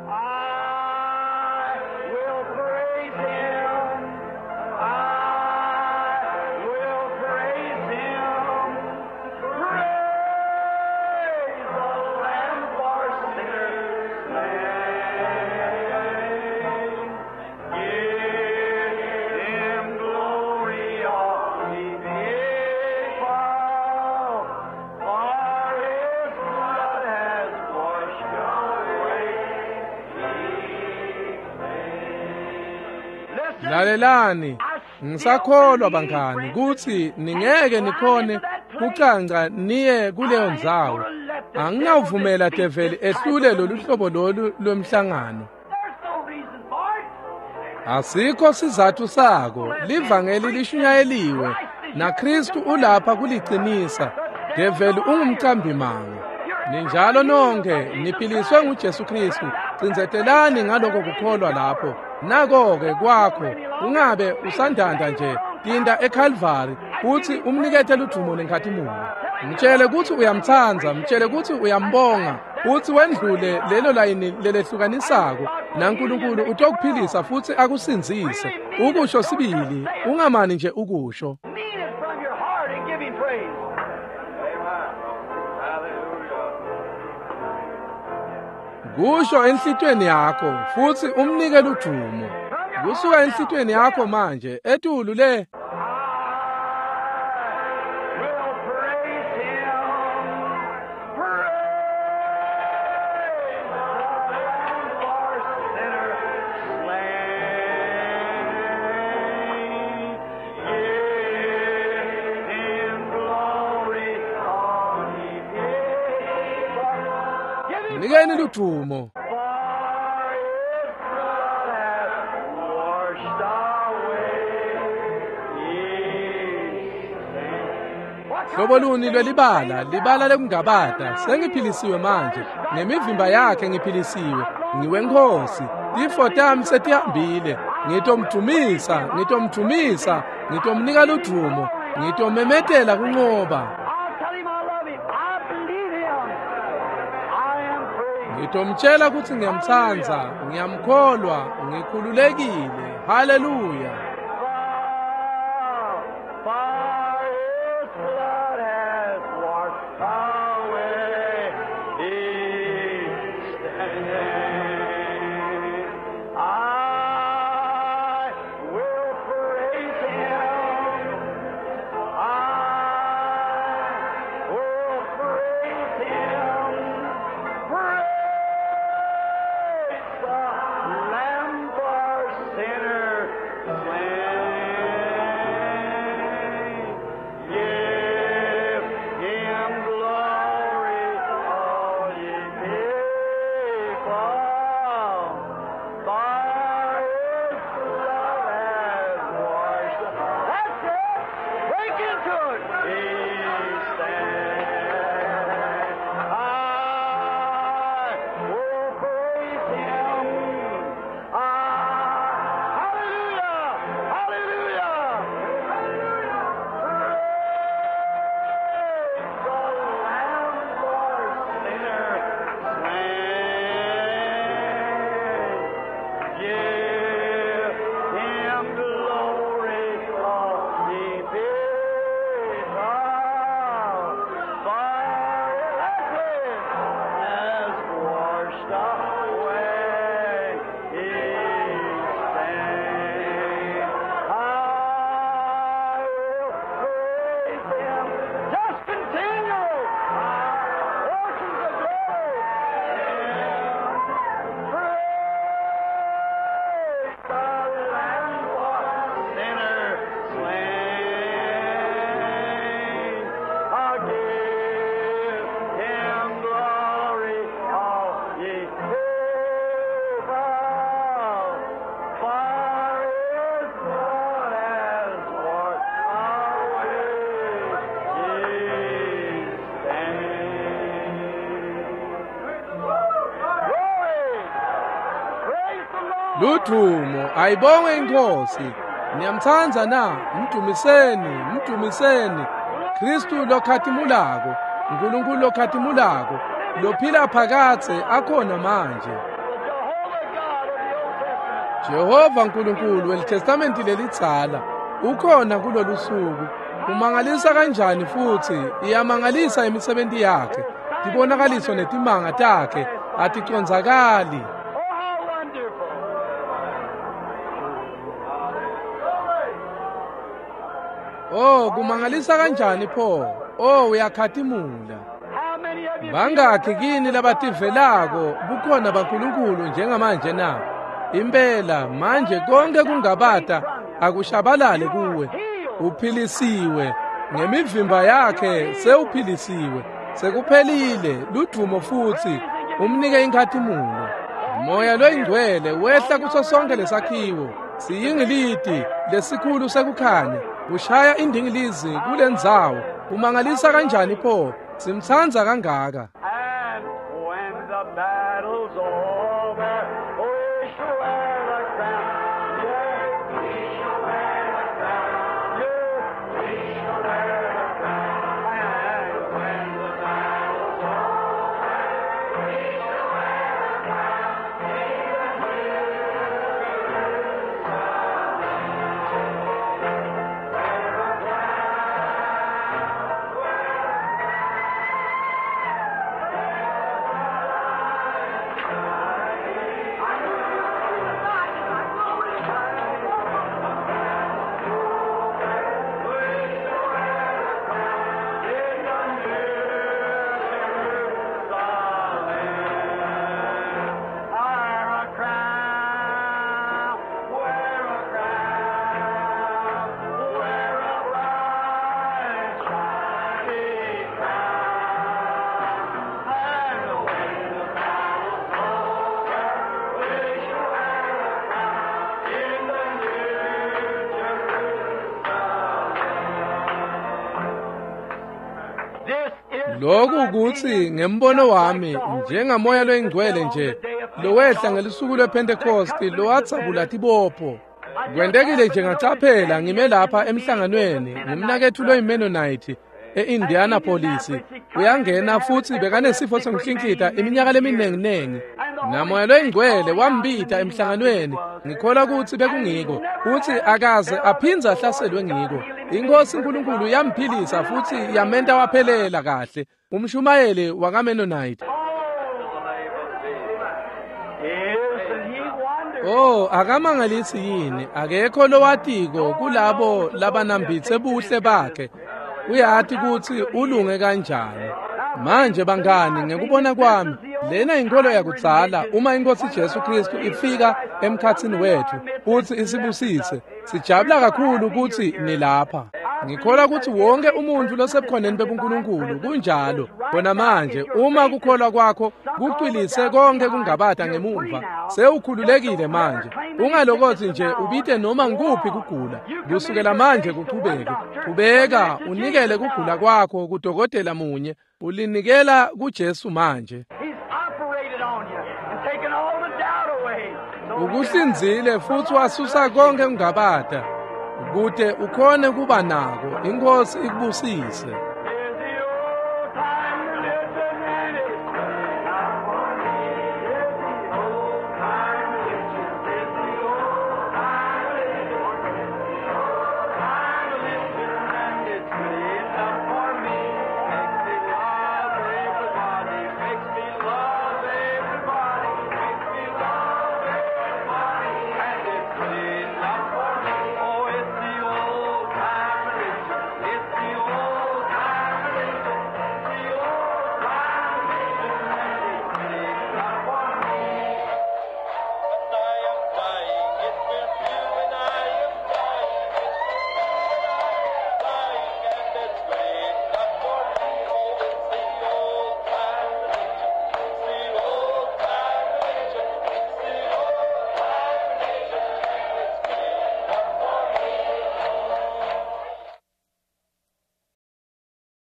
Lalelani, ngisakholwa bangani kutsi ningeke nikhone kucanca niye kuleyo ndzawo. Anginawuvumela develi ehlule lolu hlobo lolu lwemhlangano. Asikho sizathu sako, livangeli lishunyayeliwe naKristu ulapha kuliqinisa. Develi ungumqambimanga. Ninjalo nonke niphiliswe nguJesu Kristu. Cindzetelani ngaloko kukholwa lapho. Nako-ke kwakho ungabe usandanda nje tinda eCalvary uthi umnikete ludumo nenkhatimulo. Mtshele kutsi uyamtsandza, mtshele kutsi uyambonga, uthi wendlule lelo layini lelehlukanisako naNkulunkulu utokuphilisa futsi akusindzise. Ukusho sibili, ungamani nje ukusho. Kusho enhlitiyweni yakho futsi umnike ludumo. Kusuka enhlitiyweni yakho manje etulu le. Mnikeni ludumo. Hlobo luni lwelibala, libala lekungabata. Sengiphilisiwe manje, ngemivimba yakhe ngiphilisiwe. Ngiwenkosi, tifo tami setihambile. Ngitomdumisa, ngitomdumisa, ngitomnika ludumo, ngitomemetela kunqoba. Ngitomtshela kutsi ngiyamtsandza, ngiyamkholwa, ngikhululekile. Haleluya. Lamb for sinners slain. Ludvumo, ayibongwe iNkhosi. Niyamtsandza na? Mdumiseni, mdumiseni. Kristu lokhatimulako, uNkulunkulu lokhatimulako, lophila phakadze akhona manje. Jehova uNkulunkulu weliTestamenti lelidzala ukhona kulolu suku. Umangalisa kanjani futhi iyamangalisa imisebenzi yakhe. Tibonakaliso netimanga takhe aticondzakali. Oh, kumangalisa kanjani pho? Oh, uyakhatimula. Bangakhi kini labativelako bukhona baNkulunkulu njengamanje na? Impela manje konke kungabata akushabalale kuwe. Uphilisiwe ngemivimba yakhe, sewuphilisiwe, sekuphelile. Ludvumo futhi umnike inkhatimulo. Moya loyingcwele wehla kuso sonke lesakhiwo, siyingiliti lesikhulu sekukhanya, kushaya indingilizi kulendzawo. Umangalisa kanjani pho? Simtsandza kangaka. And when the battle's over, we shall wear the crown. Yes, we shall wear the crown. Yes, we shall wear the crown. And when the battle's over, we shall wear the crown. Lokhu ukuthi ngembono wami njengamoya loyingcwele nje lowehla ngelisuku lwePhentekosti lowatsabula tibopho. Kwentekile nje ngacaphela ngime lapha emhlanganweni ngumnaketfu loyiMennonite e-Indianapolis. Uyangena futhi bekanesifo sokuhlinhlita iminyaka leminenginengi. Namoya loyingcwele wambita emhlanganweni, ngikholwa ukuthi bekungiko, futhi akaze aphindze ahlaselwe ngiko. Inkosi uNkulunkulu yamphilisa futhi yamenta waphelela kahle. Umshumayeli wakaMennonite. Isn't he wonderful? Oh, akamangalisi yini? Akekho lowatiko kulabo labanambitse buhle bakhe. Uyati kutsi ulunge kanjani. Manje bangani, ngekubona kwami, lena inkolo yakudzala. Uma iNkosi Jesu Kristu ifika emkhatsini wethu futhi isibusise, sijabula kakhulu kutsi nilapha. Ngikholwa kutsi wonke umuntfu losebukhoneni bebuNkulunkulu kunjalo. Khona manje uma kukholwa kwakho kucwilise konke kungabata ngemuva, sewukhululekile manje. Ungalokothi nje ubite noma nguphi kugula. Kusukela manje kuchubeke. Qhubeka unikele kugula kwakho kudokotela munye, ulinikela kuJesu manje. He's operated on you and taken all the doubt away. So Ukuhlinzile futhi wasusa konke kungabata kute ukhone kuba nako. Inkosi ikubusise.